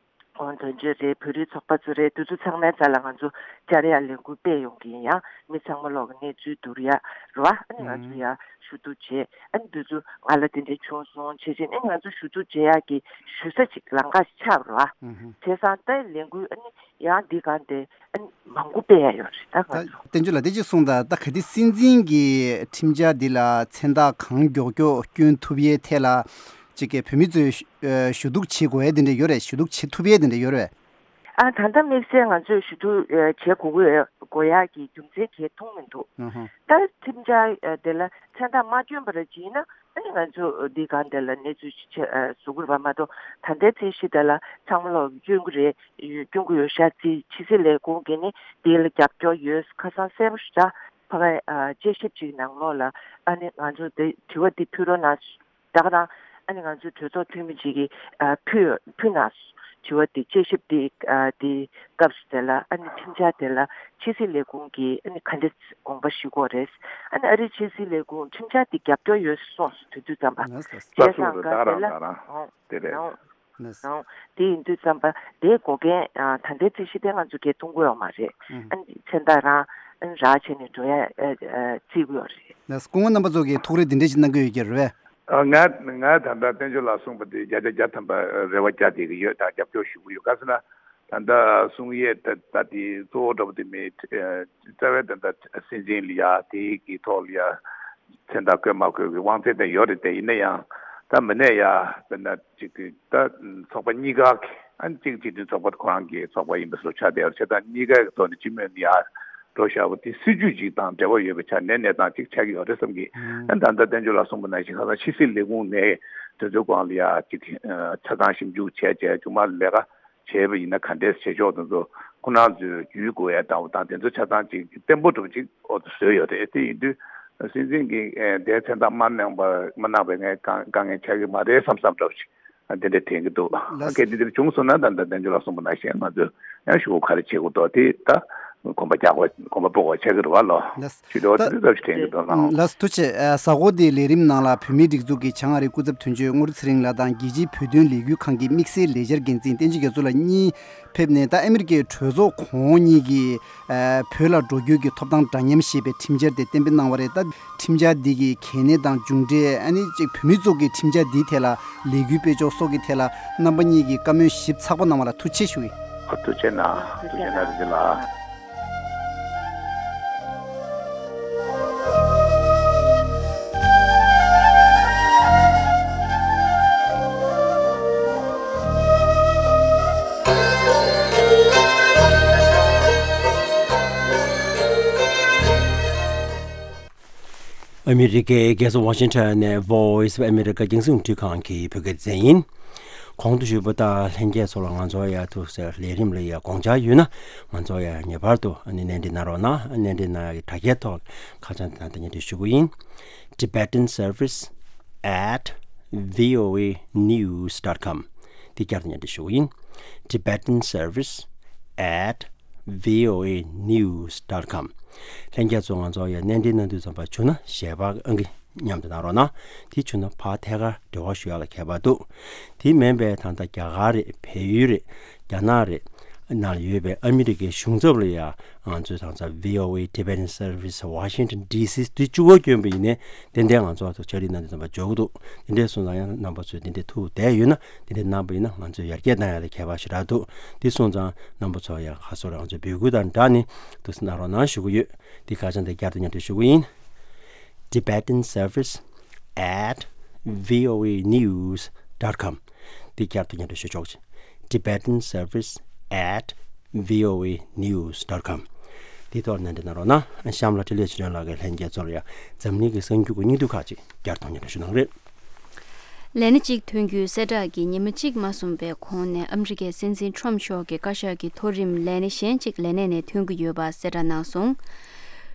ཁོང་དོན་གཅོད་རེད། བོད་རིགས་ཚོགས་པ་ཚོ་རེད། དེ་ཚོ་ཚང་མའི་རྩ་ལ་ང་ཚོ་བཅར་ཡག་ལས་འགུལ་སྤེལ་ཡོང་གི་ཡིན། ཡང་མི་ཚང་མ་ལོག་གི་གནས་ཚུལ་བསྡུར་ཡག་རེད་པ། ཨ་ནི་ང་ཚོ་ཡང་ཞུ་གཏུག་བྱས། ཨ་ནི་དེ་ཚོ་ང་ལ་དེ་འདྲ་བྱུང་སོང་བྱས་བྱས་ཨ་ནི་ང་ཚོ་ཞུ་གཏུག་བྱེད་ཡག་གི་ཞུ་ས་ཅིག་ལམ་ཁ་ཆགས་པ་རེད་པ། བྱས་ཙང་ད་ལས་འགུལ་ཨ་ནི་ཡང་འདི་གང་དེ་ཨ་ནི་མང་པོ་སྤེལ་ཡག་ཡོད་རེད། ད་ང་ད་ཚོ་བསྟན་ཆོས་ལགས་དེ་ཅིག་གསུངས་དང་། ད་ག་དེ་སྲིད་འཛིན་གྱི་ཁྲིམས་འཆར་འདི་ལ་མཚན་རྟགས་གང་མགྱོགས་མགྱོགས་སྐྱོན་ཐུབ་ཡས་ཐད་ལ་ཅིག་གི་བོད་མི་ཚོས་ཞུ་གཏུག་བྱེད་དགོས་ཡས་དེ་འདྲ་ཡོད་རེད། ཞུ་གཏུག་བྱེད་ཐུབ་ཡས་དེ་འདྲ་ཡོད་རེད། ཨ་ད་ལྟ་དམིགས་བསལ་ང་ཚོས་ཞུ་གཏུག་ཨ་བྱེད་དགོས་ཀྱི་དགོས་ཡག་གི་རྒྱུ་མཚན་གང་ཡང་མཐོང་མི་འདུག་ཨ་ཧ། ད་ཁྲིམས་འཆར་ཨ་དེ་ལ་མཚན་རྟགས་མ་བསྐྱོན་པ་ར་ཅིག་ཡིན་ན་ཨ་ནི་ང་ཚོ་འདི་གང་དེ་ལ་གནས་ཚུལ་ཅིག་བྱེད་ཨ་བཟོ་དགོས་རེད་པ། མ་གཏོགས་ད་ལྟའི་ཚད་གཞི་དེ་ལ་ཚང་མ་ལོག་སྐྱོན་གྱི་རེད། སྐྱོན་གྱི་ཡོད་ཤག་ཅེས་ཕྱི་སྲིད་ལས་ཁུངས་ཀྱིས་ནི་འདི་ལ་རྒྱབ་སྐྱོར་ཡོད། ཁ་སང་གསལ་པོ་ཞེ་དྲག་ཕ་གི་ཨ་དཔྱད་ཞིབ་ཅིག་ནང་ལོགས་ལ་ཨ་ནི་ང་ཚོ་འདི་དྲི་བ་འདི་ཕུལ་རོགས་གནང་། ད་ག་རང་ཨ་ནི་ང་ཚོའི་གྲོས་ཚོགས་འཐུས་མི་ཅིག་གིས་ཨ་ཕུལ་ཕུལ་གནང་། དྲི་བ་འདི་དཔྱད་ཞིབ་འདི་ཨ་འདི་སྐབས་སུ་དེ་ལ་ཨ་ནི་ཁྲིམས་འཆར་དེ་ལ་ཕྱི་སྲིད་ལས་ཁུངས་ཀྱིས་ཨ་ནི་ག་འདྲ་དགོངས་པ་ཞུ་དགོས་རེད། ཨ་ནི་ཨ་རིའི་ཕྱི་སྲིད་ལས་ཁུངས་ཁྲིམས་འཆར་འདི་རྒྱབ་སྐྱོར་ཡོད་གསུངས་སོང་། དུས་དུས་ཙམ་པ། ལགས་སོ། བྱས་ཙང་ག་དེ་ལ་ཨོ་དེ་རེད། ཨོ་ལགས་སོ། ཨོ་དེ་ཡིན་དུས་ཙམ་པ་དེའི་འགོག་རྐྱེན་ཨ་ད་ལྟའི་རྩོད་གཞི་དེ་ང་ཚོ་གས་མཐོང་གི་ཡོད་མ་རེད། ཨ་ནི་མཚན་རྟགས་རང་ཨ་ནི་རག་བྱས་ནས་འགྲོ་ཡ་ཨ་ཨ་བརྩི་གི་ཡོད་རེད། ལགས་སོ། སྐུ་ངོ་རྣམ་པ་ཚོ་གིས་ཐུགས་རེ་འདི་འདྲ་ཞིག་གནང་གི་ཡོད་ཀྱི་རེད་པས། ཨ་ང་ང་ད་ལྟ་བསྟན་ཆོས་ལགས་གསུངས་པ་དེ་བརྒྱ་ཆ་བརྒྱ་ཐམ་པ་རེ་བ་བརྒྱ་བསྡད་ཀྱི་ཡོད་དང་རྒྱབ་སྐྱོར་ཞུ་གི་ཡོད། ག་ཟེར་ན་ད་ལྟ་གསུང་ཡས་ད་ལྟ་དེ་གཙོ་བོ་འདྲ་པོ་དེ་མེད། རྩ་བའི་ད་ལྟ་སྲིད་འཛིན་ལ་ཡ་དེ་གི་ཐོག་ལ་ཡ་ མཚན་རྟགས་བཀོད་མ་བཀོད་ཀྱི་དབང་ཚད་དེ་ཡོད་རེད་དེ། ཡིན་ན་ཡང་ད་མི་ནས་ཡ་དཔེར་ན་ཅིག་གི་ད་ཚོགས་པ་གཉིས་ཀ་གི་ཨ་ནི་གཅིག་སྤྱི་མཐུན་ཚོགས་པ་ཁོ་རང་གི་ཚོགས་པ་ཡིན་པ་སོགས་ཆགས་བསྡད་ཡོད་རེད། བྱས་ཙང་གཉིས་ཀ་གི་ཐོག་ནས་སྤྱི་མོས་ནས་ཡ་འགྲོ་བཞག་པ་དེ་སྲིད་ཇུས་ཅིག་དང་འབྲེལ་བ་ཡོད་པའི་ཆ་ནས་གནས་སྟངས་ཅིག་ཆགས་ཀྱི་ཡོད་རེད་བསམ་གི། ཨ་ནི་ད་ལྟ་བསྟན་ཆོས་ལགས་གསུངས་པ་ནང་བཞིན་ཁ་སང་ཕྱི་སྲིད་ལས་ཁུངས་ནས་དེ་ཚོའི་སྒང་ལ་ཡ་ཅིག་ཆ་ཚང་ཞིབ་འཇུག་བྱས་བྱས་མཇུག་མ་ལས་ཀ་བྱས་པ་ཡིན་ན་ག་འདྲས་བྱེད་ཆོག་དེ་ཚོ་ཁོ་རང་ཚོའི་བརྒྱུད་དགོས་ཡ་འདྲ་བོ་དང་དེ་ཚོ་ཆ་ཚང་ཅིག་བརྟན་པོ་འདྲ་བོ་ཅིག་འོ་ཚོ་བཟོས་ཡོད་རེད། དེ་ཡིན་དུས་སྲིད་འཛིན་གྱིས་དེའི་མཚན་རྟགས་མ་གནང་བ་མ་གནང་བའི་ངས་དཀའ་དཀའ་ངལ་ཆགས་ཀྱི་མ་རེད་བསམ་བསམ་འདྲ་བོ་ཅིག་དེ་འདྲ་དྲན་གྱི་འདུག་ལགས། གལ་ཏེ་དེ་འདྲ་བྱུང་སོང་ན་ད་ལྟ་བསྟན་ཆོས་ལགས་གསུངས་པ་ནང་བཞིན་ང་ཚོས་ཡང་ཞུ་དགོས་ག་རེ་བྱེད་དགོས་འདུག་དེ་ད་གོམ་པ་རྒྱག་དགོས་གོམ་པ་སྤོ་དགོས་ཆགས་ཀྱི་རེད་བ་ལོ། ལགས། ཞུ་དོ་དེ་ཚོ་ཞིག་དྲན་གྱི་འདུག་ལགས། ལགས་སོ། ཐུགས་རྗེ་ཆེ། གཟའ་འཁོར་འདིའི་ལས་རིམ་ནང་ལ་བོད་མིའི་སྒྲིག་འཛུགས་ཀྱི་བྱང་ཨ་རིའི་སྐུ་ཚབ་དོན་གཅོད་དངོས་གྲུབ་ཚེ་རིང་ལགས་དང་རྒྱལ་སྤྱིའི་བོད་དོན་ལས་འགུལ་ཁང་གི་དམིགས་བསལ་ལས་འཆར་འགན་འཛིན་བསྟན་འཛིན་རྒྱ་མཚོ་ལགས་གཉིས་ཕེབས་ནས། ད་ཨ་མི་རི་ཀའི་གྲོས་ཚོགས་གོང་འོག་གཉིས་ཀྱིས་ཨ་བོད་ལ་འགྲོ་རྒྱུ་གི་ཐོབ་ཐང་འདྲ་མཉམ་ཞེས་པའི་ཁྲིམས་འཆར་དེ་གཏན་འབེབས་གནང་བ་རེད། ད་ཁྲིམས་འཆར་འདི་གི་གལ་གནད་དང་མཇུག་འབྲས། ཨ་ནི་གཅིག་བོད་མི་ཚོ་གི་ཁྲིམས་འཆར་འདིའི་ཐད་ལ་ལས་འགུལ་སྤེལ་ཕྱོགས་སོགས་ཀྱི་ཐད་ལ་རྣམ་པ་གཉིས་ཀྱིས་བཀའ་མོལ་ཞིབ་ཚགས་པོ་གནང་བ་ལ་ཐུགས་རྗེ་ཆེ་ཞུ་ཡི། ཨ་ཐུགས་རྗེ་གནང་། ཐུགས་རྗེ་གནང་། རིན་ཆེན་ལགས། ཨ་མི་རི་ཀའི་རྒྱལ་ས་ཝ་ཤིང་ཊོན་ནས་Voice of America རྒྱང་སྲིང་རླུང་འཕྲིན་ཁང་གི་བོད་སྐད་སྡེ་ཚན་ཡིན། གོང་དུ་ཞུས་པ་ལྟར་ལྷན་རྒྱས་ཚོ་ལ་ང་ཚོ་ཡ་ཐུགས་སེ་ལས་རིམ་ལ་ཡ་དགོངས་འཆར་ཡོད་ན་ང་ཚོ་ཡ་ངེས་པར་དུ་ཨ་ནི་གནད་འདྲི་གནང་རོགས་གནང་། གནད་འདྲི་གནང་ཡ་གི་དྲ་རྒྱའི་ཐོག་ཁ་བྱང་དེ་དང་དེ་ཉིད་དུ་ཞུ་གི་ཡིན། Tibetan Service at V O A News dot com འདི་བསྐྱར་དུ་སྙན་སྒྲོན་ཞུ་གི་ཡིན། Tibetan Service at V O A News dot com ལྷན་རྒྱས་ཚོ་ང་ཚོ་ཡ་གནད་འདྲི་གནང་དུས་ཙམ་པ་བྱུང་ན་ཞལ་པར་ཨང་ཀི་མཉམ་དུ་གནང་རོགས་གནང་། དེ་བྱུང་ན་ཕར་ཐད་ཀར་འབྲེལ་བ་ཞུ་ཡག་ལ་ཁྱད་པར་འདུག་དེ་མིན་པའི་ད་ལྟ་རྒྱ་གར་རེད། བལ་ཡུལ་རེད། རྒྱ་ནག་རེད། ནང་ལ་ཡོད་པའི་ཨ་མི་རི་ཀའི་གཞུང་ཚབ་ལ་ཡ་ང་ཚོས་ད་ལྟ་V O A Tibetan Service Washington D C དེ་བཅུ་པ་བསྐྱོན་པ་ཡིན་ནའི་ཏན་ཏན་ང་ཚོ་ཨ་ཐུ་ཕྱག་བྲིས་གནང་དུས་ཙམ་པ་འབྱོར་གི་འདུག་དེ་འདྲའི་སོང་ཙང་ཡང་རྣམ་པ་ཚོས་དེ་འདྲའི་ཐུགས་བསྡད་ཡོད་ན་དེ་འདྲའི་གནང་པ་ཡིན་ན་ང་ཚོས་ཡར་རྒྱས་གཏང་ཡག་ལ་ཁྱད་པར་ཞེ་དྲག་འདུག་དེ་སོང་ཙང་རྣམ་པ་ཚོ་ཡང་ཁ་སོར་ང་ཚོའི་འབོད་སྐུལ་དང་སྦྲགས་ནས་ཐུགས་སྣང་རོགས་གནང་ཞུ་གི་ཡོད། དེ་ཁ་བྱང་དེ་བསྐྱར་དུ་སྙན་སྒྲོན་ཞུ་གི་ཡིན། Tibetan Service at V O A News dot com དེ་བསྐྱར་དུ་སྙན་སྒྲོན་ཞུ་ཆོག་ཅིང་། Tibetan Service at V O A News dot com དེ་ཐོག་གནད་འདྲི་གནང་རོགས་གནང་། གཤམ་ལ་འཕྲིན་ལས་ཆོས་སྒྲོན་ལགས་ཀྱིས་ལྷན་རྒྱས་ཚོར་ཡང་འཛམ་གླིང་གི་གསར་འགྱུར་གྱི་སྙིང་བསྡུས་ཁག་ཅིག་བསྐྱར་དུ་སྙན་སྒྲོན་ཞུ་གནང་རེད། ལས་སྣེ་གཅིག་ཐོན་རྒྱུའི་གསལ་བསྒྲགས་ཀྱིས་ཉི་མ་གཅིག་མ་སོང་བའི་གོང་ནས་ཨ་མི་རི་ཀའི་སྲིད་འཛིན་ཁྲོམ་མཆོག་གི་བཀའ་ཤག་གི་མཐོ་རིམ་ལས་སྣེ་གཞན་གཅིག་ལས་གནས་ནས་ཐོན་གྱི་ཡོད་པ་གསལ་བསྒྲགས་གནང་སོང་།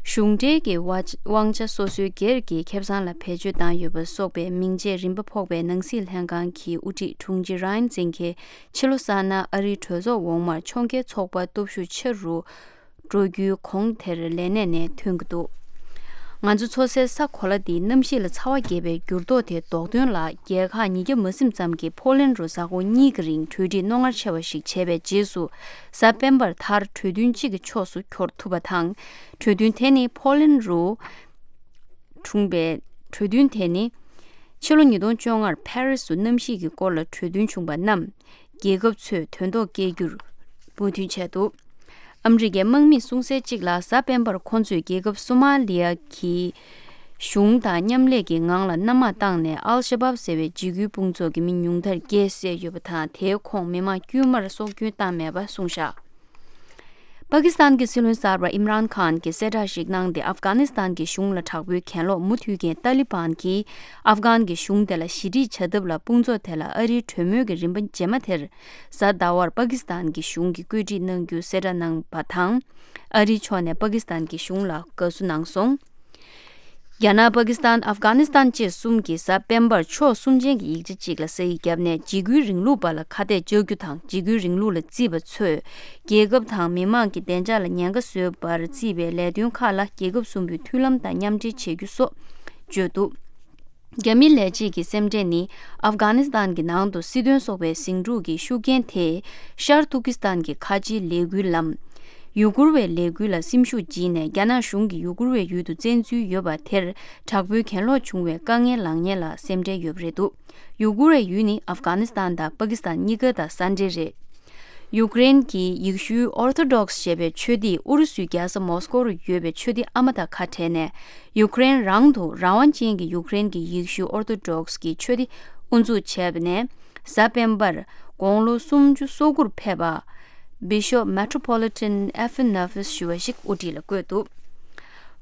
གཞུང་འབྲེལ་གྱི་དབང་ཆ་སོ་སོའི་སྒེར་གྱི་ཁེ་བཟང་ལ་བེད་སྤྱོད་བཏང་ཡོད་པ་སོགས་པའི་མིང་བརྗེས་རིམ་པ་ཕོག་པའི་ནང་སྲིད་ལྷན་ཁང་གི་དབུ་ཁྲིད་དྲུང་ཆེ་ར་ཡན་ཛིན་གྱིས་ཕྱི་ལོ་གསར་ནང་ཨ་རིའི་གྲོས་ཚོགས་འོག་མར་ཕྱོགས་འགལ་ཚོགས་པ་སྟོབས་ཤུགས་ཆེ་རུ་འགྲོ་རྒྱུའི་གོང་དེར་ལས་གནས་ནས་ཐོན་གྱི་འདུག་ང་ཚོ་འཚོ་སའི་ས་གོ་ལ་འདིའི་གནམ་གཤིས་ལ་ཚ་བ་རྒྱས་པའི་འགྱུར་ལྡོག་དེ་ཟློག་དོན་ལ་རྒྱལ་ཁག་ཉིས་བརྒྱ་མ་ཟིན་ཙམ་གྱིས་ཕོ་ལན་རུ་གཟའ་འཁོར་གཉིས་ཀྱི་རིང་གྲོས་འགྲིག་རྣོ་ངར་ཆེ་བ་ཞིག་བྱས་པའི་རྗེས་སུ། གཟའ་སྤེན་པར་མཐར་གྲོས་མཐུན་གཅིག་གི་ཕྱོགས་སུ་འཁྱོལ་ཐུབ་པ་དང་། གྲོས་མཐུན་དེ་ནི་ཕོ་ལན་རུ་བྱུང་བའི་གྲོས་མཐུན་དེ་ནི། ཕྱི་ལོ་ཉིས་སྟོང་བཅོ་ལྔར་ཕ་རི་སུ་གནམ་གཤིས་ཀྱི་སྐོར་ལ་གྲོས་མཐུན་བྱུང་བ་རྣམས། རྒྱལ་ཁབ་ཚོས་དོན་ཐོག་སྐྱེལ་རྒྱུར་མོས་མཐུན་བྱས་འདུག་ཨ་མི་རི་ཀའི་དམག་མིས་གསུངས་གསལ་གཅིག་ལ། གཟའ་སྤེན་པར་ཁོང་ཚོས་རྒྱལ་ཁབ་སོ་མ་ལི་ཡ་གི་གཞུང་དང་མཉམ་ལས་ཀྱི་ངང་ལ་གནམ་དམག་བཏང་ནས་ཨལ་ཤ་བབ་ཟེར་བའི་འཇིགས་སྐུལ་དཔུང་ཚོགས་ཀྱི་མི་ཉུང་མཐར་བརྒྱད་བསད་ཡོད་པ་དང་། དེའི་ཁོངས་མི་མང་དཀྱུས་མར་སྲོག་སྐྱོན་བཏང་མེད་པ་གསུངས་བཞག་པ་ཀི་སི་ཐན་གྱི་སྲིད་བློན་གསར་པ་ཨིམ་རཱན་ཁཱན་གྱིས་གསལ་བསྒྲགས་ཤིག་གནང་སྟེ། ཨབ་གྷ་ནི་སི་ཐན་གྱི་གཞུང་ལ་དྲག་པོའི་གྱེན་ལོག་མུ་མཐུད་མཁན་ཏཱ་ལི་བན་གྱིས་ཨབ་གྷན་གྱི་གཞུང་དེ་ལ་ཞི་འགྲིག་བྱ་ཐབས་ལ་དཔུང་ཚོགས་དེ་ལ་ཨ་རིའི་གྲོས་མོལ་གྱི་རིམ་པ་རྗེས་མ་དེར། གཟའ་ཟླ་བར་པ་ཀི་སི་ཐན་གྱི་གཞུང་གིས་བཀོད་སྒྲིག་གནང་རྒྱུ་གསལ་བསྒྲགས་གནང་བ་དང་། ཨ་རིའི་ཕྱོགས་ནས་པ་ཀི་སི་ཐན་གྱི་གཞུང་ལ་དགའ་བསུ་གནང་སོང་། རྒྱ་ནག་པ་ཀི་སི་ཐན་ཨབ་གྷ་ནི་སི་ཐན་བཅས་གསུམ་གྱིས་གཟའ་སྤེན་པར་ཕྱོགས་གསུམ་ཅན་གྱི་ཡིག་ཆ་གཅིག་ལ་ས་ཡིག་བརྒྱབ་ནས། འཇིགས་སྐུལ་རིང་ལུགས་པ་ལ་ཁ་གཏད་གཅོག་རྒྱུ་དང་། འཇིགས་སྐུལ་རིང་ལུགས་ལ་བརྩིས་པ་ཚོས་རྒྱལ་ཁབ་དང་མི་མང་གི་བདེ་འཇགས་ལ་ཉེན་ཁ་བཟོས་པར་བརྩིས་པའི་ལས་དོན་ཁག་ལ་རྒྱལ་ཁབ་གསུམ་པོའི་མཐུན་ལམ་དང་མཉམ་འབྲེལ་བྱེད་རྒྱུ་སོགས་བརྗོད་འདུག་རྒྱ་མིའི་ལས་བྱེད་ཀྱི་སེམས་ཁྲལ་ནི། ཨབ་གྷ་ནི་སི་ཐན་གྱི་ནང་དུ་སྲིད་དོན་སོགས་པའི་ཟིང་འཁྲུག་གི་ཤུགས་རྐྱེན་དེས་ཤར་ཏུར་ཀི་སི་ཐན་གྱི་ཁ་ཆེའི་ལས་འགུལ་ལམ། ཡུ་གུར་བའི་ལས་འགུལ་ལ་སེམས་ཤུགས་བརྗེས་ནས། རྒྱ་ནག་གཞུང་གིས་ཡུ་གུར་བའི་ཡུལ་དུ་བཙན་འཛུལ་ཡོད་པ་དེར་དྲག་པོའི་གྱེན་ལོག་བྱུང་བའི་དཀའ་ངལ་ལངས་ཉེན་ལ་སེམས་ཁྲལ་ཡོད་པ་རེད་འདུག་ཡུ་གུར་བའི་ཡུལ་ནི་ཨབ་གྷ་ནི་སི་ཐན་དང་པ་ཀི་སི་ཐན་གཉིས་ཀ་དང་ས་འབྲེལ་རེད། ཡུཀ་རེན་གྱི་ཡེ་ཤུའི་ཨོར་ཐོ་ཌོག་སི་ཞེས་པའི་ཆོས་སྡེས་ཨུ་རུ་སུའི་རྒྱལ་ས་མོ་སི་ཀོ་རུ་ཡོད་པའི་ཆོས་སྡེ་ཨ་མ་དང་ཁ་བྲལ་ནས། ཡུཀ་རེན་རང་དུ་རང་དབང་ཅན་གྱི་ཡུཀ་རེན་གྱི་ཡེ་ཤུའི་ཨོར་ཐོ་ཌོག་སི་གི་ཆོས་སྡེ་དབུ་འཛུགས་བྱས་པ་ནས། གཟའ་སྤེན་པར་དགུང་ལོ་སུམ་ཅུ་སོ་དགུར་ཕེབས་པ། Bishop Metropolitan Athanasius ཞུ་བ་ཞིག་དབུ་ཁྲིད་ལ་བསྐོས་འདུག་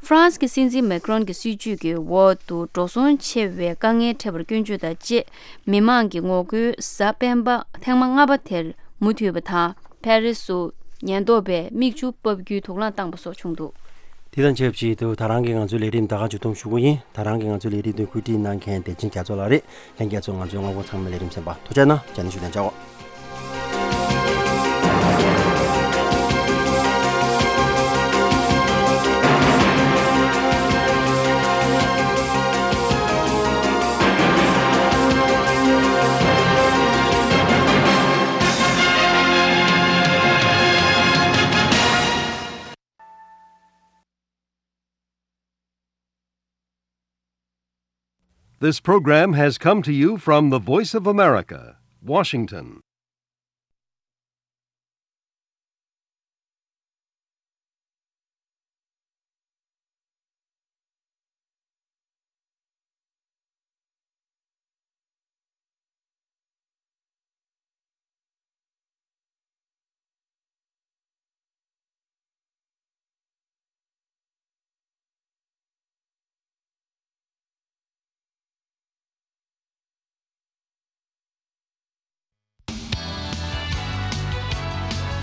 ཧྥ་རན་སི་གི་སྲིད་འཛིན་མེ་ཀྲོན་གྱི་སྲིད་ཇུས་ཀྱི་འོག་ཏུ་འགྲོ་སོང་ཆེ་བའི་དཀའ་ངལ་འཕྲད་པར་སྐྱོན་བརྗོད་དང་བཅས། མི་མང་གི་ངོ་རྒོལ་གཟའ་སྤེན་པ་ཐེངས་མ་ལྔ་པ་དེར་མུ་མཐུད་པ་དང་། ཕ་རི་སུ་ཉེན་རྟོག་པས་མིག་ཆུ་ཕབ་རྒྱུའི་དུག་རླངས་བཏང་པ་སོགས་བྱུང་འདུག་དེ་དང་ཆབས་ཅིག་ཏུ་ད་རང་གི་ང་ཚོའི་ལས་རིམ་ད་ག་མཇུག་བསྡོམས་ཞུ་གི་ཡིན། ད་རང་གི་ང་ཚོའི་ལས་རིམ་དེ་གོ་སྒྲིག་གནང་མཁན་བདེ་ཆེན་རྒྱ་མཚོ་ལགས་རེད། ལྷན་རྒྱས་ཚོ་ང་ཚོའི་སྔ་པོ་ཚང་མའི་ལས་རིམ་གསན་པ་ཐུགས་རྗེ་གནང་། རྗེས་ནས་ཞུ་ལན་བྱའོ། This program has come to you from the Voice of America, Washington.